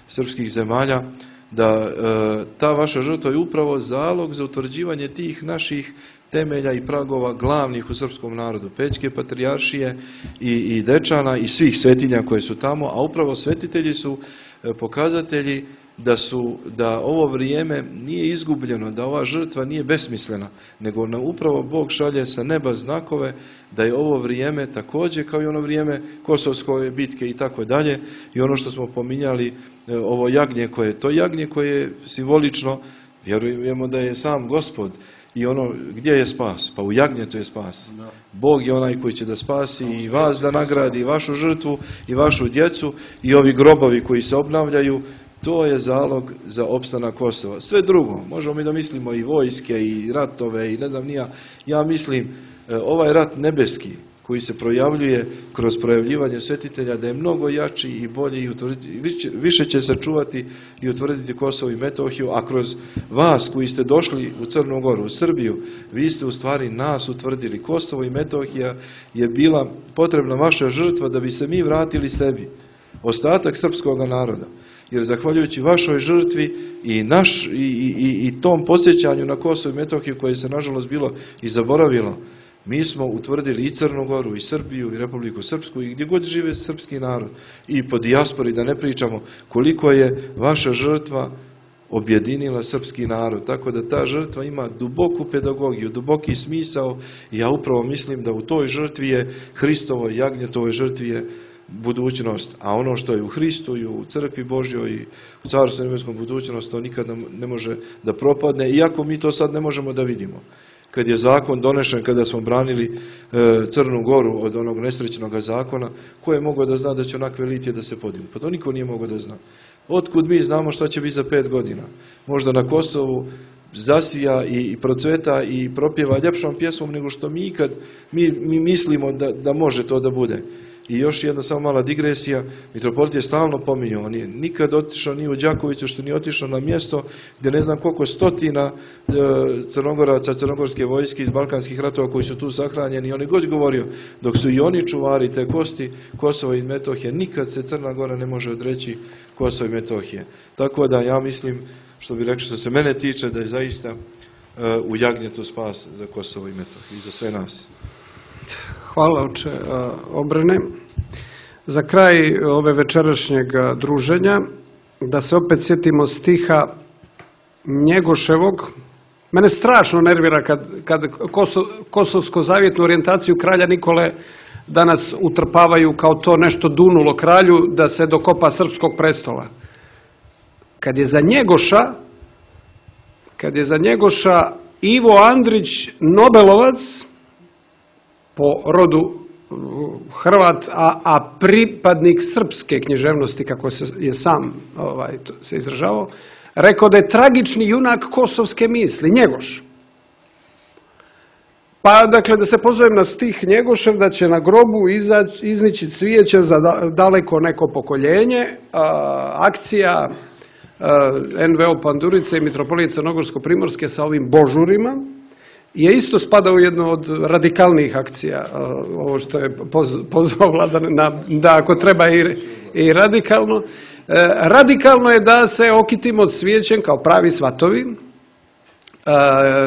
srpskih zemalja, da e, ta vaša žrtva je upravo zalog za utvrđivanje tih naših temelja i pragova glavnih u srpskom narodu, Pećke patrijaršije i, i Dečana i svih svetinja koje su tamo, a upravo svetitelji su e, pokazatelji da su, da ovo vrijeme nije izgubljeno, da ova žrtva nije besmislena, nego nam upravo Bog šalje sa neba znakove da je ovo vrijeme također kao i ono vrijeme Kosovske bitke i tako dalje. I ono što smo pominjali, ovo jagnje koje, to jagnje koje je simbolično Vjerujemo da je sam Gospod i ono gdje je spas? Pa u jagnjetu je spas. Bog je onaj koji će da spasi i vas da nagradi, i vašu žrtvu, i vašu djecu, i ovi grobovi koji se obnavljaju. To je zalog za opstanak Kosova. Sve drugo, možemo mi da mislimo i vojske, i ratove, i ne znam nija. Ja mislim, ovaj rat nebeski koji se projavljuje kroz projavljivanje svetitelja, da je mnogo jači i bolji i utvrditi, više će se čuvati i utvrditi Kosovo i Metohiju, a kroz vas koji ste došli u Crnu Goru, u Srbiju, vi ste u stvari nas utvrdili. Kosovo i Metohija je bila potrebna vaša žrtva da bi se mi vratili sebi, ostatak srpskog naroda. Jer zahvaljujući vašoj žrtvi i, naš, i, i, i tom podsjećanju na Kosovo i Metohiju koje se nažalost bilo i zaboravilo, mi smo utvrdili i Crnu Goru, i Srbiju, i Republiku Srpsku, i gdje god žive srpski narod, i po dijaspori, da ne pričamo koliko je vaša žrtva objedinila srpski narod. Tako da ta žrtva ima duboku pedagogiju, duboki smisao, i ja upravo mislim da u toj žrtvi je, Hristovoj jagnjetovoj žrtvi je budućnost, a ono što je u Hristu i u crkvi Božjoj i u Carstvu nebeskom budućnost, to nikada ne može da propadne, iako mi to sad ne možemo da vidimo. Kad je zakon donešen, kada smo branili e, Crnu Goru od onog nesrećnog zakona, ko je mogao da zna da će onakve litije da se podignu? Pa to niko nije mogao da zna. Otkud mi znamo šta će biti za pet godina? Možda na Kosovu zasija i, i procveta i propjeva ljepšom pjesmom nego što mi ikad mi, mi mislimo da, da može to da bude. I još jedna samo mala digresija, mitropolit je stalno pominjao, on je nikad otišao ni u Đakovicu, što nije otišao na mjesto gdje ne znam koliko stotina e, crnogoraca, crnogorske vojske iz balkanskih ratova koji su tu sahranjeni, on je god govorio, dok su i oni čuvari te kosti Kosova i Metohije, nikad se Crna Gora ne može odreći Kosova i Metohije. Tako da ja mislim, što bi rekao, što se mene tiče, da je zaista e, u jagnjetu spas za Kosovo i Metohiju i za sve nas. Hvala, oče Obrane. Za kraj ove večerašnjeg druženja, da se opet sjetimo stiha Njegoševog. Mene strašno nervira kad, kad Kosov, kosovsko-zavjetnu orijentaciju kralja Nikole danas utrpavaju kao to nešto dunulo kralju da se dokopa srpskog prestola. Kad je za Njegoša, kad je za Njegoša Ivo Andrić Nobelovac, po rodu Hrvat, a, a pripadnik srpske književnosti, kako se je sam ovaj, se izražavao, rekao da je tragični junak kosovske misli, Njegoš. Pa, dakle, da se pozovem na stih Njegošev, da će na grobu izaći, iznići cvijeće za daleko neko pokoljenje, a, akcija a, en ve o Pandurice i mitropolije Crnogorsko-Primorske sa ovim božurima, je isto spada u jednu od radikalnijih akcija, ovo što je pozvao Vladan, na, da ako treba i, i radikalno. E, radikalno je da se okitimo cvijećem kao pravi svatovi, e,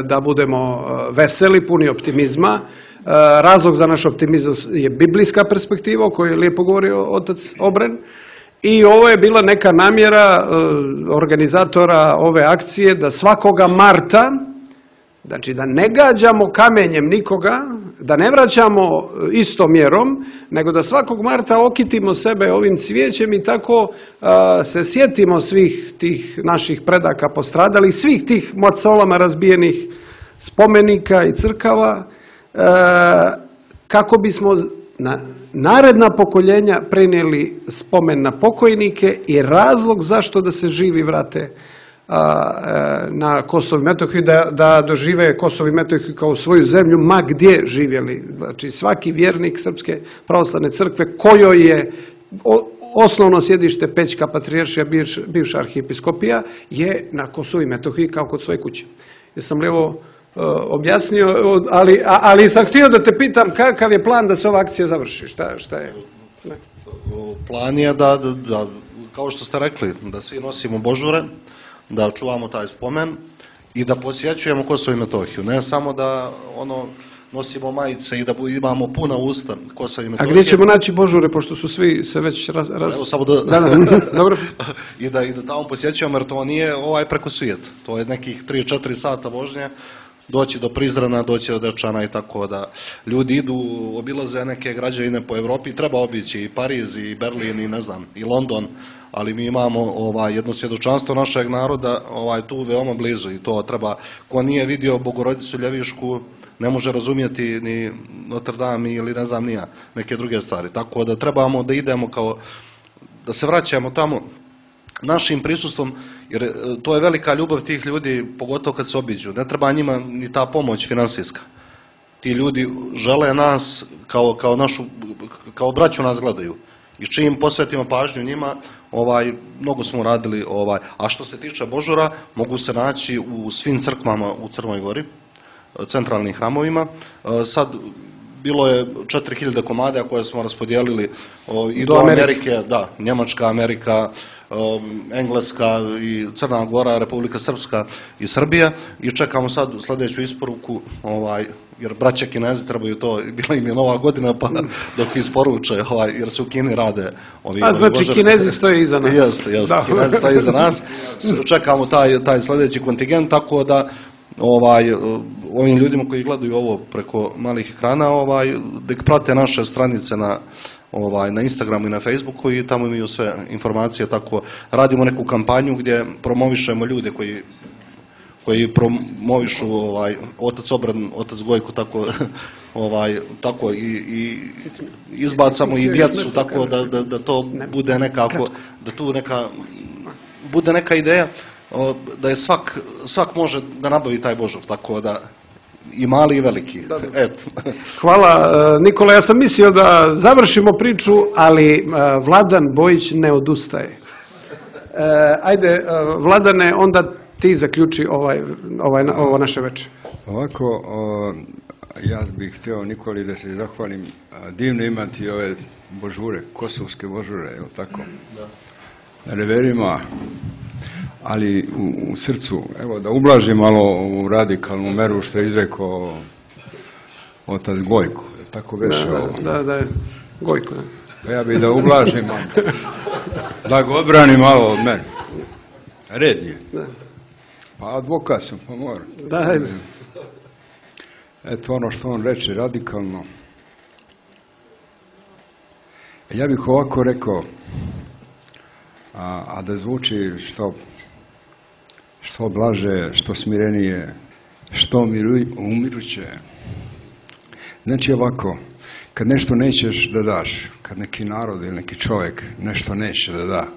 da budemo veseli, puni optimizma. E, razlog za naš optimizam je biblijska perspektiva o kojoj je lijepo govorio otac Obren. I ovo je bila neka namjera e, organizatora ove akcije da svakoga marta, znači da ne gađamo kamenjem nikoga, da ne vraćamo istom mjerom, nego da svakog marta okitimo sebe ovim cvijećem i tako a, se sjetimo svih tih naših predaka postradalih, svih tih macolama razbijenih spomenika i crkava, a, kako bismo na naredna pokoljenja prenijeli spomen na pokojnike i razlog zašto da se živi vrate na Kosovo i Metohiju, da, da dožive Kosovo i Metohiju kao svoju zemlju, ma gdje živjeli. Znači svaki vjernik Srpske pravoslavne crkve kojoj je osnovno sjedište Pećka patrijaršija, bivš, bivša arhijepiskopija, je na Kosovo i Metohiji kao kod svoje kuće. Jesam li ovo uh, objasnio, ali, a, ali sam htio da te pitam kakav je plan da se ova akcija završi, šta, šta je? Ne. Plan je da, da, da, kao što ste rekli, da svi nosimo božure, da čuvamo taj spomen i da posjećujemo Kosovo i Metohiju. Ne samo da ono nosimo majice i da imamo puna usta Kosova i Metohije. A gdje ćemo naći božure, pošto su svi se već raz... raz... Evo samo da... da, da. Dobro. I, da, I da tamo posjećujemo, jer to nije ovaj preko svijeta. To je nekih tri četiri sata vožnje, doći do Prizrena, doći do Dečana i tako da ljudi idu, obilaze neke građevine po Evropi, treba obići i Pariz i Berlin i ne znam, i London, ali mi imamo ovaj, jedno svjedočanstvo našeg naroda ovaj, tu veoma blizu i to treba, ko nije vidio Bogorodicu Ljevišku, ne može razumjeti ni Notre Dame ili ne znam nija neke druge stvari. Tako da trebamo da idemo kao, da se vraćamo tamo našim prisustvom, jer to je velika ljubav tih ljudi, pogotovo kad se obiđu. Ne treba njima ni ta pomoć finansijska. Ti ljudi žele nas kao, kao našu, kao braću nas gledaju. I čim posvetimo pažnju njima, ovaj, mnogo smo radili. Ovaj. A što se tiče Božura, mogu se naći u svim crkvama u Crnoj Gori, centralnim hramovima. Sad bilo je četiri hiljade komada koje smo raspodijelili i do, do Amerike. Amerike, da, Njemačka, Amerika, Engleska i Crna Gora, Republika Srpska i Srbija i čekamo sad sljedeću isporuku, ovaj, jer braća Kinezi trebaju to, bila im je nova godina pa dok isporuče, ovaj, jer se u Kini rade ovi, A znači ovi Kinezi stoje iza nas. Jeste, jeste, Kinezi stoje iza nas. Čekamo taj, taj sljedeći kontingent, tako da ovaj, ovim ljudima koji gledaju ovo preko malih ekrana, ovaj, da prate naše stranice na ovaj, na Instagramu i na Facebooku i tamo imaju sve informacije, tako radimo neku kampanju gdje promovišemo ljude koji koji promovišu ovaj, otac Obran, otac Gojko, tako, ovaj, tako i, i izbacamo i djecu, tako da, da, da to bude nekako, da tu neka, bude neka ideja da je svak, svak može da nabavi taj Božur, tako da i mali i veliki. Eto. Hvala Nikola, ja sam mislio da završimo priču, ali Vladan Bojić ne odustaje. Ajde, Vladane, onda ti zaključi ovaj, ovaj, ovo naše večer. Ovako, o, ja bih htio Nikoli da se zahvalim. Divno imati ove božure, kosovske božure, je li tako? Da. Na reverima, ali u, u srcu, evo da ublažim malo ovu radikalnu meru što je izrekao otac Gojko, tako veše da, ovo. Da, da, je Gojko, da. Pa ja bih da ublažim malo, da ga odbrani malo od mene. Red je. Da. Pa advokat sam, pa moram. Da, ajde. Eto ono što on reče, radikalno. Ja bih ovako rekao, a, a da zvuči što, što blaže, što smirenije, što umiru, umiruće. Znači ovako, kad nešto nećeš da daš, kad neki narod ili neki čovjek nešto neće da da,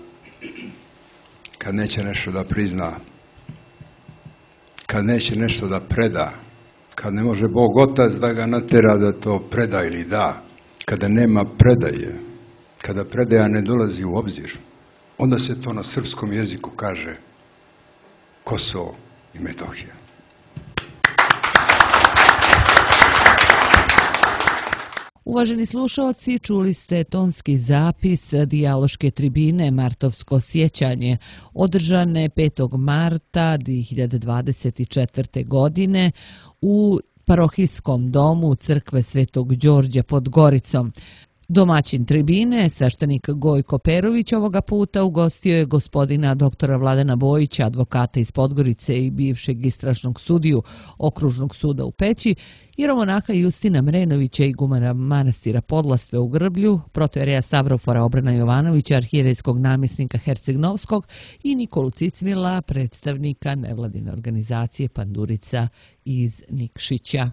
kad neće nešto da prizna, kad neće nešto da preda, kad ne može Bog Otac da ga natera da to preda ili da, kada nema predaje, kada predaja ne dolazi u obzir, onda se to na srpskom jeziku kaže Kosovo i Metohija. Uvaženi slušalci, čuli ste tonski zapis dijaloške tribine Martovsko sjećanje, održane petog marta dvije hiljade dvadeset četvrte. godine u parohijskom domu Crkve Svetog Đorđa pod Goricom. Domaćin tribine, sveštenik Gojko Perović, ovoga puta ugostio je gospodina doktora Vladana Bojića, advokata iz Podgorice i bivšeg istražnog sudiju Okružnog suda u Peći, jeromonaha Justina Mrenovića, igumana manastira Podlasve u Grblju, protojereja Stavrofora Obrana Jovanovića, arhijerejskog namjesnika Herceg-Novskog i Nikolu Cicmila, predstavnika nevladine organizacije Pandurica iz Nikšića.